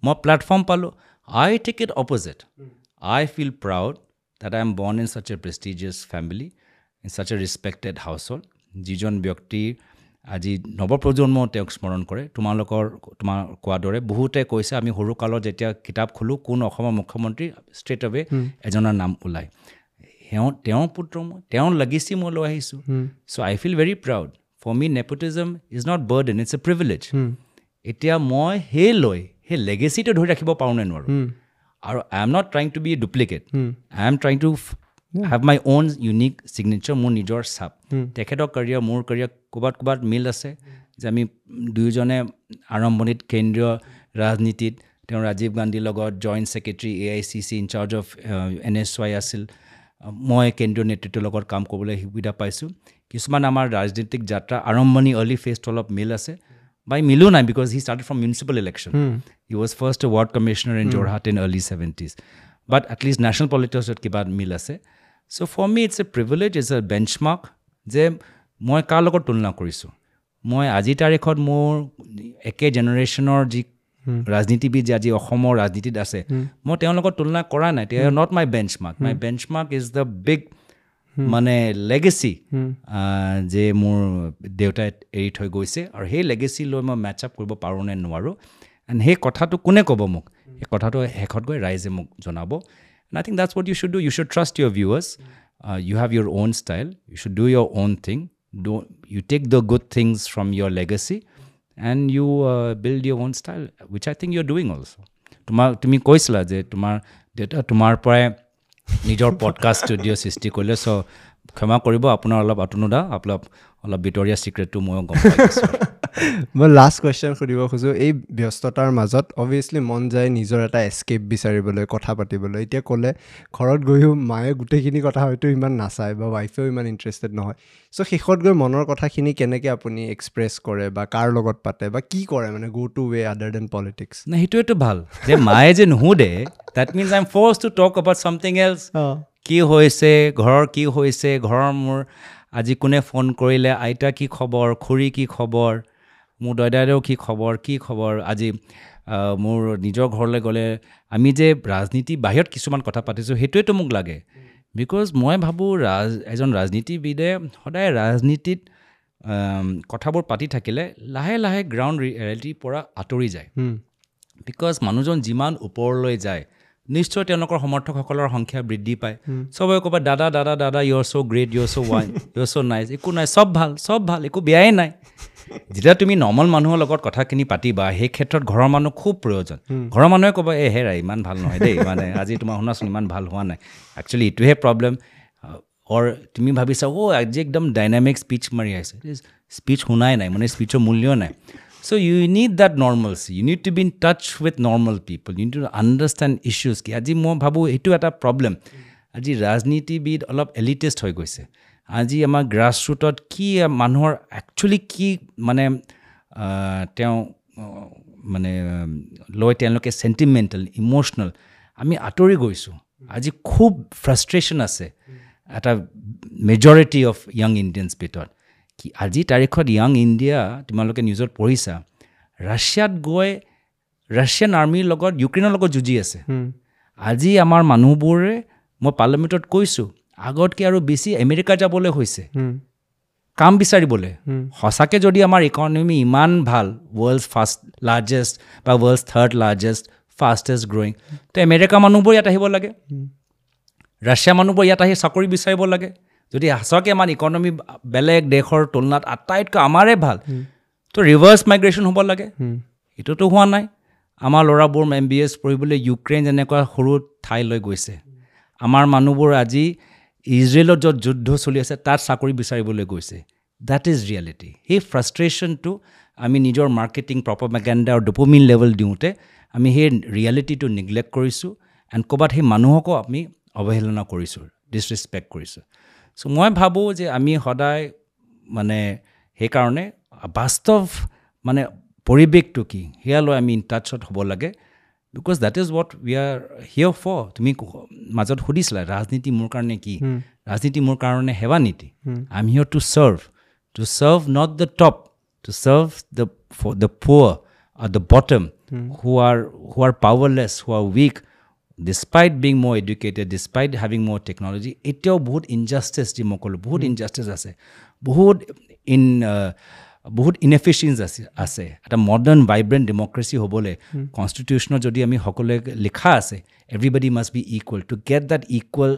S2: মই প্লেটফৰ্ম পালোঁ I take it opposite I feel proud that I am born in such a prestigious family in such a respected household যিজন ব্যক্তি আজি নৱপ্ৰজন্মও তেওঁক স্মৰণ কৰে তোমালোকৰ তোমাৰ কোৱাৰ দৰে বহুতে কৈছে আমি সৰুকালত যেতিয়া কিতাপ খোলোঁ কোন অসমৰ মুখ্যমন্ত্ৰী ষ্ট্ৰেইট এৱে এজনৰ নাম ওলায় তেওঁ তেওঁৰ পুত্ৰ মই তেওঁৰ লেগেচি মই লৈ আহিছোঁ so I feel very proud for me nepotism is not burden it's a privilege এতিয়া মই সেই লৈ সেই লেগেচিটো ধৰি ৰাখিব পাৰোঁ নে নোৱাৰোঁ আৰু I am not trying to be duplicate I am trying to have my own unique signature মোৰ নিজৰ চাপ তেখেতৰ কেৰিয়াৰ মোৰ কেৰিয়াৰ ক'ৰবাত ক'ৰবাত মিল আছে যে আমি দুয়োজনে আৰম্ভণিত কেন্দ্ৰীয় ৰাজনীতিত তেওঁ ৰাজীৱ গান্ধীৰ লগত joint secretary A I C C in-charge of N S Y আছিল মই কেন্দ্ৰীয় নেতৃত্বৰ লগত কাম কৰিবলৈ সুবিধা পাইছোঁ কিছুমান আমাৰ ৰাজনীতিক যাত্ৰা আৰম্ভণি আৰ্লি ফেজটো অলপ মিল আছে বা মিলো নাই because he started from municipal election he was first ward commissioner in Jorhat in early seventies but at least national পলিটিক্সত কিবা মিল আছে so for me it's a privilege it's a benchmark যে মই কাৰ লগত তুলনা কৰিছোঁ মই আজিৰ তাৰিখত মোৰ একে জেনেৰেশ্যনৰ যি ৰাজনীতিবিদ যে আজি অসমৰ ৰাজনীতিত আছে মই তেওঁৰ লগত তুলনা কৰা নাই they are not my benchmark my benchmark is the big মানে লেগেচি যে মোৰ দেউতাই এৰি থৈ গৈছে আৰু সেই লেগেচি লৈ মই মেটচ আপ কৰিব পাৰোঁ নে নোৱাৰোঁ এণ্ড সেই কথাটো কোনে ক'ব মোক সেই কথাটো শেষত গৈ ৰাইজে মোক জনাব and I think that's what you should do you should trust your viewers you have your own style you should do your own thing do you take the good things from your legacy and you build your own style which I think you are doing also তোমাৰ তুমি কৈছিলা যে তোমাৰ দেউতা তোমাৰ পৰাই নিজৰ podcast studio' সৃষ্টি কৰিলে চ' ক্ষমা কৰিব আপোনাৰ অলপ আতনুদা অলপ অলপ ভিতৰীয়া ছিক্ৰেটটো ময়ো গম পাইছোঁ
S1: মই লাষ্ট কুৱেশ্যন সুধিব খোজোঁ এই ব্যস্ততাৰ মাজত অভিয়াছলি মন যায় নিজৰ এটা এস্কেপ বিচাৰিবলৈ কথা পাতিবলৈ এতিয়া ক'লে ঘৰত গৈও মায়ে গোটেইখিনি কথা হয়তো ইমান নাচায় বা ৱাইফেও ইমান ইণ্টাৰেষ্টেড নহয় চ' শেষত গৈ মনৰ কথাখিনি কেনেকৈ আপুনি এক্সপ্ৰেছ কৰে বা কাৰ লগত পাতে বা কি কৰে মানে go to way other than politics
S2: নাই সেইটোৱেতো ভাল যে মায়ে যে নুসুধে that means I am forced to talk about something else কি হৈছে ঘৰৰ কি হৈছে ঘৰৰ মোৰ আজি কোনে ফোন কৰিলে আইতা কি খবৰ খুৰী কি খবৰ মোৰ দদাইদেউ কি খবৰ কি খবৰ আজি মোৰ নিজৰ ঘৰলৈ গ'লে আমি যে ৰাজনীতি বাহিৰত কিছুমান কথা পাতিছোঁ সেইটোৱেতো মোক লাগে because মই ভাবোঁ ৰাজ এজন ৰাজনীতিবিদে সদায় ৰাজনীতিত কথাবোৰ পাতি থাকিলে লাহে লাহে গ্ৰাউণ্ড ৰিয়েলিটিৰ পৰা আঁতৰি যায় because মানুহজন যিমান ওপৰলৈ যায় নিশ্চয় তেওঁলোকৰ সমৰ্থকসকলৰ সংখ্যা বৃদ্ধি পায় চবে ক'ব দাদা দাদা দাদা you are so great you are so wine you are so nice একো নাই চব ভাল চব ভাল একো বেয়াই নাই যেতিয়া তুমি নৰ্মেল মানুহৰ লগত কথাখিনি পাতিবা সেই ক্ষেত্ৰত ঘৰৰ মানুহ খুব প্ৰয়োজন ঘৰৰ মানুহে ক'ব এই হেৰা ইমান ভাল নহয় দেই মানে আজি তোমাৰ শুনাচোন ইমান ভাল হোৱা নাই একচুৱেলি এইটোহে প্ৰব্লেম অৰ তুমি ভাবিছা অ' আজি একদম ডাইনামিক স্পীচ মাৰি আহিছে স্পীচ শুনাই নাই মানে স্পীচৰ মূল্য নাই so you need that normalcy you need to be in touch with normal people you need to understand issues কি আজি মই ভাবোঁ এইটো এটা প্ৰব্লেম আজি ৰাজনীতিবিদ অলপ এলিটিষ্ট হৈ গৈছে আজি আমাৰ গ্ৰাছ ৰুটত কি মানুহৰ একচুৱেলি কি মানে তেওঁ মানে লৈ তেওঁলোকে চেণ্টিমেণ্টেল ইম'চনেল আমি আঁতৰি গৈছোঁ আজি খুব ফ্ৰাষ্ট্ৰেশ্যন আছে এটা মেজৰিটি অফ য়াং ইণ্ডিয়ানছ ভিতৰত কি আজি তাৰিখত য়াং ইণ্ডিয়া তোমালোকে নিউজত পঢ়িছা ৰাছিয়াত গৈ ৰাছিয়ান আৰ্মিৰ লগত ইউক্ৰেইনৰ লগত যুঁজি আছে আজি আমাৰ মানুহবোৰে মই পাৰ্লিয়ামেণ্টত কৈছোঁ আগতকৈ আৰু বেছি আমেৰিকা যাবলৈ হৈছে কাম বিচাৰিবলৈ সঁচাকৈ যদি আমাৰ ইকনমি ইমান ভাল ৱৰ্ল্ডছ ফাৰ্ষ্ট লাৰ্জেষ্ট বা world's third largest fastest growing তো আমেৰিকা মানুহবোৰ ইয়াত আহিব লাগে ৰাছিয়া মানুহবোৰ ইয়াত আহি চাকৰি বিচাৰিব লাগে যদি সঁচাকৈ আমাৰ ইকনমি বেলেগ দেশৰ তুলনাত আটাইতকৈ আমাৰে ভাল তো ৰিভাৰ্ছ মাইগ্ৰেশ্যন হ'ব লাগে এইটোতো হোৱা নাই আমাৰ ল'ৰাবোৰ এম বি এছ পঢ়িবলৈ ইউক্ৰেইন যেনেকুৱা সৰু ঠাইলৈ গৈছে আমাৰ মানুহবোৰ আজি ইজৰাইলত য'ত যুদ্ধ চলি আছে তাত চাকৰি বিচাৰিবলৈ গৈছে that is reality সেই ফ্ৰাষ্ট্ৰেশ্যনটো আমি নিজৰ মাৰ্কেটিং প্ৰপমেগেণ্ডা আৰু ডপমিন লেভেল দিওঁতে আমি সেই ৰিয়েলিটিটো নিগলেক্ট কৰিছোঁ এণ্ড ক'ৰবাত সেই মানুহকো আমি অৱহেলনা কৰিছোঁ ডিছৰেচপেক্ট কৰিছোঁ চ' মই ভাবোঁ যে আমি সদায় মানে সেইকাৰণে বাস্তৱ মানে পৰিৱেশটো কি সেয়া লৈ আমি ইন টাচত হ'ব লাগে because that is what we are here for তুমি মাজত সুধিছিলা ৰাজনীতি মোৰ কাৰণে কি ৰাজনীতি মোৰ কাৰণে সেৱা নীতি I am here to serve to serve not the top to serve the the poor the bottom who are who are powerless who are weak despite being more educated despite having more technology এতিয়াও বহুত injustice যি মই ক'লোঁ বহুত injustice আছে বহুত in বহুত ইনএফিচিয়েঞ্চ আছে আছে এটা মডাৰ্ণ ভাইব্ৰেণ্ট ডেম'ক্ৰেচি হ'বলৈ কনষ্টিটিউশ্যনত যদি আমি সকলোৱে লিখা আছে everybody must be equal to get that equal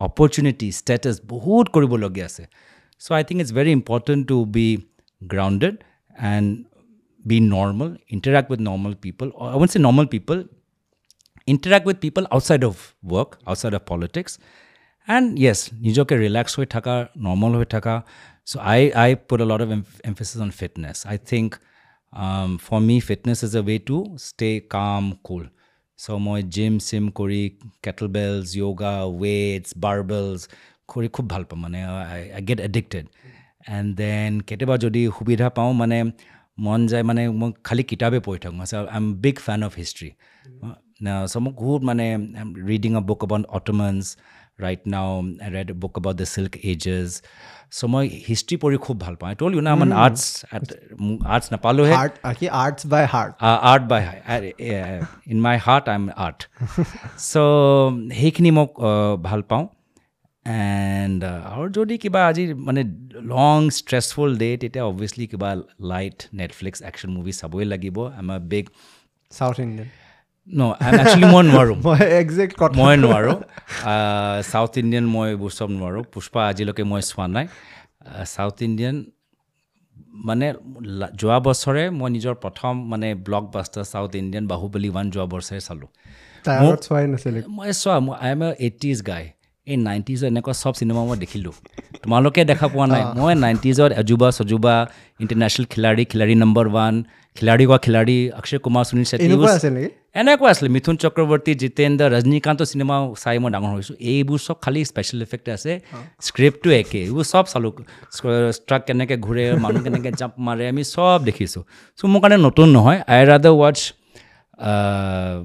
S2: opportunity status বহুত কৰিবলগীয়া আছে so I think it's very important to be grounded and be normal interact with normal people I won't say normal people interact with people outside of work outside of politics and yes নিজকে relax হৈ থকা normal হৈ থকা so I I put a lot of emphasis on fitness I think for me fitness is a way to stay calm cool so মই gym SIM কৰি Kettle বেলছ yoga ৱেইটছ বাৰ্বেলছ কৰি খুব ভাল পাওঁ মানে I I get addicted and then কেতিয়াবা যদি সুবিধা পাওঁ মানে মন যায় মানে মই খালী কিতাপেই পঢ়ি থাকোঁ I am big fan of history so মোক বহুত মানে reading a book about Ottomans right now I read book about the Silk Ages so মই হিষ্ট্ৰী পঢ়ি খুব ভাল পাওঁ টল you না মানে আৰ্টছ আৰ্টছ নাপালোহে
S1: কি arts by heart
S2: art by in my heart I am art so সেইখিনি মোক ভাল পাওঁ এণ্ড আৰু যদি কিবা আজি মানে লং ষ্ট্ৰেছফুল ডে তেতিয়া অবভিয়াছলি কিবা লাইট নেটফ্লিক্স একশ্যন মুভি চাবই লাগিব I am a big
S1: south Indian
S2: no actually মই নোৱাৰোঁ
S1: মই একজেক্ট কথা
S2: মই নোৱাৰোঁ চাউথ ইণ্ডিয়ান মই এইবোৰ চব নোৱাৰোঁ পুষ্পা আজিলৈকে মই চোৱা নাই চাউথ ইণ্ডিয়ান মানে যোৱা বছৰে মই নিজৰ প্ৰথম মানে ব্লক বাষ্টাৰ চাউথ ইণ্ডিয়ান বাহুবলী ওৱান যোৱা বছৰে চালোঁ
S1: তাৰ আগত চোৱাই নাছিলে
S2: মই চোৱা মই I am a eighties guy এই নাইণ্টিজৰ এনেকুৱা চব চিনেমা মই দেখিলোঁ তোমালোকে দেখা পোৱা নাই মই নাইণ্টিজত এজুবা চজুবা international Khiladi Khiladi number one Khiladi কোৱা খিলাৰী অক্ষয় কুমাৰ সুনীল চেট্টি
S1: এনেকুৱা আছিল নেকি
S2: এনেকুৱা আছিলে মিথুন চক্ৰৱৰ্তী জিতেন্দ্ৰ ৰজনীকান্তৰ চিনেমা চাই মই ডাঙৰ হৈছোঁ এইবোৰ চব খালী স্পেচিয়েল ইফেক্ট আছে স্ক্ৰিপ্টটো একে এইবোৰ চব চালোঁ ট্ৰাক কেনেকৈ ঘূৰে মানুহ কেনেকৈ জাম্প মাৰে আমি চব দেখিছোঁ চ' মোৰ কাৰণে নতুন নহয় আই ৰাদাৰ ৱাটচ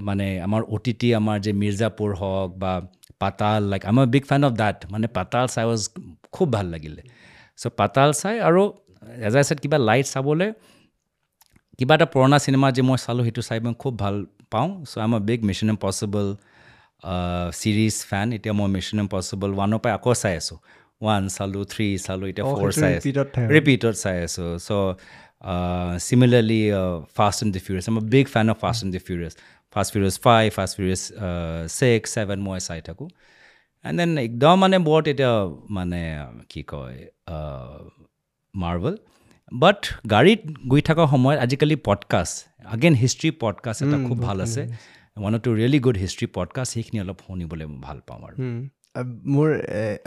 S2: মানে আমাৰ অ' টি টি আমাৰ যে মিৰ্জাপুৰ হওক বা পাতাল like I'm a big fan of that মানে পাতাল চাই ৱাজ খুব ভাল লাগিলে চ' পাতাল চাই আৰু এজ আই ছেড কিবা লাইট চাবলৈ কিবা এটা পুৰণা চিনেমা যে মই চালোঁ সেইটো চাই মই খুব ভাল পাওঁ so I am a big Mission Impossible series fan এতিয়া মই মিছন ইম্পচিবল ওৱানৰ পৰা আকৌ চাই আছোঁ ওৱান চালোঁ থ্ৰী চালোঁ এতিয়া ফ'ৰ চাই আছোঁ ৰিপিটত চাই আছোঁ so similarly Fast and the Furious I'm a big fan of Fast and the Furious Fast Furious five Fast Furious six seven মই চাই থাকোঁ এণ্ড then একদম মানে বৰ তেতিয়া মানে কি কয় মাৰ্ভেল বাট গাড়ীত গৈ থকা সময়ত আজিকালি পডকাষ্ট আগেইন হিষ্ট্ৰী পডকাষ্ট এটা খুব ভাল আছে one two really good history podcast সেইখিনি অলপ শুনিবলৈ মই ভাল পাওঁ আৰু
S1: মোৰ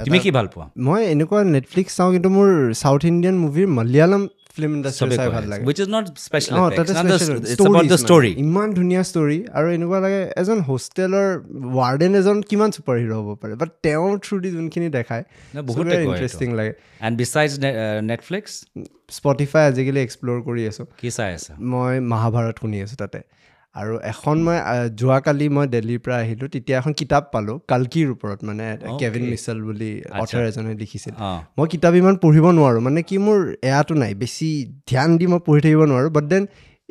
S2: তুমি কি ভাল পোৱা
S1: মই এনেকুৱা নেটফ্লিক্স চাওঁ কিন্তু মোৰ south Indian মুভিৰ Malayalam film industry চাই ভাল লাগে
S2: which is not special it's about the story
S1: ইমান ধুনীয়া ষ্টৰী আৰু এনেকুৱা লাগে এজন হোষ্টেলৰ ৱাৰ্ডেন এজন কিমান ছুপাৰ হিৰ' হ'ব পাৰে বাট তেওঁৰ থ্ৰু দি যোনখিনি দেখায়
S2: বহুত
S1: ইণ্টাৰেষ্টিং লাগে
S2: এণ্ড বিচাইডছ নেটফ্লিক্স
S1: স্পটিফাই আজিকালি এক্সপ্ল'ৰ কৰি আছোঁ
S2: কি চাই আছা
S1: মই মহাভাৰত শুনি আছোঁ তাতে আৰু এখন মই যোৱাকালি মই দিল্লীৰ পৰা আহিলোঁ তেতিয়া এখন কিতাপ পালোঁ কালকিৰ ওপৰত মানে কেভিন মিছেল বুলি অথাৰ এজনে লিখিছিল মই কিতাপ ইমান পঢ়িব নোৱাৰোঁ মানে কি মোৰ এয়াটো নাই বেছি ধ্যান দি মই পঢ়ি থাকিব নোৱাৰোঁ বাট then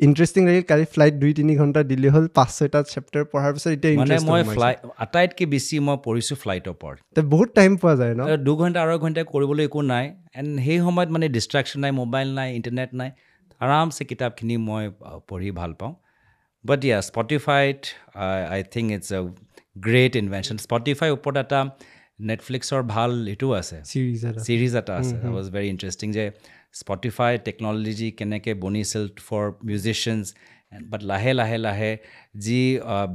S1: interesting লাগিল কালি ফ্লাইট দুই তিনি ঘণ্টা দিল্লী হ'ল পাঁচ ছয়টা চেপ্টাৰ পঢ়াৰ পিছত এতিয়া
S2: মানে মই ফ্লাই আটাইতকৈ বেছি মই পঢ়িছোঁ ফ্লাইটৰ ওপৰত
S1: বহুত টাইম পোৱা যায় ন
S2: দুঘণ্টা আঢ়ৈ ঘণ্টা কৰিবলৈ একো নাই এণ্ড সেই সময়ত মানে ডিষ্ট্ৰেকশ্যন নাই মোবাইল নাই ইণ্টাৰনেট নাই আৰামছে কিতাপখিনি মই পঢ়ি ভাল পাওঁ but yeah স্পটিফাইত I think it's a great invention Spotify ওপৰত এটা নেটফ্লিক্সৰ ভাল এইটোও আছে ছিৰিজ এটা আছে ৱাজ ভেৰি ইণ্টাৰেষ্টিং যে স্পটিফাই টেকন'লজি কেনেকৈ বনিছিল ফৰ মিউজিচিয়ানছ বাট লাহে লাহে লাহে যি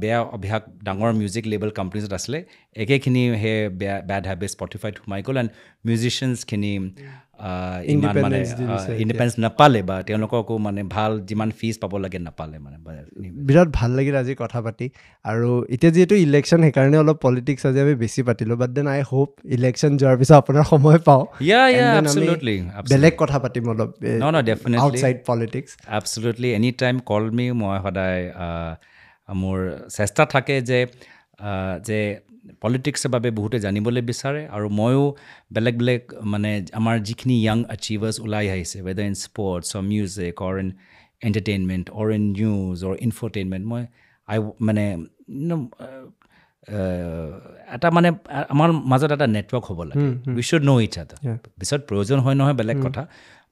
S2: বেয়া অভ্যাস ডাঙৰ মিউজিক লেবেল কোম্পানীজত আছিলে একেখিনি সেই বেয়া বেড হেবিট স্পটিফাইত সোমাই গ'ল এণ্ড মিউজিচিয়ানছখিনি ইমান মানে ইণ্ডিপেণ্ডেঞ্চ নাপালে বা তেওঁলোককো মানে ভাল যিমান ফিজ পাব লাগে নাপালে মানে
S1: বিৰাট ভাল লাগিল আজি কথা পাতি আৰু এতিয়া যিহেতু ইলেকশ্যন সেইকাৰণে অলপ পলিটিক্স আজি আমি বেছি পাতিলোঁ but then I hope election যোৱাৰ পিছত আপোনাৰ সময় পাওঁ বেলেগ কথা পাতিম অলপ outside politics
S2: Absolutely any time call me মই সদায় মোৰ চেষ্টা থাকে যে যে পলিটিক্সৰ বাবে বহুতে জানিবলৈ বিচাৰে আৰু ময়ো বেলেগ বেলেগ মানে আমাৰ যিখিনি য়াং এচিভাৰ্ছ ওলাই আহিছে whether in sports or music or in entertainment or in news or infotainment মই আই মানে এটা মানে আমাৰ মাজত এটা নেটৱৰ্ক হ'ব লাগে we should know each other পিছত প্ৰয়োজন হয় নহয় বেলেগ কথা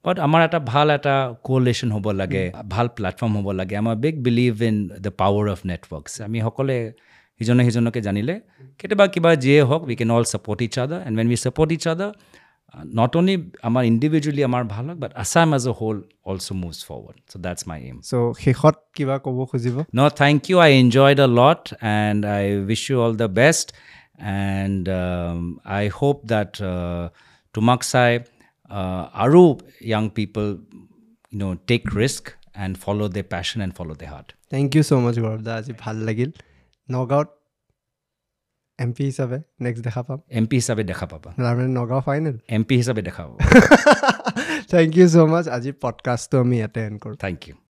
S2: বাট আমাৰ এটা ভাল এটা কোলেশ্যন হ'ব লাগে ভাল প্লেটফৰ্ম হ'ব লাগে আমাৰ big believe in the power of networks আমি সকলোৱে সিজনে সিজনকে জানিলে কেতিয়াবা কিবা যিয়ে হওক we can all support each other and when we support each other not only আমাৰ ইণ্ডিভিজুৱেলি আমাৰ ভাল হওক but Assam as a whole also moves forward so that's my aim
S1: চ' শেষত কিবা ক'ব খুজিব
S2: No thank you I enjoyed a lot and I wish you all the best and I hope that তোমাক চাই আৰু young people you know take risk and follow the passion and follow the heart
S1: Thank you so much গৌৰৱ দা আজি ভাল লাগিল নগাঁৱত M P হিচাপে next দেখা পাম
S2: এম পি হিচাপে দেখা পাবা
S1: তাৰমানে নগাঁও ফাইনেল
S2: এম পি হিচাপে দেখা পাবা
S1: Thank you so much আজি পডকাষ্টটো আমি ইয়াতে এণ্ড কৰোঁ
S2: Thank you